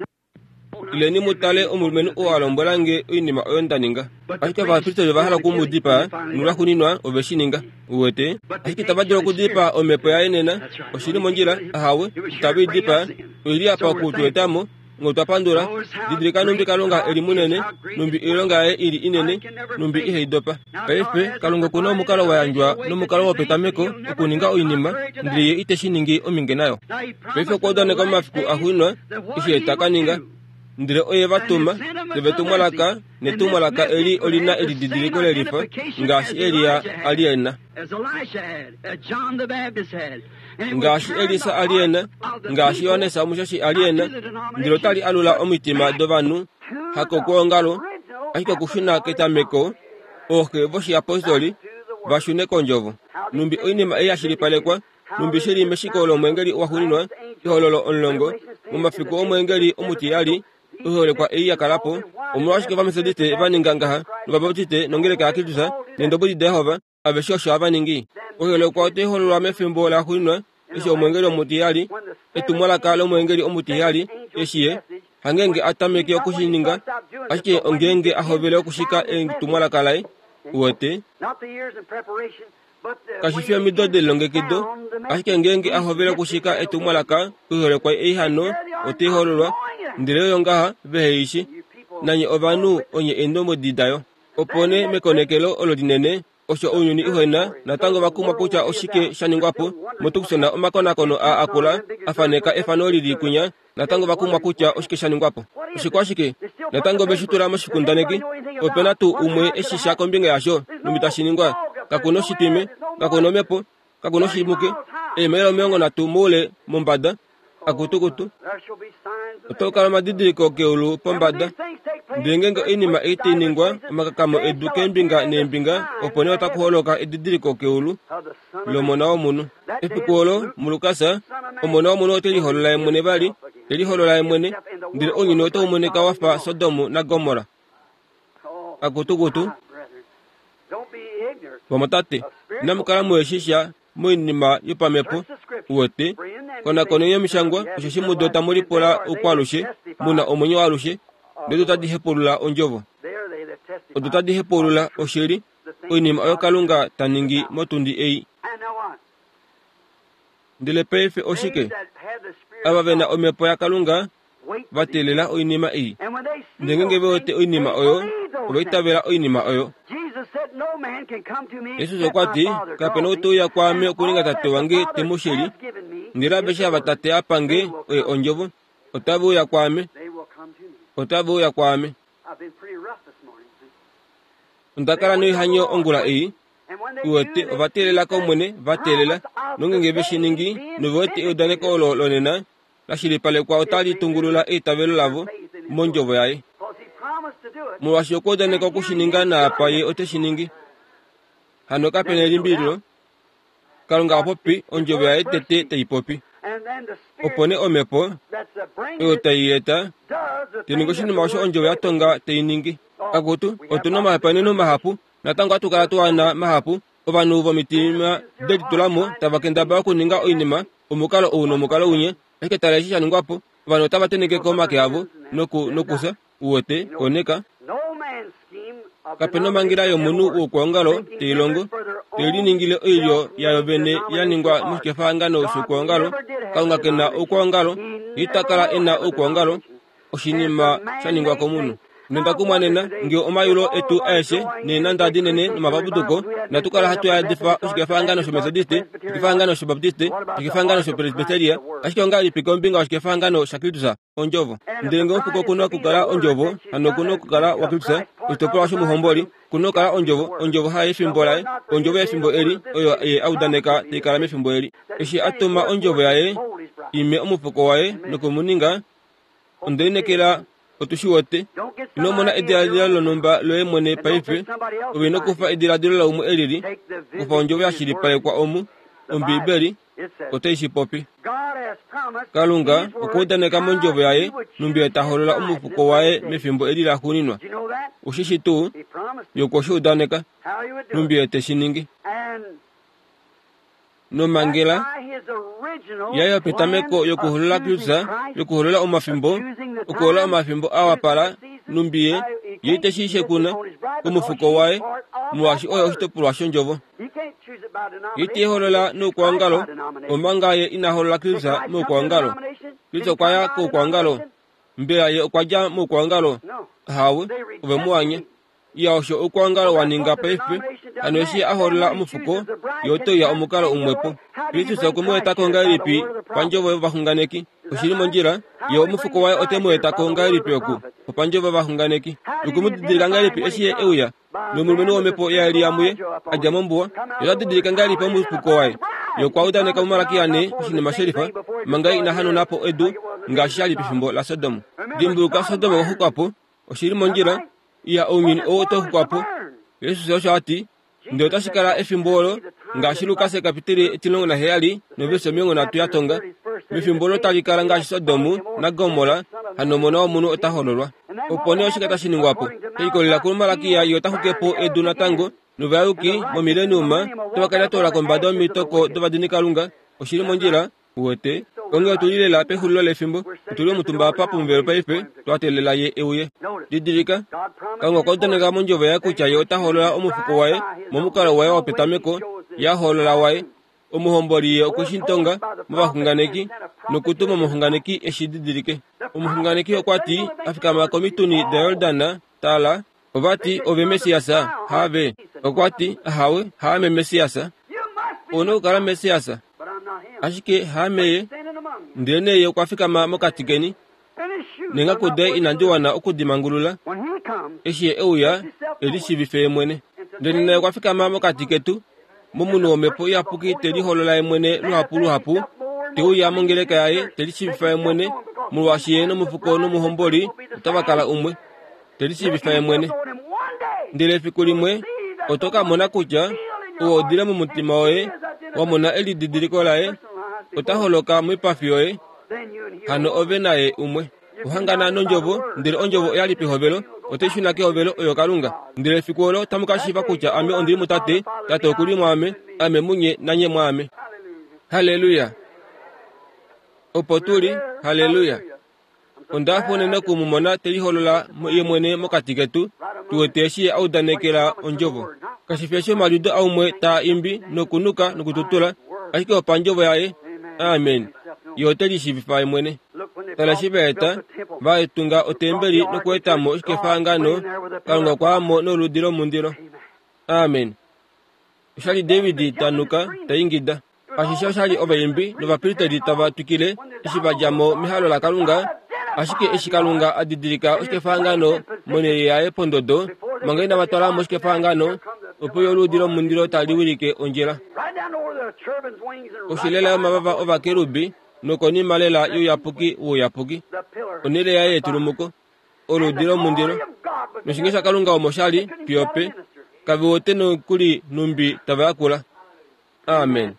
Ileni mu tale omulumenhu oo a lombwela nge oinima oyo nda ninga. Ashike ovapristeri ova hala oku mu dipaa, nolwaxuuninwa ove shi ninga. Uwete? Ashike itava dulu okudipaa omhepo yaye nena. Oshi li mondjila? Ahawe, itave i dipaa. Oi li apa oku tu eta mo. Nge otwa pandula, didilika nhumbi Kalunga e li munene, nhumbi oilonga yaye i li inene, nhumbi ihai dopa. Paife, Kalunga oku na omukalo wa yandjwa nomukalo wopetameko okuninga oinima, ndele Ye ite shi ningi ominge nayo. Paife okwa udaneka momafiku axuuninwa eshi Ye ta ka ninga. Ndele oye va tuma, ndele vetumwalaka, netumwalaka eli oli na elididiliko lelifa, ngaashi Elia a li e na. Ngaashi Elisa a li e na, ngaashi Johannes Omushashi a li e na, ndele otali alula omitima dovanhu, hakokwoongalo, ashike okushuna ketameko, ooxe voshiyapostoli, va shune kOndjovo. Nhumbi oinima ei ya shilipalekwa, Nhumbi shi li meshiko lomweengeli waxuuninwa, Ehololo 10, momafiku omweengeli omutiheyali, oiholekwa ei ya kala po, omolwashike Ovametodiste va ninga ngaha, nOvabaptiste, nOngeleka yaKristus, nEendobwedi daJehova, aveshe osho hava ningi? Oiholekwa otai hololwa mefimbo laxuuninwa, eshi omweengeli omutiheyali, etumwalaka lomweengeli omutiheyali, eshi ye, hangeenge a tameke oku shi ninga, ashike ongeenge a hovele okushika etumwalaka laye. Uwete? Kashi fi omido delilongekido, ashike ngeenge a hovele okushika etumwalaka oiholekwa ei hano otai hololwa, ndele oyo ngaha vehe i shi. Nanye ovanhu onye eendombwedi dayo. Opo nee mekonekelo olo linene, osho ounyuni u he na natango va kumwa kutya oshike sha ningwa po, moTucson omakonakono aa akula a faneka efano li li kwinya Natango va kumwa kutya oshike sha ningwa po. Oshikwashike? Natango ve shi tula moshikundaneki. Ope na tuu umwe e shi sha kombinga yasho, nhumbi tashi ningwa? Kaku noshitwime, kaku nomhepo, kaku noshimuke, eemaila 30 moule mombada, akutukutu. Otaku kala omadidiliko keulu pombada. Ndele ngeenge oinima ei tai ningwa, omakakamo edu keembinga neembinga, opo nee otaku holoka edidiliko keulu. lOmona wOmunhu. Efiku olo, muLukas, Omona wOmunhu ote liholola ye mwene vali, te liholola ye mwene, ndele ounyuni otau monika wa fa Sodom naGomorra. Akutukutu. Vamwatate, inamu kala muhe shi sha moinima yopamhepo. Uwete, konakoneni Omishangwa, osheshi mudo tamu lipula oukwaalushe, mu na omwenyo waalushe, ndodo tadi hepaulula Ondjovo. Odo tadi hepaulula oshili, oinima oyo Kalunga ta ningi motundi ei. Ndele paife oshike? Ava ve na Omhepo yaKalunga va teelela oinima ei. Ndele ngeenge ve wete oinima oyo, ova itavela oinima oyo. Jesus okwa ti, Kape na ou te uya kwaame okuninga Tate wange te mu shili, ndele aveshe ava Tate a pa nge, oye Ondjovo, otave uya kwaame. Otave uya kwaame. Onda kala noihanyo ongula ei. Uwete, ova teelela kOmwene, va teelela. Nongenge ve shi ningi, nove wete eudaneko olo lonena, la shilipalekwa otali tungulula eitavelo lavo mondjovo yaye. Molwaashi okwa udaneka oku shi ninga naapa ye ote shi ningi. Hano kape na elimbililo, Kalunga a popi ondjovo yaye tete tai popi. Opo nee omhepo oyo tai eta tai ningi oshinima osho ondjovo ya tonga tai ningi. Akutu, otu na omahopaeneno mahapu, natango ohatu kala tu a na mahapu Ovanhu vomitima de litula mo tava kendabala okuninga oinima omukalo ou nomukalo winya, ashike tala eshi sha ningwa po, ovanhu otava tenheke ko omake avo noku, nokufya. Uwete, koneka. Kape na omhangela yomunhu woukwaongalo tai longo, tai liningile oilyo yayo vene ya ningwa moshikefahangano shoukwaongalo. Kalunga ke na oukwaongalo, ye ita kala e na oukwaongalo. oshinima sha ningwa komunhu. Nonda kumwa nena nge omayulo etu aeshe neenanda dinene nomapapuduko natu kala hatu yadifa oshikefahangano shOmetodiste, oshikefahangano shObaptiste, oshikefahangano shOpresbiteria, ashike ongahelipi kombinga yoshikefahangano shaKristus, Ondjovo? Ndele nge omufuko oku na okukala Ondjovo, hano oku na okukala waKristus, oshitopolwa shomuhomboli, ku na okukala Ondjovo, Ondjovo hayo yefimbo laye, Ondjovo yefimbo eli, oyo Ye a udaneka tai kala mefimbo eli. Eshi a tuma Ondjovo yaye i me omufuko waye noku mu ninga Onde lineekela otu shi wete. Ino mona ediladilo lonhumba loye mwene paife. Ove ino kufa ediladilo laumwe e lili. Kufa ondjovo ya shilipalekwa omu, Ombiibeli, otai shi popi. Kalunga okwa udaneka mondjovo yaye nhumbi ye ta holola omufuko waye mefimbo eli laxuuninwa. Ushi shi tuu? Ye okwe shi udaneka, nhumbi ye te shi ningi. Nomhangela yaye yopetameko yokuholola Kristus, yokuholola omafimbo, okuholola omafimbo a wapala, numbi ye, ye ite shi shekuna komufuko waye, molwaashi oyo oshitopolwa shondjovo. Ye ite holola noukwaongalo, omanga ye ina holola Kristus moukwaongalo. Kristus okwa ya koukwaongalo. Mbela ye okwa dja moukwaongalo? Ahawe, ove mu anya. Iya osho oukwaongalo wa ninga paife, hano eshi a holola omufuko, ye ote uya omukalo umwepo. Kristus okwe mu eta ko ngahelipi pandjovo yovaxunganeki? Oshi li mondjila, ye omufuko waye ote mu eta ko ngahelipi oku? Opandjovo yovaxunganeki. Okwe mu didilika ngahelipi eshi ye e uya nomulumenhu womhepo yaElia muye, a dja mombuwa? Ye ota didilika ngahelipi omufuko waye? Ye okwa udaneka muMalakia ne oshinima shelifa, manga ye ina hanauna po edu ngaashi sha li pefimbo laSodom. Dimbuluka, Sodom okwa xukwa po. Oshi li mondjila, Iya, ounyuni ou otau xukwa po. Jesus osho a ti. Ndele otashi kala efimbo olo, ngaashi Lukas ekapiteli 17 noverse 30 ya tonga, mefimbo olo tali kala ngaashi Sodom naGomorra, hano Omona wOmunhu ota hololwa. Opo nee oshike tashi ningwa po? She likolelela kuMalakia, ye ota xuke po edu natango, novayuki momileniuma otava ka lyatoola kombada yomitoko dovadinikalunga. Oshi li mondjila, Uwete, onghee otu li lela pexulilo lefimbo. Otu li omutumba apa pomuvelo paife, twa teelela Ye e uye. Didilika, Kalunga okwa udaneka mOndjovo Yaye kutya Ye ota holola Omufuko Waye momukalo Waye wopetameko, Ye a holola Waye. Omuhomboli Ye okwe shi tonga movaxunganeki, nokutuma omuxunganeki e shi didilike. Omuxunganeki okwa ti, a fikama komituni daJordan, Tala, ova ti, Ove Messias, haave? Okwa ti, Ahawe, haame Messias. Ou na okukala Messias. Ashike haame ye. Ndelenee ye okwa fikama mokati keni, neengaku daye inandi wana oku di mangulula. Eshi ye e uya, e lishiivife ye mwene. Ndele naye okwa fikama mokati ketu, momunhu wOmhepo Iyapuki te liholola ye mwene luhapu luhapu, te uya mongeleka yaye, te lishiivifa ye mwene, molwaashi ye nomufuko nomuhomboli otava kala umwe, te lishiivifa ye mwene. Ndele efiku limwe oto ka mona kutya ou odile momutima woye wa mona elididiliko laye, ota holoka moipafi yoye, hano ove naye umwe. Ohangana nOndjovo, ndele Ondjovo oya li pehovelo. Otai shuna kehovelo oyo Kalunga. Ndele efiku olo otamu ka shiiva kutya Ame ondi li muTate, Tate oku li mwaame, Ame munye nanye mwaame. Halleluya! Opo tu li. Halleluya! Onda hafa unene oku mu mona te liholola ye mwene mokati ketu, tu wete eshi ye a udanekela Ondjovo. Kashi fi eshi omaliudo aumwe taa imbi nokunuka nokututula, ashike opandjovo yaye. Amen. Ye ote lishiivifa ye mwene. Tala eshi va eta, va tunga otembeli nokueta mo oshikefahangano, Kalunga okwa ya mo noludi lomundilo. Amen. Osha li David ta nuka, ta ingida. Ashishe osha li ovaimbi novapristeri tava twikile eshi va dja mo mehalo laKalunga, ashike eshi Kalunga a didilika oshikefahangano monhele yaye pondodo, manga inava twala mo oshikefahangano, opo yo oluudi lomundilo tali wilike ondjila. Koshi lela yomavava ovakerubi nokonima lela youyapuki wouyapuki, onhele yaye yetulumuko, oluudi lomundilo, noshinge shaKalunga omo sha li fiyo pe, kave wete nokuli nhumbi tava yakula. Amen.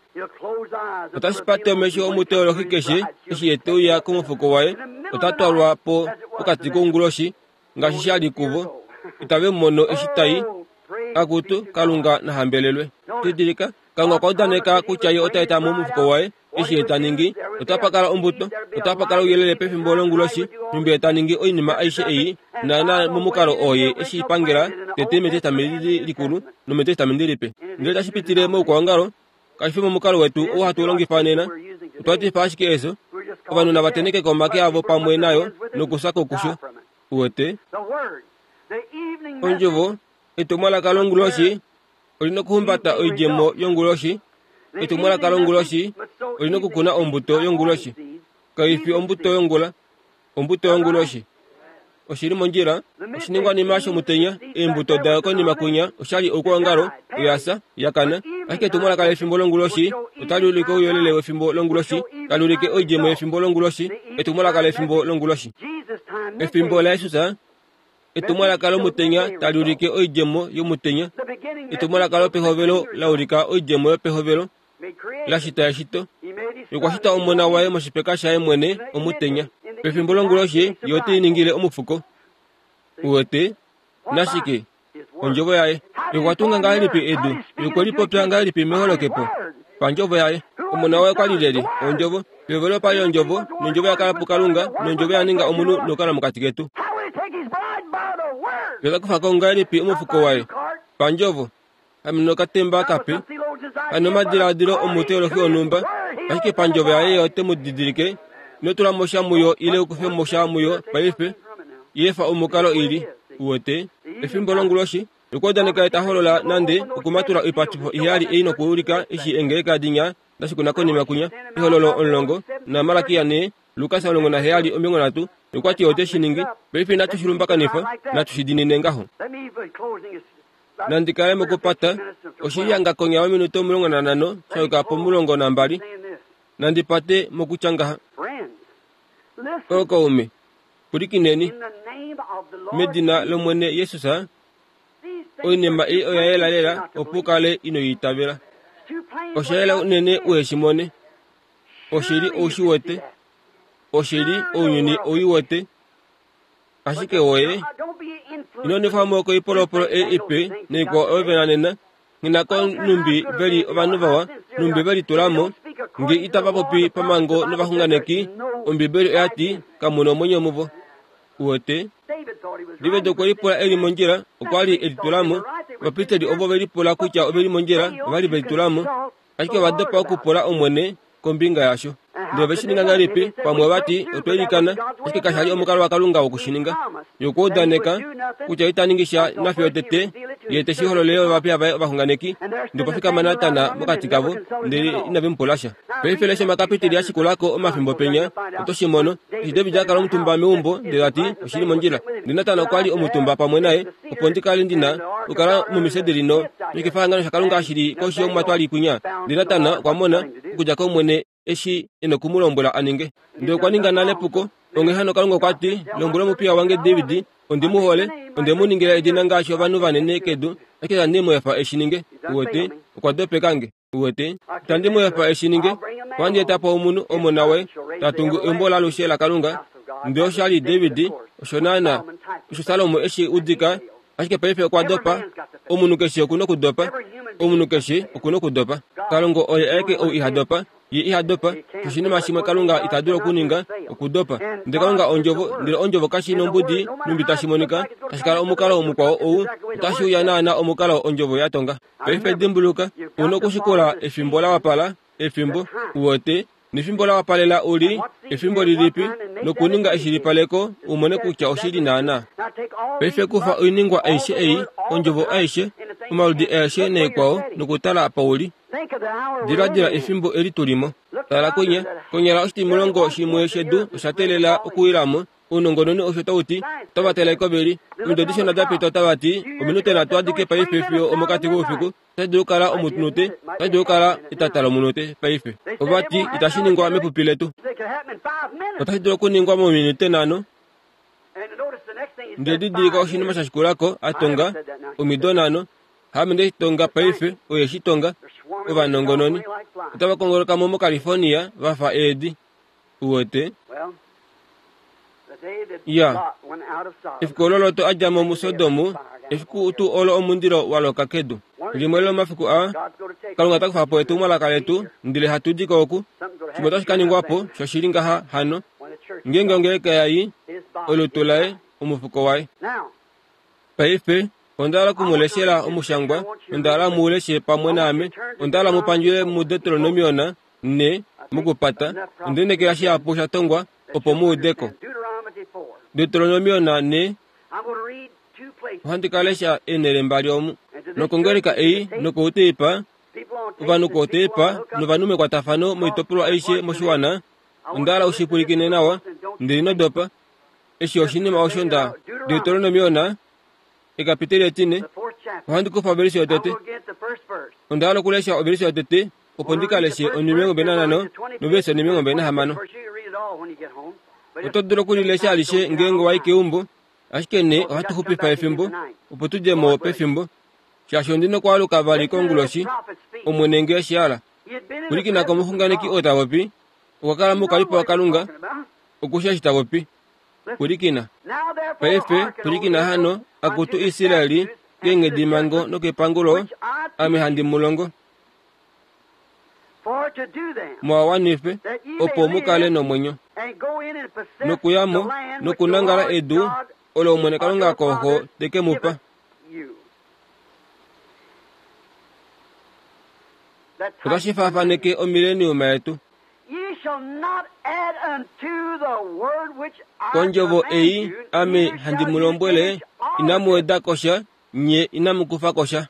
Otashi pate omesho omuteolohi keshe eshi ye te uya komufuko waye, ota twalwa po pokati kounguloshi, ngaashi sha li kuvo. Itave mu mono eshi tai. Akutu, Kalunga na hambelelwe. Didilika, Kalunga okwa udaneka kutya ye ota eta mo omufuko waye, eshi ye ta ningi, otapa kala ombuto, otapa kala ouyelele pefimbo longuloshi, nhumbi ye ta ningi oinima aishe ei, naana momukalo oo ye e shi pangela tete mEtestamenti Likulu nomEtestamenti Lipe. Ndele tashi pitile moukwaongalo, kashi fi momukalo wetu ou hatu longifa nena. Otwa etifa ashike efyo. Ovanhu nava tenheke ko omake avo pamwe nayo nokufya ko kusho. Uwete? Ondjovo, etumwalaka longuloshi, oli na okuhumbata oidjemo yonguloshi. Etumwalaka longuloshi oli na okukuna ombuto yonguloshi. Kai fi ombuto yongula, ombuto yonguloshi. Oshi li mondjila. Oshiningwanima shomutenya, eembuto dayo konima kwinya oshali oukwaongalo, oya fya, ya kana. Ashike etumwalaka lefimbo longuloshi otali ulike ouyelele wefimbo longuloshi, tali ulike oidjemo yefimbo longuloshi, etumwalaka lefimbo longuloshi. Efimbo laJesus Etumwalaka lomutenya tali ulike oidjemo yomutenya. Etumwalaka lopehovelo la ulika oidjemo yopehovelo, la shita eshito. Ye okwa shita Omona waye moshipeka shaye mwene omutenya. Pefimbo longuloshi ye ote i ningile omufuko. Uwete? Nashike? Ondjovo yaye. Ye okwa tunga ngahelipi edu? Ye okwe li popya ngahelipi meholokepo? Pandjovo yaye. Omona waye okwa li lyelye? Ondjovo. Pehovelo opa li Ondjovo, nOndjovo ya kala puKalunga, nOndjovo ya ninga omunhu nokukala mokati ketu. Ye ota kufa ko ngahelipi omufuko waye? Pandjovo. Ame nokatemba kape, hano omadiladilo omuteolohi wonhumba, ashike pandjovo yaye ye ote mu didilike. Ino tula mo sha muyo ile u kufe mo sha muyo paife. I efa omukalo i li. Uwete? Efimbo longuloshi, okwa udaneka ye ta holola nande okumatula oipatifo iheyali ei nokuulika eshi eengeleka dinya da shikuna konima kwinya, Ehololo 10, naMalakia 4, Lukas 17, nokwa ti ote shi ningi. Paife inatu shi lumbakanifa, natu shi diinine ngaho. Nandi kale mokupata, oshi li hanga konya yominute 15 sha yuka pomulongo nambali. Nandi pate mokutya ngaha. Ookaume, pwilikineni. Medina lOmwene Jesus, oinima ei oya yela lela opo u kale ino i itavela. Osha yela unene u he shi mone. Oshili ou shi wete. Oshili ounyuni ou i wete. Ashike woye, ino nwefa mo koipolopolo ei ipe naikwao oyo ve na nena, nghi ko nhumbi ve li ovanhu vawa, nhumbi ve litula mo, nge itava popi pamhango novaxunganeki, Ombibeli oya ti, Kamu na omwenyo muvo. Uwete? David okwe lipula e li mondjila, okwa li e litula mo. Ovapristeli ovo ve lipula kutya ove li mondjila, ova li ve litula mo. Ashike ova dopa okupula Omwene kombinga yasho. Ndele ove shi ninga ngahelipi? Pamwe ova ti, Otwa ilikana, ashike kasha li omukalo waKalunga woku shi ninga. Ye okwa udaneka kutya ita ningi sha nafye tete Ye te shi hololele ovapiya vaye ovaxunganeki. Ndele opa fikama Natan mokati kavo, ndele inave mu pula sha. Paife lesha omakapiteli a shikula ko omafimbo penya, oto shi mono. Eshi David a kala omutumba meumbo, ndele ta ti, Oshi li mondjila. Ndele Natan okwa li omutumba pamwe naye, opo ndi kale ndi na okukala momisederi no, noshikefahangano shaKalunga shi li koshi yomatwali kwinya. Ndele Natan okwa mona, okudja kOmwene, eshi e noku mu lombwela a ninge. Ndele okwa ninga nale epuko. Onghee hano Kalunga okwa ti, Lombwela omupiya wange David, ondi mu hole, onde mu ningila edina ngaashi ovanhu vanene kedu, ashike itandi mu efa e shi ninge. Uwete? Okwa dopeka nge. Uwete? Itandi mu efa e shi ninge. Ohandi eta po omunhu, omona waye, ta tungu eumbo laalushe laKalunga. Ndele osha li David, osho naanaa. Osho Salomo eshi udika, ashike paife okwa dopa. Omunhu keshe oku nokudopa. Omunhu keshe oku nokudopa. Kalunga oye aeke ou iha dopa. Ye iha dopa. Oshinima shimwe Kalunga ita dulu okuninga, okudopa. Ndele Kalunga Ondjovo, ndele Ondjovo kashi nombudi nhumbi tashi monika, tashi kala omukalo mukwao ou, otashi uya naana omukalo Ondjovo ya tonga. Paife dimbuluka, u nokushikula efimbo la wapala, efimbo, uwete, nefimbo la wapalela u li efimbo lilipi, nokuninga eshilipaleko u mone kutya oshi li naana. Paife kufa oiningwa aishe ei, Ondjovo aishe, omaludi aeshe naikwao, nokutala apa u li. Diladila efimbo eli tu li mo. Tala kwinya, konyala oshitimulongo shimwe shedu osha teelela okuwila mo. Ounongononi osho tau ti. Otava tale ko ve li. Omido dishona da pita otava ti, Ominute nhatu adike paife fiyo omokati koufiku. Otashi dulu okukala omutunute, otashi dulu okukala etata lomunute paife. Ova ti, Itashi ningwa mepupi letu. Otashi dulu okuningwa mominute nhano. Ndele didilika oshinima sha shikula ko, a tonga, omido nhano. Haame nde shi tonga paife, oye shi tonga. Ovanongononi otava kongoloka mo moCalifornia va fa eedi. Uwete? Ya. Efiku olo Lot a dja mo muSodom, efiku tuu olo omundilo wa loka kedu. Limwe lomomafiku aa, Kalunga ota kufa po etumwalaka letu, ndele hatu di ko oku. Shimwe otashi ka ningwa po, shoshili ngaha hano. Ngeenge ongeleka ya i, olutu laye, omufuko waye. Paife, onda hala oku mu leshela omushangwa, onda hala mu leshe pamwe naame. Onda hala mu pandjule muDeuteronomion 4, mokupata. Onde lineekela shihapu sha tongwa opo mu ude ko. Deuteronomion 4, ohandi ka lesha eenhele mbali omu. Nokongeleka ei nokouteipa, ovanhu kouteipa novanhu mekwatafano moitopolwa aishe moshiwana, onda hala u shi pwilikine nawa, ndele ino dopa. Eshi oshinima osho nda Deuteronomion ekapiteli etine, ohandi kufa ovelise yotete. Onda hala okulesha ovelise yotete opo ndi ka leshe onhimilongo mbali nanhano novelise onhimilongo mbali nahamano. Oto dulu okulilesha alishe ngeenge wa i keumbo, ashike nee ohatu xupifa efimbo opo tu dje mo pefimbo, shaashi ondi nokwaaluka vali konguloshi, Omwene nge eshi hala. Pwilikina komuxunganeki oo ta popi, okwa kala moukalipo waKalunga, oku shii eshi ta popi. Pwilikina. Paife, pwilikina hano, akutu Israel, keenghedimhango nokepangulo, ame handi mu longo. Mu a wanife, opo mu kale nomwenyo. Nokuya mo, nokunangala edu olo Omwene Kalunga kooxo te ke mu pa. Otashi faafaneke omileniuma yetu. Kondjovo ei ame handi mu lombwele, inamu weda ko sha, nye inamu kufa ko sha.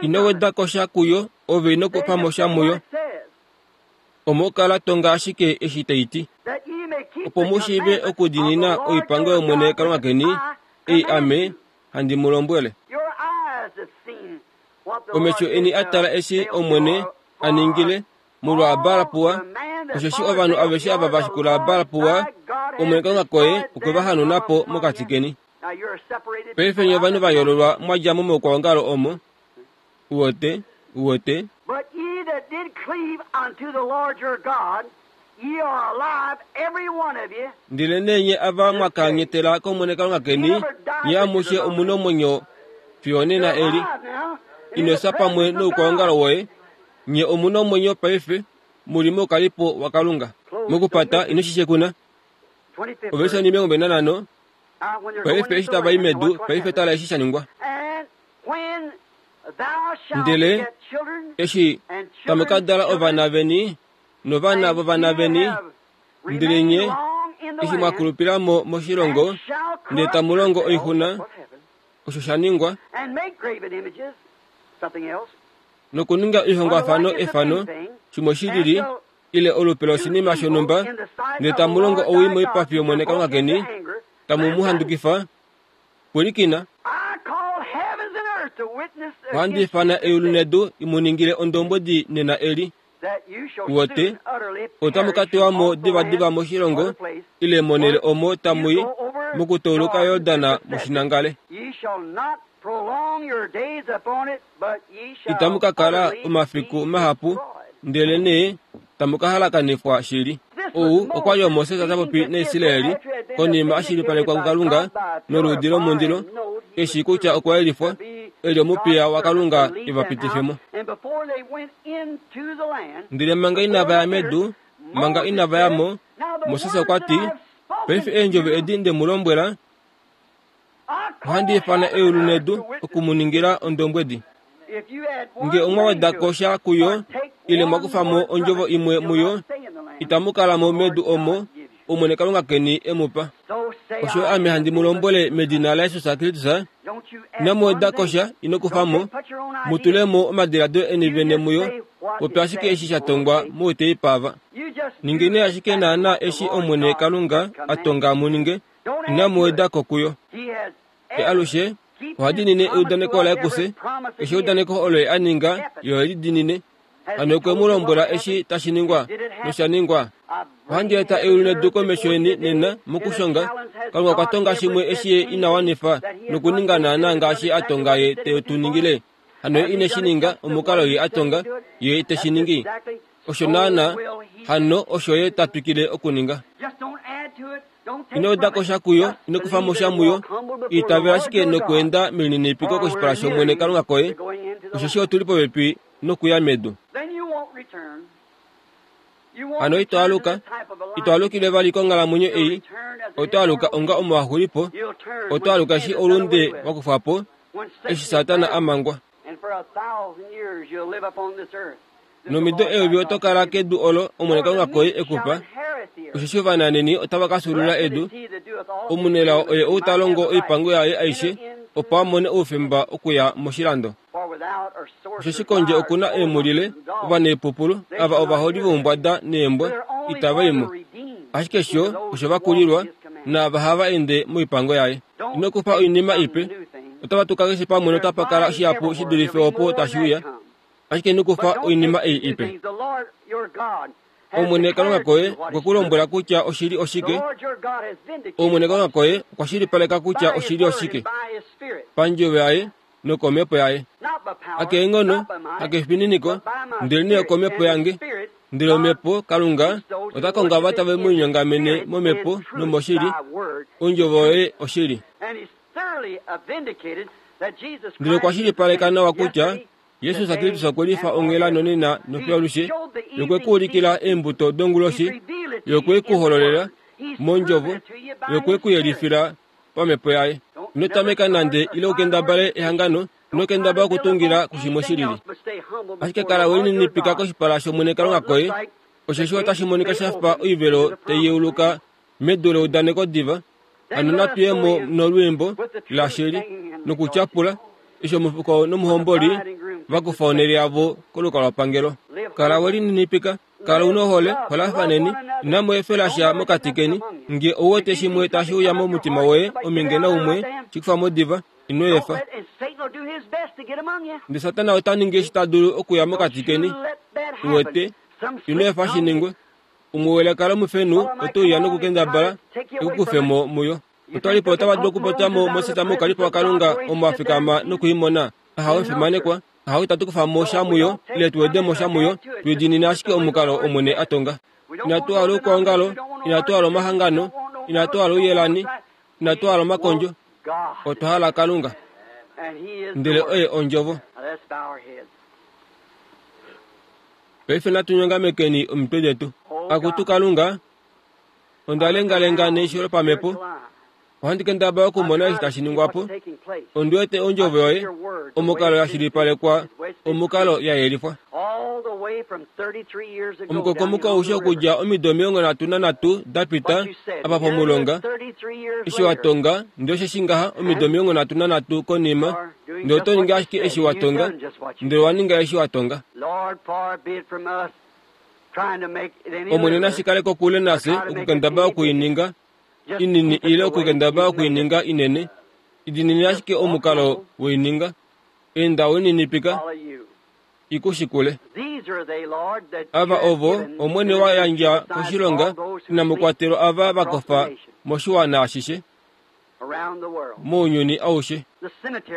Ino weda ko sha kuyo, ove ino kufa mo sha muyo. Omo kala tonga ashike eshi tai ti, opo mu shiive okudiinina oipango yOmwene Kalunga keni, ei ame handi mu lombwele. Omesho eni a tala eshi Omwene a ningile molwa Baal-Peor, osheshi ovanhu aveshe ava va shikula Baal-Peor, Omwene Kalunga koye okwe va hanauna po mokati keni. Paife nye ovanhu va yoololwa mwa dja mo moukwaongalo omo. Uwete? Uwete? But ye that did cleave unto the Lord your God, ye are alive, every one of you. Ndelenee nye ava mwa kanyatela kOmwene Kalunga keni, nye amushe omu nomwenyo fiyo onena eli. Ino fya pamwe noukwaongalo woye. Nye omu nomwenyo paife, mu li moukalipo waKalunga. Mokupata ino shi shekuna. Ovelisha 25, Paife eshi tava i medu, paife tala eshi sha ningwa. Ndele eshi tamu ka dala ovana veni novana vovana veni, ndele nye eshi mwa kulupila mo moshilongo, ndele tamu longo oixuna, osho sha ningwa, nokuninga oihongwafano efano, shimwe shi lili, ile olupe loshinima shonhumba, ndele tamu longo owii moipafi yOmwene Kalunga keni, tamu mu handukifa, Pwilikina, ohandi ifana eulu nedu i mu ningile ondombwedi nena eli. Uwete, otamu ka tewa mo divadiva moshilongo ile monhele omo tamu i mokutouluka Yordan mu shi nangale. Itamu ka kala omafiku mahapu, ndelenee tamu ka halakanifwa shili. Ou okwa li oMoses ta popi naIsraeli konima a shilipalekwa kuKalunga noluudi lomundilo, e shii kutya okwa yelifwa e li omupiya waKalunga e va pitife mo. Ndele manga inava ya medu, manga inava ya mo, Moses okwa ti, Paife eendjovo edi nde mu lombwela, ohandi ifana eulu nedu oku mu ningila ondombwedi. Nge omwa weda ko sha kuyo, ile mwa kufa mo ondjovo imwe muyo, itamu kala mo medu omo Omwene Kalunga keni e mu pa. Osho ame handi mu lombwele medina laJesus Kristus, inamu weda ko sha, ino kufa mo, mu tule mo omadiladilo eni vene muyo, popya ashike eshi sha tongwa mouteipa ava. Ningeni ashike naanaa eshi Omwene Kalunga a tonga mu ninge, inamu weda ko kuyo. Ye alushe oha diinine eudaneko laye kufye, keshe eudaneko olo ye a ninga, ye ohe li diinine. Hano okwe mu lombwela eshi tashi ningwa, nosha ningwa. Ohandi eta eulu nedu komesho yeni nena mokushonga. Kalunga okwa tonga shimwe eshi ye ina wanifa nokuninga naanaa ngaashi a tonga ye te tu ningile. Hano ye ine shi ninga omukalo ye a tonga, ye te shi ningi. Osho naanaa, hano osho ye ta twikile okuninga. Ino weda ko sha kuyo, ino kufa mo sha muyo. Itavela ashike nokweenda melininipiko koshipala shOmwene Kalunga koye, osheshi otu li popepi nokuya medu. Hano ito aluka, ito alukile vali konghalamwenyo ei, oto aluka onga omuwaxulipo, oto aluka eshi oulunde wa kufwa po, eshi Satana a mangwa. Nomido eyovi oto kala kedu olo Omwene Kalunga koye e ku pa, osheshi ovananheni otava ka fyuulula edu. Omunelao oye ou ta longo oipango yaye aishe, opo a mone oufemba okuya moshilando. Osheshi kondje oku na eemhulile, ovanaipupulu, ava ovaholi voumbwada neembwa, itava i mo. Ashike sho osho va kulilwa, naava hava ende moipango yaye. Ino kufa oinima ipe. Otava tuka keshe pamwe notapa kala shihapu shi dulife opo tashi uya. Ashike ino kufa oinima ei ipe. Omwene Kalunga koye okwe ku lombwela kutya oshili oshike. Omwene Kalunga koye okwa shilipaleka kutya oshili oshike pandjovo yaye nokomhepo yaye. Hakeenghono, hakefininiko, ndelenee okomhepo yange. Ndele omhepo, Kalunga, ota konga ava tave mu linyongamene momhepo nomoshili. Ondjovo yoye oshili. Ndele okwa shilipaleka nawa kutya Jesus Kristus okwe lifa onghela nonena nofiyo alushe, ye okwe ku ulikila eembuto donguloshi, ye okwe ku hololela mondjovo, ye okwe ku yelifila pamhepo yaye. Ino tameka nande ile ukendabale ehangano, ino kendabala okutungila kushimwe shi lili. Ashike kala we lininipika koshipala shOmwene Kalunga koye, osheshi otashi monika sha fa oivelo tai yeuluka medu leudaneko diva. Hano natu ye mo nolwiimbo lashili nokutyapula eshi omufuko nomuhomboli va kufa onhele yavo kolukalwapangelo. Kala we lininipika, kala u nohole, holafaneni, inamu efela sha mokati keni. Nge ou wete shimwe tashi uya momutima woye ominge naumwe, shi kufa mo diva, ino efa. Ndele Satana ota ningi eshi ta dulu okuya mokati keni. U wete, ino efa shi ningwe. Umwe welaka lomufenhu ote uya nokukendabala e ku kufe mo muyo. Otwa li po otava dulu okupopya mo Moses moukalipo waKalunga omo a fikama noku i mona. Ahawe omufimanekwa, ahawe itatu kufa mo sha muyo ile tu wede mo sha muyo, tu diinine ashike omukalo Omwene a tonga. Inatu hala oukwaongalo, inatu hala omahangano, inatu hala ouyelani, inatu hala omakondjo. Otwa hala Kalunga. Ndele oye Ondjovo. Paife natu nyongamekeni omitwe detu. Akutu Kalunga, onda lengalenga neisho lopamhepo. Ohandi kendabala okumona eshi tashi ningwa po. Ondi wete ondjovo yoye, omukalo ya shilipalekwa, omukalo ya yelifwa. Omukokomoko aushe okudja omido 33 da pita, apa pomulonga, eshi wa tonga, ndele osheshi ngaha omido 33 konima, ndele oto ningi ashike eshi wa tonga, ndele owa ninga eshi wa tonga. Omwene nashi kale kokule nafye okukendabala oku i ninga inini ile okukendabala oku i ninga inene. Idinini ashike omukalo we i ninga. Enda we lininipika, i ku shikule. Ava ovo Omwene wa yandja koshilonga inamu kwatelwa ava va kofa moshiwana ashishe. Mounyuni aushe.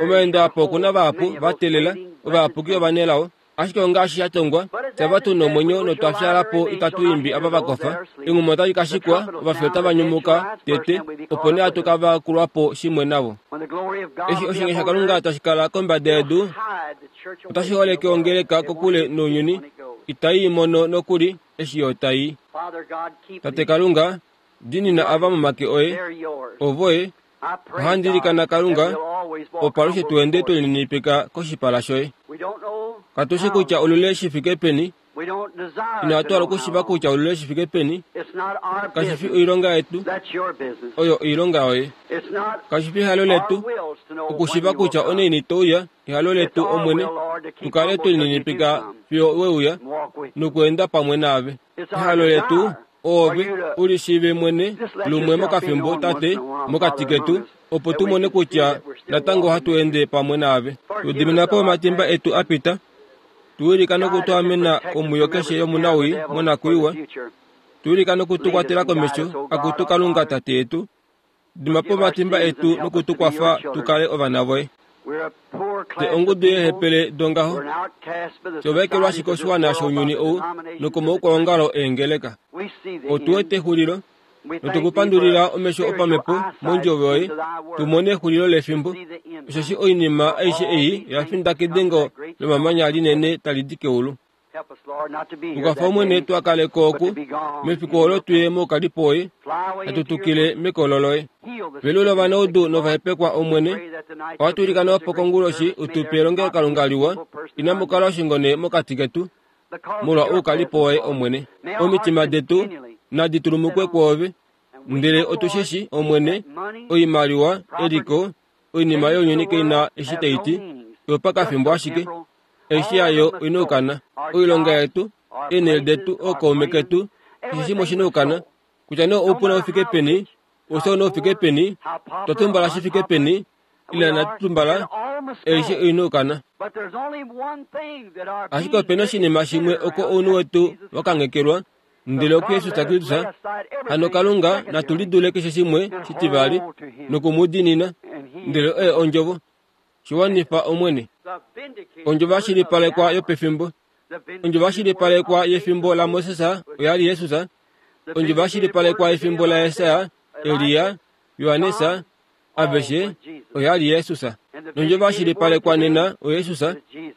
Omaendo apa oku na vahapu va teelela, ovayapuki ovanelao. Ashike ongaashi sha tongwa, Fye ava tu nomwenyo notwa fyaala po itatu imbi ava va kofa. Enghuma otali ka shikwa, ovafi otava nyumuka tete, opo nee hatu ka vakulwa po shimwe navo. Eshi oshinge shaKalunga tashi kala kombada yedu, otashi holeke ongeleka kokule nounyuni, itai i mono nokuli eshi yo tai i. Tate Kalunga, diinina ava momake oye, ovoye, Ohandi ilikana Kalunga, opo alushe tu ende twe lininipika koshipala shoye. Katu shi kutya olule shi fike peni, inatu hala okushiva kutya olule shi fike peni. Kashi fi oilonga yetu, oyo oilonga yoye. Kashi fi ehalo letu okushiva kutya onaini to uya, ehalo letu, Omwene, tu kale twe lininipika fiyo we uya nokweenda pamwe naave. Ehalo letu oove u li shiive mwene lumwe mokafimbo, Tate, mokati ketu, opo tu mone kutya natango ohatu ende pamwe naave. Tu dimina po omatimba etu a pita, tu wilika noku tu amena komwiyo keshe yomunawii monakwiiwa, tu wilika noku tu kwatela komesho, Akutu Kalunga Tate yetu. Dima po omatimba etu noku tu kwafa tu kale ovana voye. Fye ongudu yeehepele dongaho, fye ovaekelwashi koshiwana shounyuni ou nokomaukwaongalo eengeleka. Otu wete exulilo, notu ku pandulila omesho opamhepo mondjovo yoye, tu mone exulilo lefimbo, osheshi oinima aishe ei oya finda kedengo lomamanya linene tali di keulu. Tukwafa Omwene tua kale ko oku, mefiku olo tuye moukalipo woye, hatu tukile mekolo loye. Velula ovanaudu novahepekwa Omwene, ohatu ilikana opo konguloshi u tu pe elongelokalunga liwa, inamu kala oshingone mokati ketu, molwa oukalipo woye Omwene. Omitima detu nadi tulumukwe kwoove, ndele otu shi shi, Omwene, oimaliwa, eliko, oinima younyuni kai na eshi tai ti, oyopakafimbo ashike, Eshi yayo oi na okukana. Oilonga yetu, eenhele detu, ookaume ketu, keshe shimwe oshi na okukana. Kutya nee oupuna u fike peni, oushauna u fike peni, twa tumbala shi fike peni, ile inatu tumbala, aishe oi na okukana. Ashike ope na oshinima shimwe oko ounhu wetu wa kanghekelwa, ndele okuJesus Kristus. Hano Kalunga natu lidule keshe shimwe shitivali noku mu diinina, ndele oye Ondjovo. Shi wanifa, Omwene. Ondjovo ya shilipalekwa yopefimbo. Ondjovo ya shilipalekwa yefimbo laMoses oya li Jesus. Ondjovo ya shilipalekwa yefimbo laJesaja, Elia, Johannes, aveshe, oya li Jesus. Nondjovo ya shilipalekwa nena oJesus,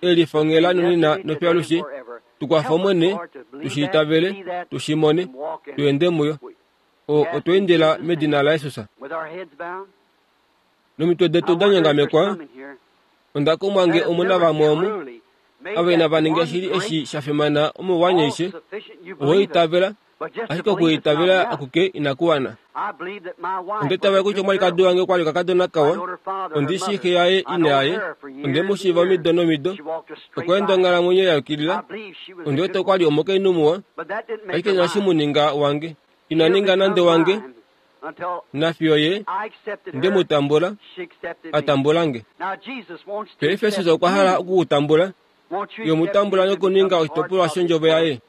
e lifa onghela nonena nofyalushe. Tu kwafa, Omwene, tu shi itavele, tu shi mone, tu ende muyo. O, otwa endela medina laJesus. Nomitwe detu da nyongamekwa, onda kumwa nge omu na vamwe omu, ava inava ninga shili eshi sha fimana omolwanyeishe, oho itavela, ashike okuitavela akuke inaku wana. Onda itavela kutya omwalikadi wange okwa li okakadona kawa, ondi shii xe yaye ina yaye, onde mu shiiva omido nomido, okwa enda onghalamwenyo ya yukilila, ondi wete okwa li omukainhu muwa, ashike inashi mu ninga wange. Ina ninga nande wange, Nafiyo ye nde mu tambula, a tambula nge. Paife Jesus okwa hala oku ku tambula. Ye mu tambula nokuninga oshitopolwa shondjovo yaye.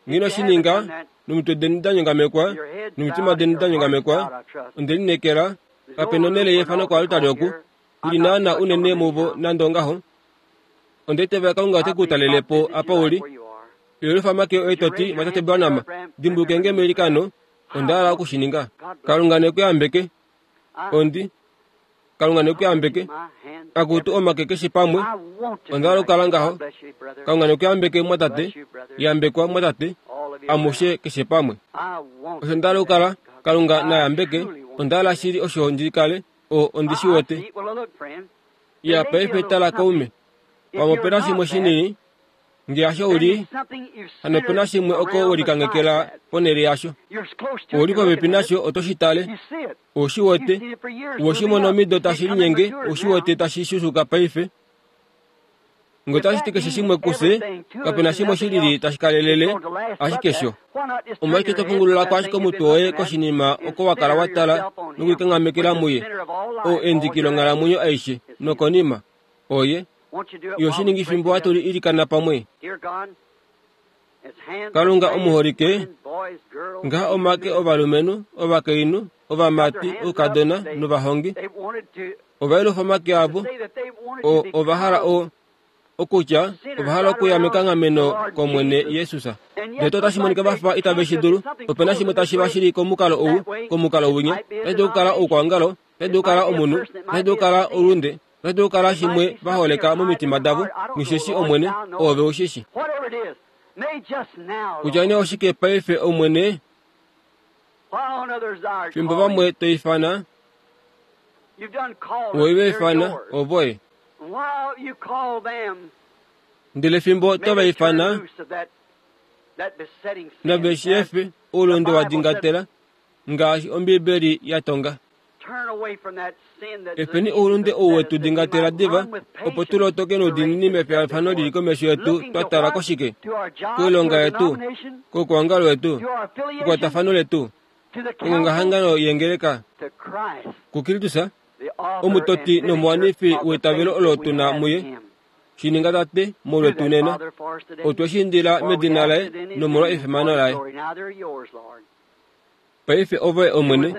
Nghi shi ninga nomitwe deni da nyongamekwa, nomitima deni da nyongamekwa, onde lineekela, kape nonhele yeefano koaltari oku, i li naana unene muvo nande ongaho. Onda itavela Kalunga ote ku talele po apa u li. Yelifa omake oye to ti, Mwatate Branham, dimbuluke nge meilikano, Onda hala oku shi ninga. Kalunga ne ku yambeke. Ondi. Kalunga ne ku yambeke. Akutu omake keshe pamwe. Onda hala okukala ngaho. Kalunga ne ku yambeke, mwatate. Yambekwa, mwatate. Amushe keshe pamwe. Osho nda hala okukala. Kalunga na yambeke. Onda hala shili osho ndi kale. O, ondi shi wete. Ya, paife tala kaume. Pamwe ope na shimwe shinini. Nge hasho u li, hano ope na shimwe oko we likangekela ponhele yasho. Ou li popepi nasho oto shi tale. Ou shi wete. Owe shi mona omido tashi linyenge, ou shi wete tashi shushuka paife. Nge otashi ti keshe shimwe kufye, kape na shimwe shi lili tashi kalelele, ashike sho. Omolwashike to pungulula ko ashike omutwe woye koshinima oko wa kala wa tala nokulikanghamekela muye, oo endiki longhalamwenyo aishe, nokonima, Oye yo shi ningi fimbo hatu li ilikana pamwe. Kalunga omuholike, ngaha omake ovalumenhu, ovakainhu, ovamati, oukadona novahongi ova yelufa omake avo. O, ova hala o, Okutya ova hala okuya mekanghameno kOmwene Jesus. Ndele otashi monika va fa itave shi dulu. Ope na shimwe tashi va shili komukalo ou, komukalo winya. Otashi dulu okukala oukwaongalo, otashi dulu okukala omunhu, otashi dulu okukala oulunde, otashi dulu okukala shimwe va holeka momitima davo. Nghisheshi, Omwene, Oove u shi shi. Kutya nee oshike paife, Omwene, fimbo vamwe to ifana, Oi va ifana, ovoye. Ndele fimbo to va ifana, nave shi efe oulunde wa dingatela, ngaashi Ombibeli ya tonga. Efeni oulunde ou we tu dingatela diva, opo tu lotoke noudiinini mefiyafano li li komesho yetu twa tala koshike? Koilonga yetu? Koukwaongalo wetu? Kekwatafano letu? Kongongahangano yengeleka? KuKristus, omutoti nomuwanifi weitavelo olo tu na muye. Shi ninga Tate molwetu nena. Otwe shi indila medina laye nomolwa efimano laye. Paife ove Omwene,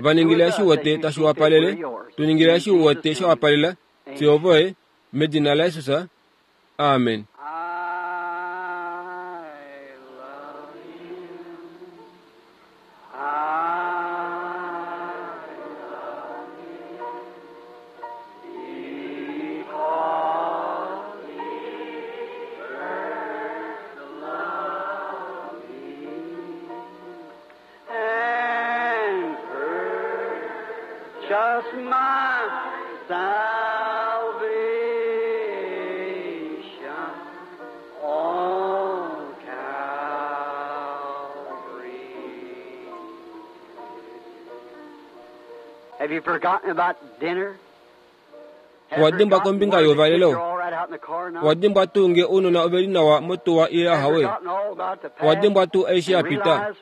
va ningila eshi u wete tashi wapalele, tu ningila eshi u wete sha wapalela, fye ovoye, medina laJesus. Amen. Just my salvation on Calvary. Have you forgotten about dinner? Owa dimbwa kombinga youvalelo? Owa dimbwa tuu nge ounona ove li nawa motuwa ile ahawe? Owa dimbwa tuu eshi ya pita?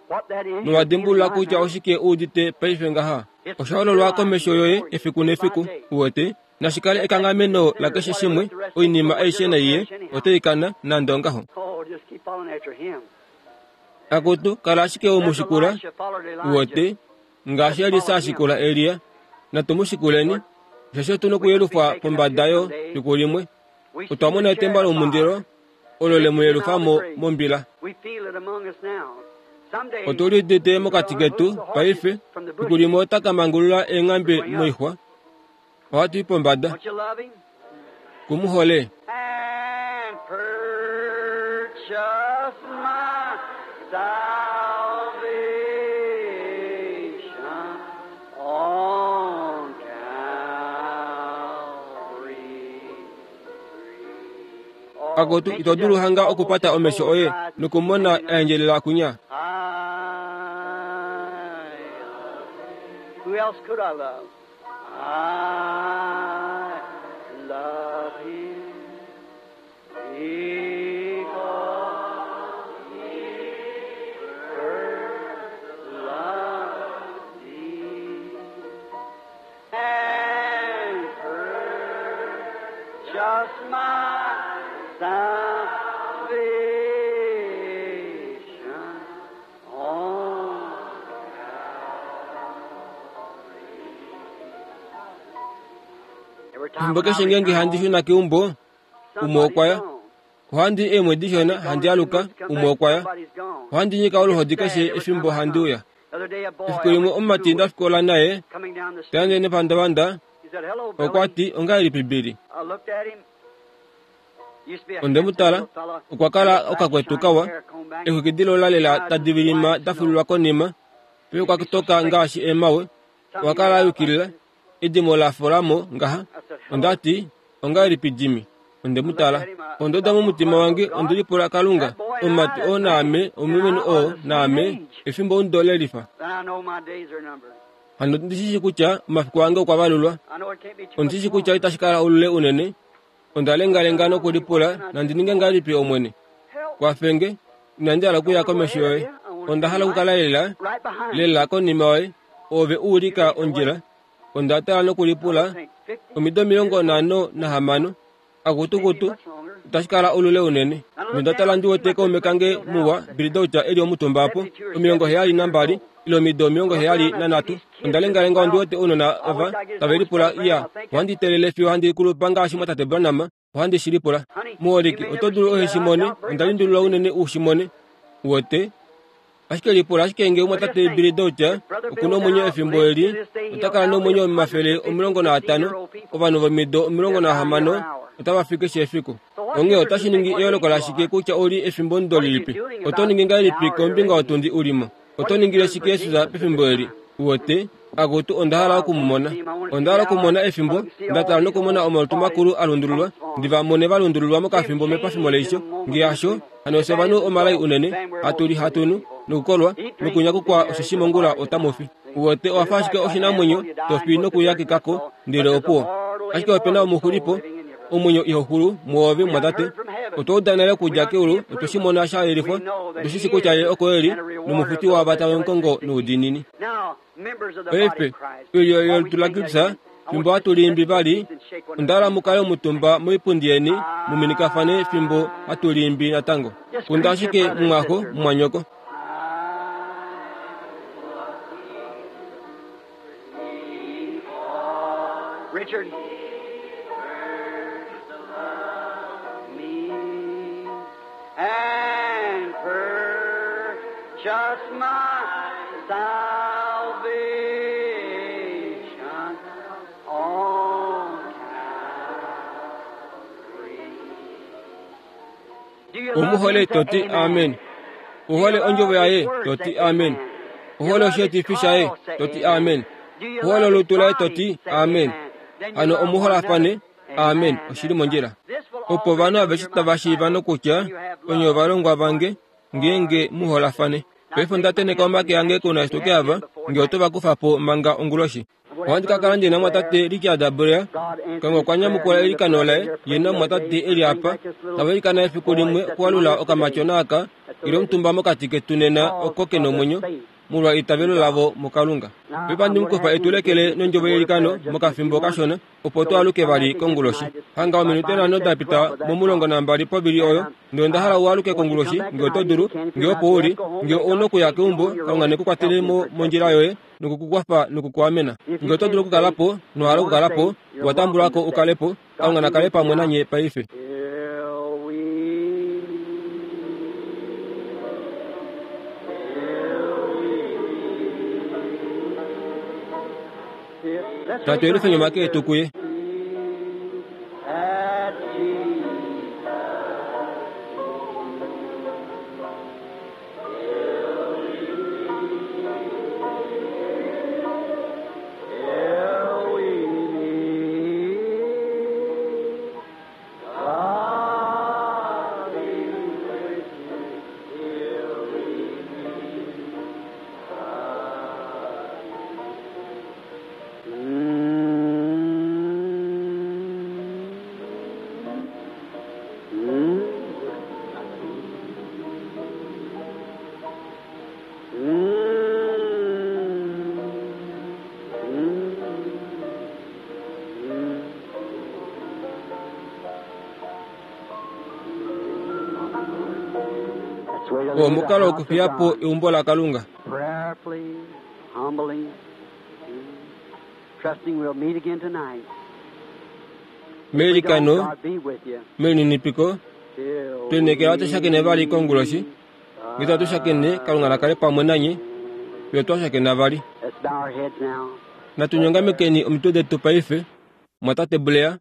Nowa dimbulula kutya oshike u udite paife ngaha? Osha hololwa komesho yoye efiku nefiku, uwete. Nashi kale ekanghameno lakeshe shimwe, oinima aishe naiye otai kana nande ongaho. Akutu, kala ashike u mu shikula, uwete. Ngaashi Elisa a shikula Elia, natu mu shikuleni, osheshi otu nokuyelufa pombada yo fiku limwe. Otwa mona etemba lomundilo olo le mu yelufa mo mombila. Otu li udite mokati ketu paife, fiku limwe ota ka mangulula eenghambe moixwa. Ohatu i pombada. Ku mu hole. And purchase my salvation on Calvary. Akutu, ito dulu hanga okupata omesho oye nokumona eendjelela kunya. I Who else could I love? I love him because he first loved me and purchased my salvation on Efimbo keshe ngeenge handi shuna keumbo, umwe okwa ya. Ohandi i eemwedi dishona handi aluka, umwe okwa ya. Ohandi nyika oluhodi keshe efimbo handi uya. Efiku limwe omumati nda fikola naye, ta ende nepandavanda, okwa ti, Ongahelipi Billy? Onde mu tala, okwa kala okakwetu kawa, exwiki dilola lela tadi vilima da fululwa konima, paife okwa toka ngaashi eemhawe. Okwa kala a yukilila, edimo la fola mo ngaha. Onda ti, Ongahelipi Jimmy? Onde mu tala. Onda uda momutima wange, onde lipula, Kalunga, omumati oo naame, omulumenhu oo naame, efimbo omudo le lifa. Hano ondi shi shii kutya omafiku ange okwa valulwa. Ondi shi shii kutya itashi kala olule unene. Onda lengalenga nokulipula, Nandi ninge ngahelipi, Omwene? Kwafe nge. Inandi hala okuya komesho yoye. Onda hala okukala lela, lela konima yoye. Ove u ulika ondjila. Onda tala nokulipula, Omido 56, akutukutu, itashi kala olule unene. Nonda tala ndi wete kaume kange muwa, Billy Dauch, e li omutumba opo, 72, ile omido 73. Onda lengalenga ondi wete ounona ava tave lipula, Iya, ohandi teelele fiyo handi kulupa ngaashi mwatate Branham. Ohandi shi lipula. Muholike, oto dulu ohe shi mone? Onda lundulula unene u shi mone. Uwete? Ashike lipula ashike nge omumwatate Billy Dauch oku na omwenyo efimbo eli, ota kala nomwenyo 150, ovanhu vomido 60 otava fi keshe efiku. Onghee otashi ningi eyooloko lashike kutya ou li efimbomudo lilipi? Oto ningi ngahelipi kombinga yotundi u li mo? Oto ningile shike Jesus pefimbo eli? Uwete? Akutu, onda hala oku mu mona. Onda hala okumona efimbo nda tala nokumona omalutu makulu a lundululwa, ndi va mone va lundululwa mokafimbo mepafimo leisho. Nge hasho, hano ofye ovanhu omalai unene, hatu li hatu nu, nokukolwa, nokunyakukwa osheshi mongula otamu fi. Uwete, owa fa ashike oshinamwenyo, to fi nokuya kekako, ndele opuwo. Ashike ope na omuxulipo, omwenyo iho xulu mwoove, mumwatate. Otwa uda nale okudja keulu, otwe shi mona sha yelifwa, otu shi shi kutya Ye oko e li, nomufuti waava tave mu kongo noudiinini. Paife, oilyo yolutu laKristus, fimbo hatu liimbi vali, onda hala mu kale omutumba moipundi yeni mu minikafane fimbo hatu liimbi natango. Kunda ashike mumwaxo, mumwanyoko. Richard. Me and purchase my salvation on Calvary. Do you love Omuhole him? to ti Say amen. Ohole ondjovo yaye to ti amen. Ohole osheetifi shaye to ti amen. Ohole olutu laye to ti amen. Hano omuholafane amen oshi li mondjila. Opo ovanhu aveshe tava shiiva nokutya onye ovalongwa vange ngeenge mu holafane. Paife onda tenheka omake ange kounashitoke ava nge oto va kufa po manga onguloshi. Ohandi ka kala ndi na mumwatate Richard Blair. Kalunga okwa nyamukula eilikano laye, ye namumwatate e li apa, tava ilikana efiku limwe okualula okamatyona aka ke li omutumba mokati ketu nena oko ke nomwenyo, molwa eitavelo lavo muKalunga. Paife ohandi mu kufa e tu lekele nondjovo yeilikano mokafimbo kashona, opo tu aluke vali konguloshi. Hanga ominute nhano da pita momulongo nambali povili oyo, ndele onda hala u aluke konguloshi, nge oto dulu, nge opo u li, nge ou na okuya keumbo, Kalunga ne ku kwatele mo mondjila yoye noku ku kwafa noku ku amena. Nge oto dulu okukala po, nowa hala okukala po, owa tambulwa ko u kale po. Kalunga na kale pamwe nanye paife. Natu yelufeni omake etu kuye. Oo omukalo wokufiya po eumbo laKalunga. Meilikano, melininipiko, twe lineekela ohatu shakene vali konguloshi. Nge itatu shakene, Kalunga na kale pamwe nanye fiyo twa shakena vali. Natu nyongamekeni omitwe detu paife, Mumwatate Blair.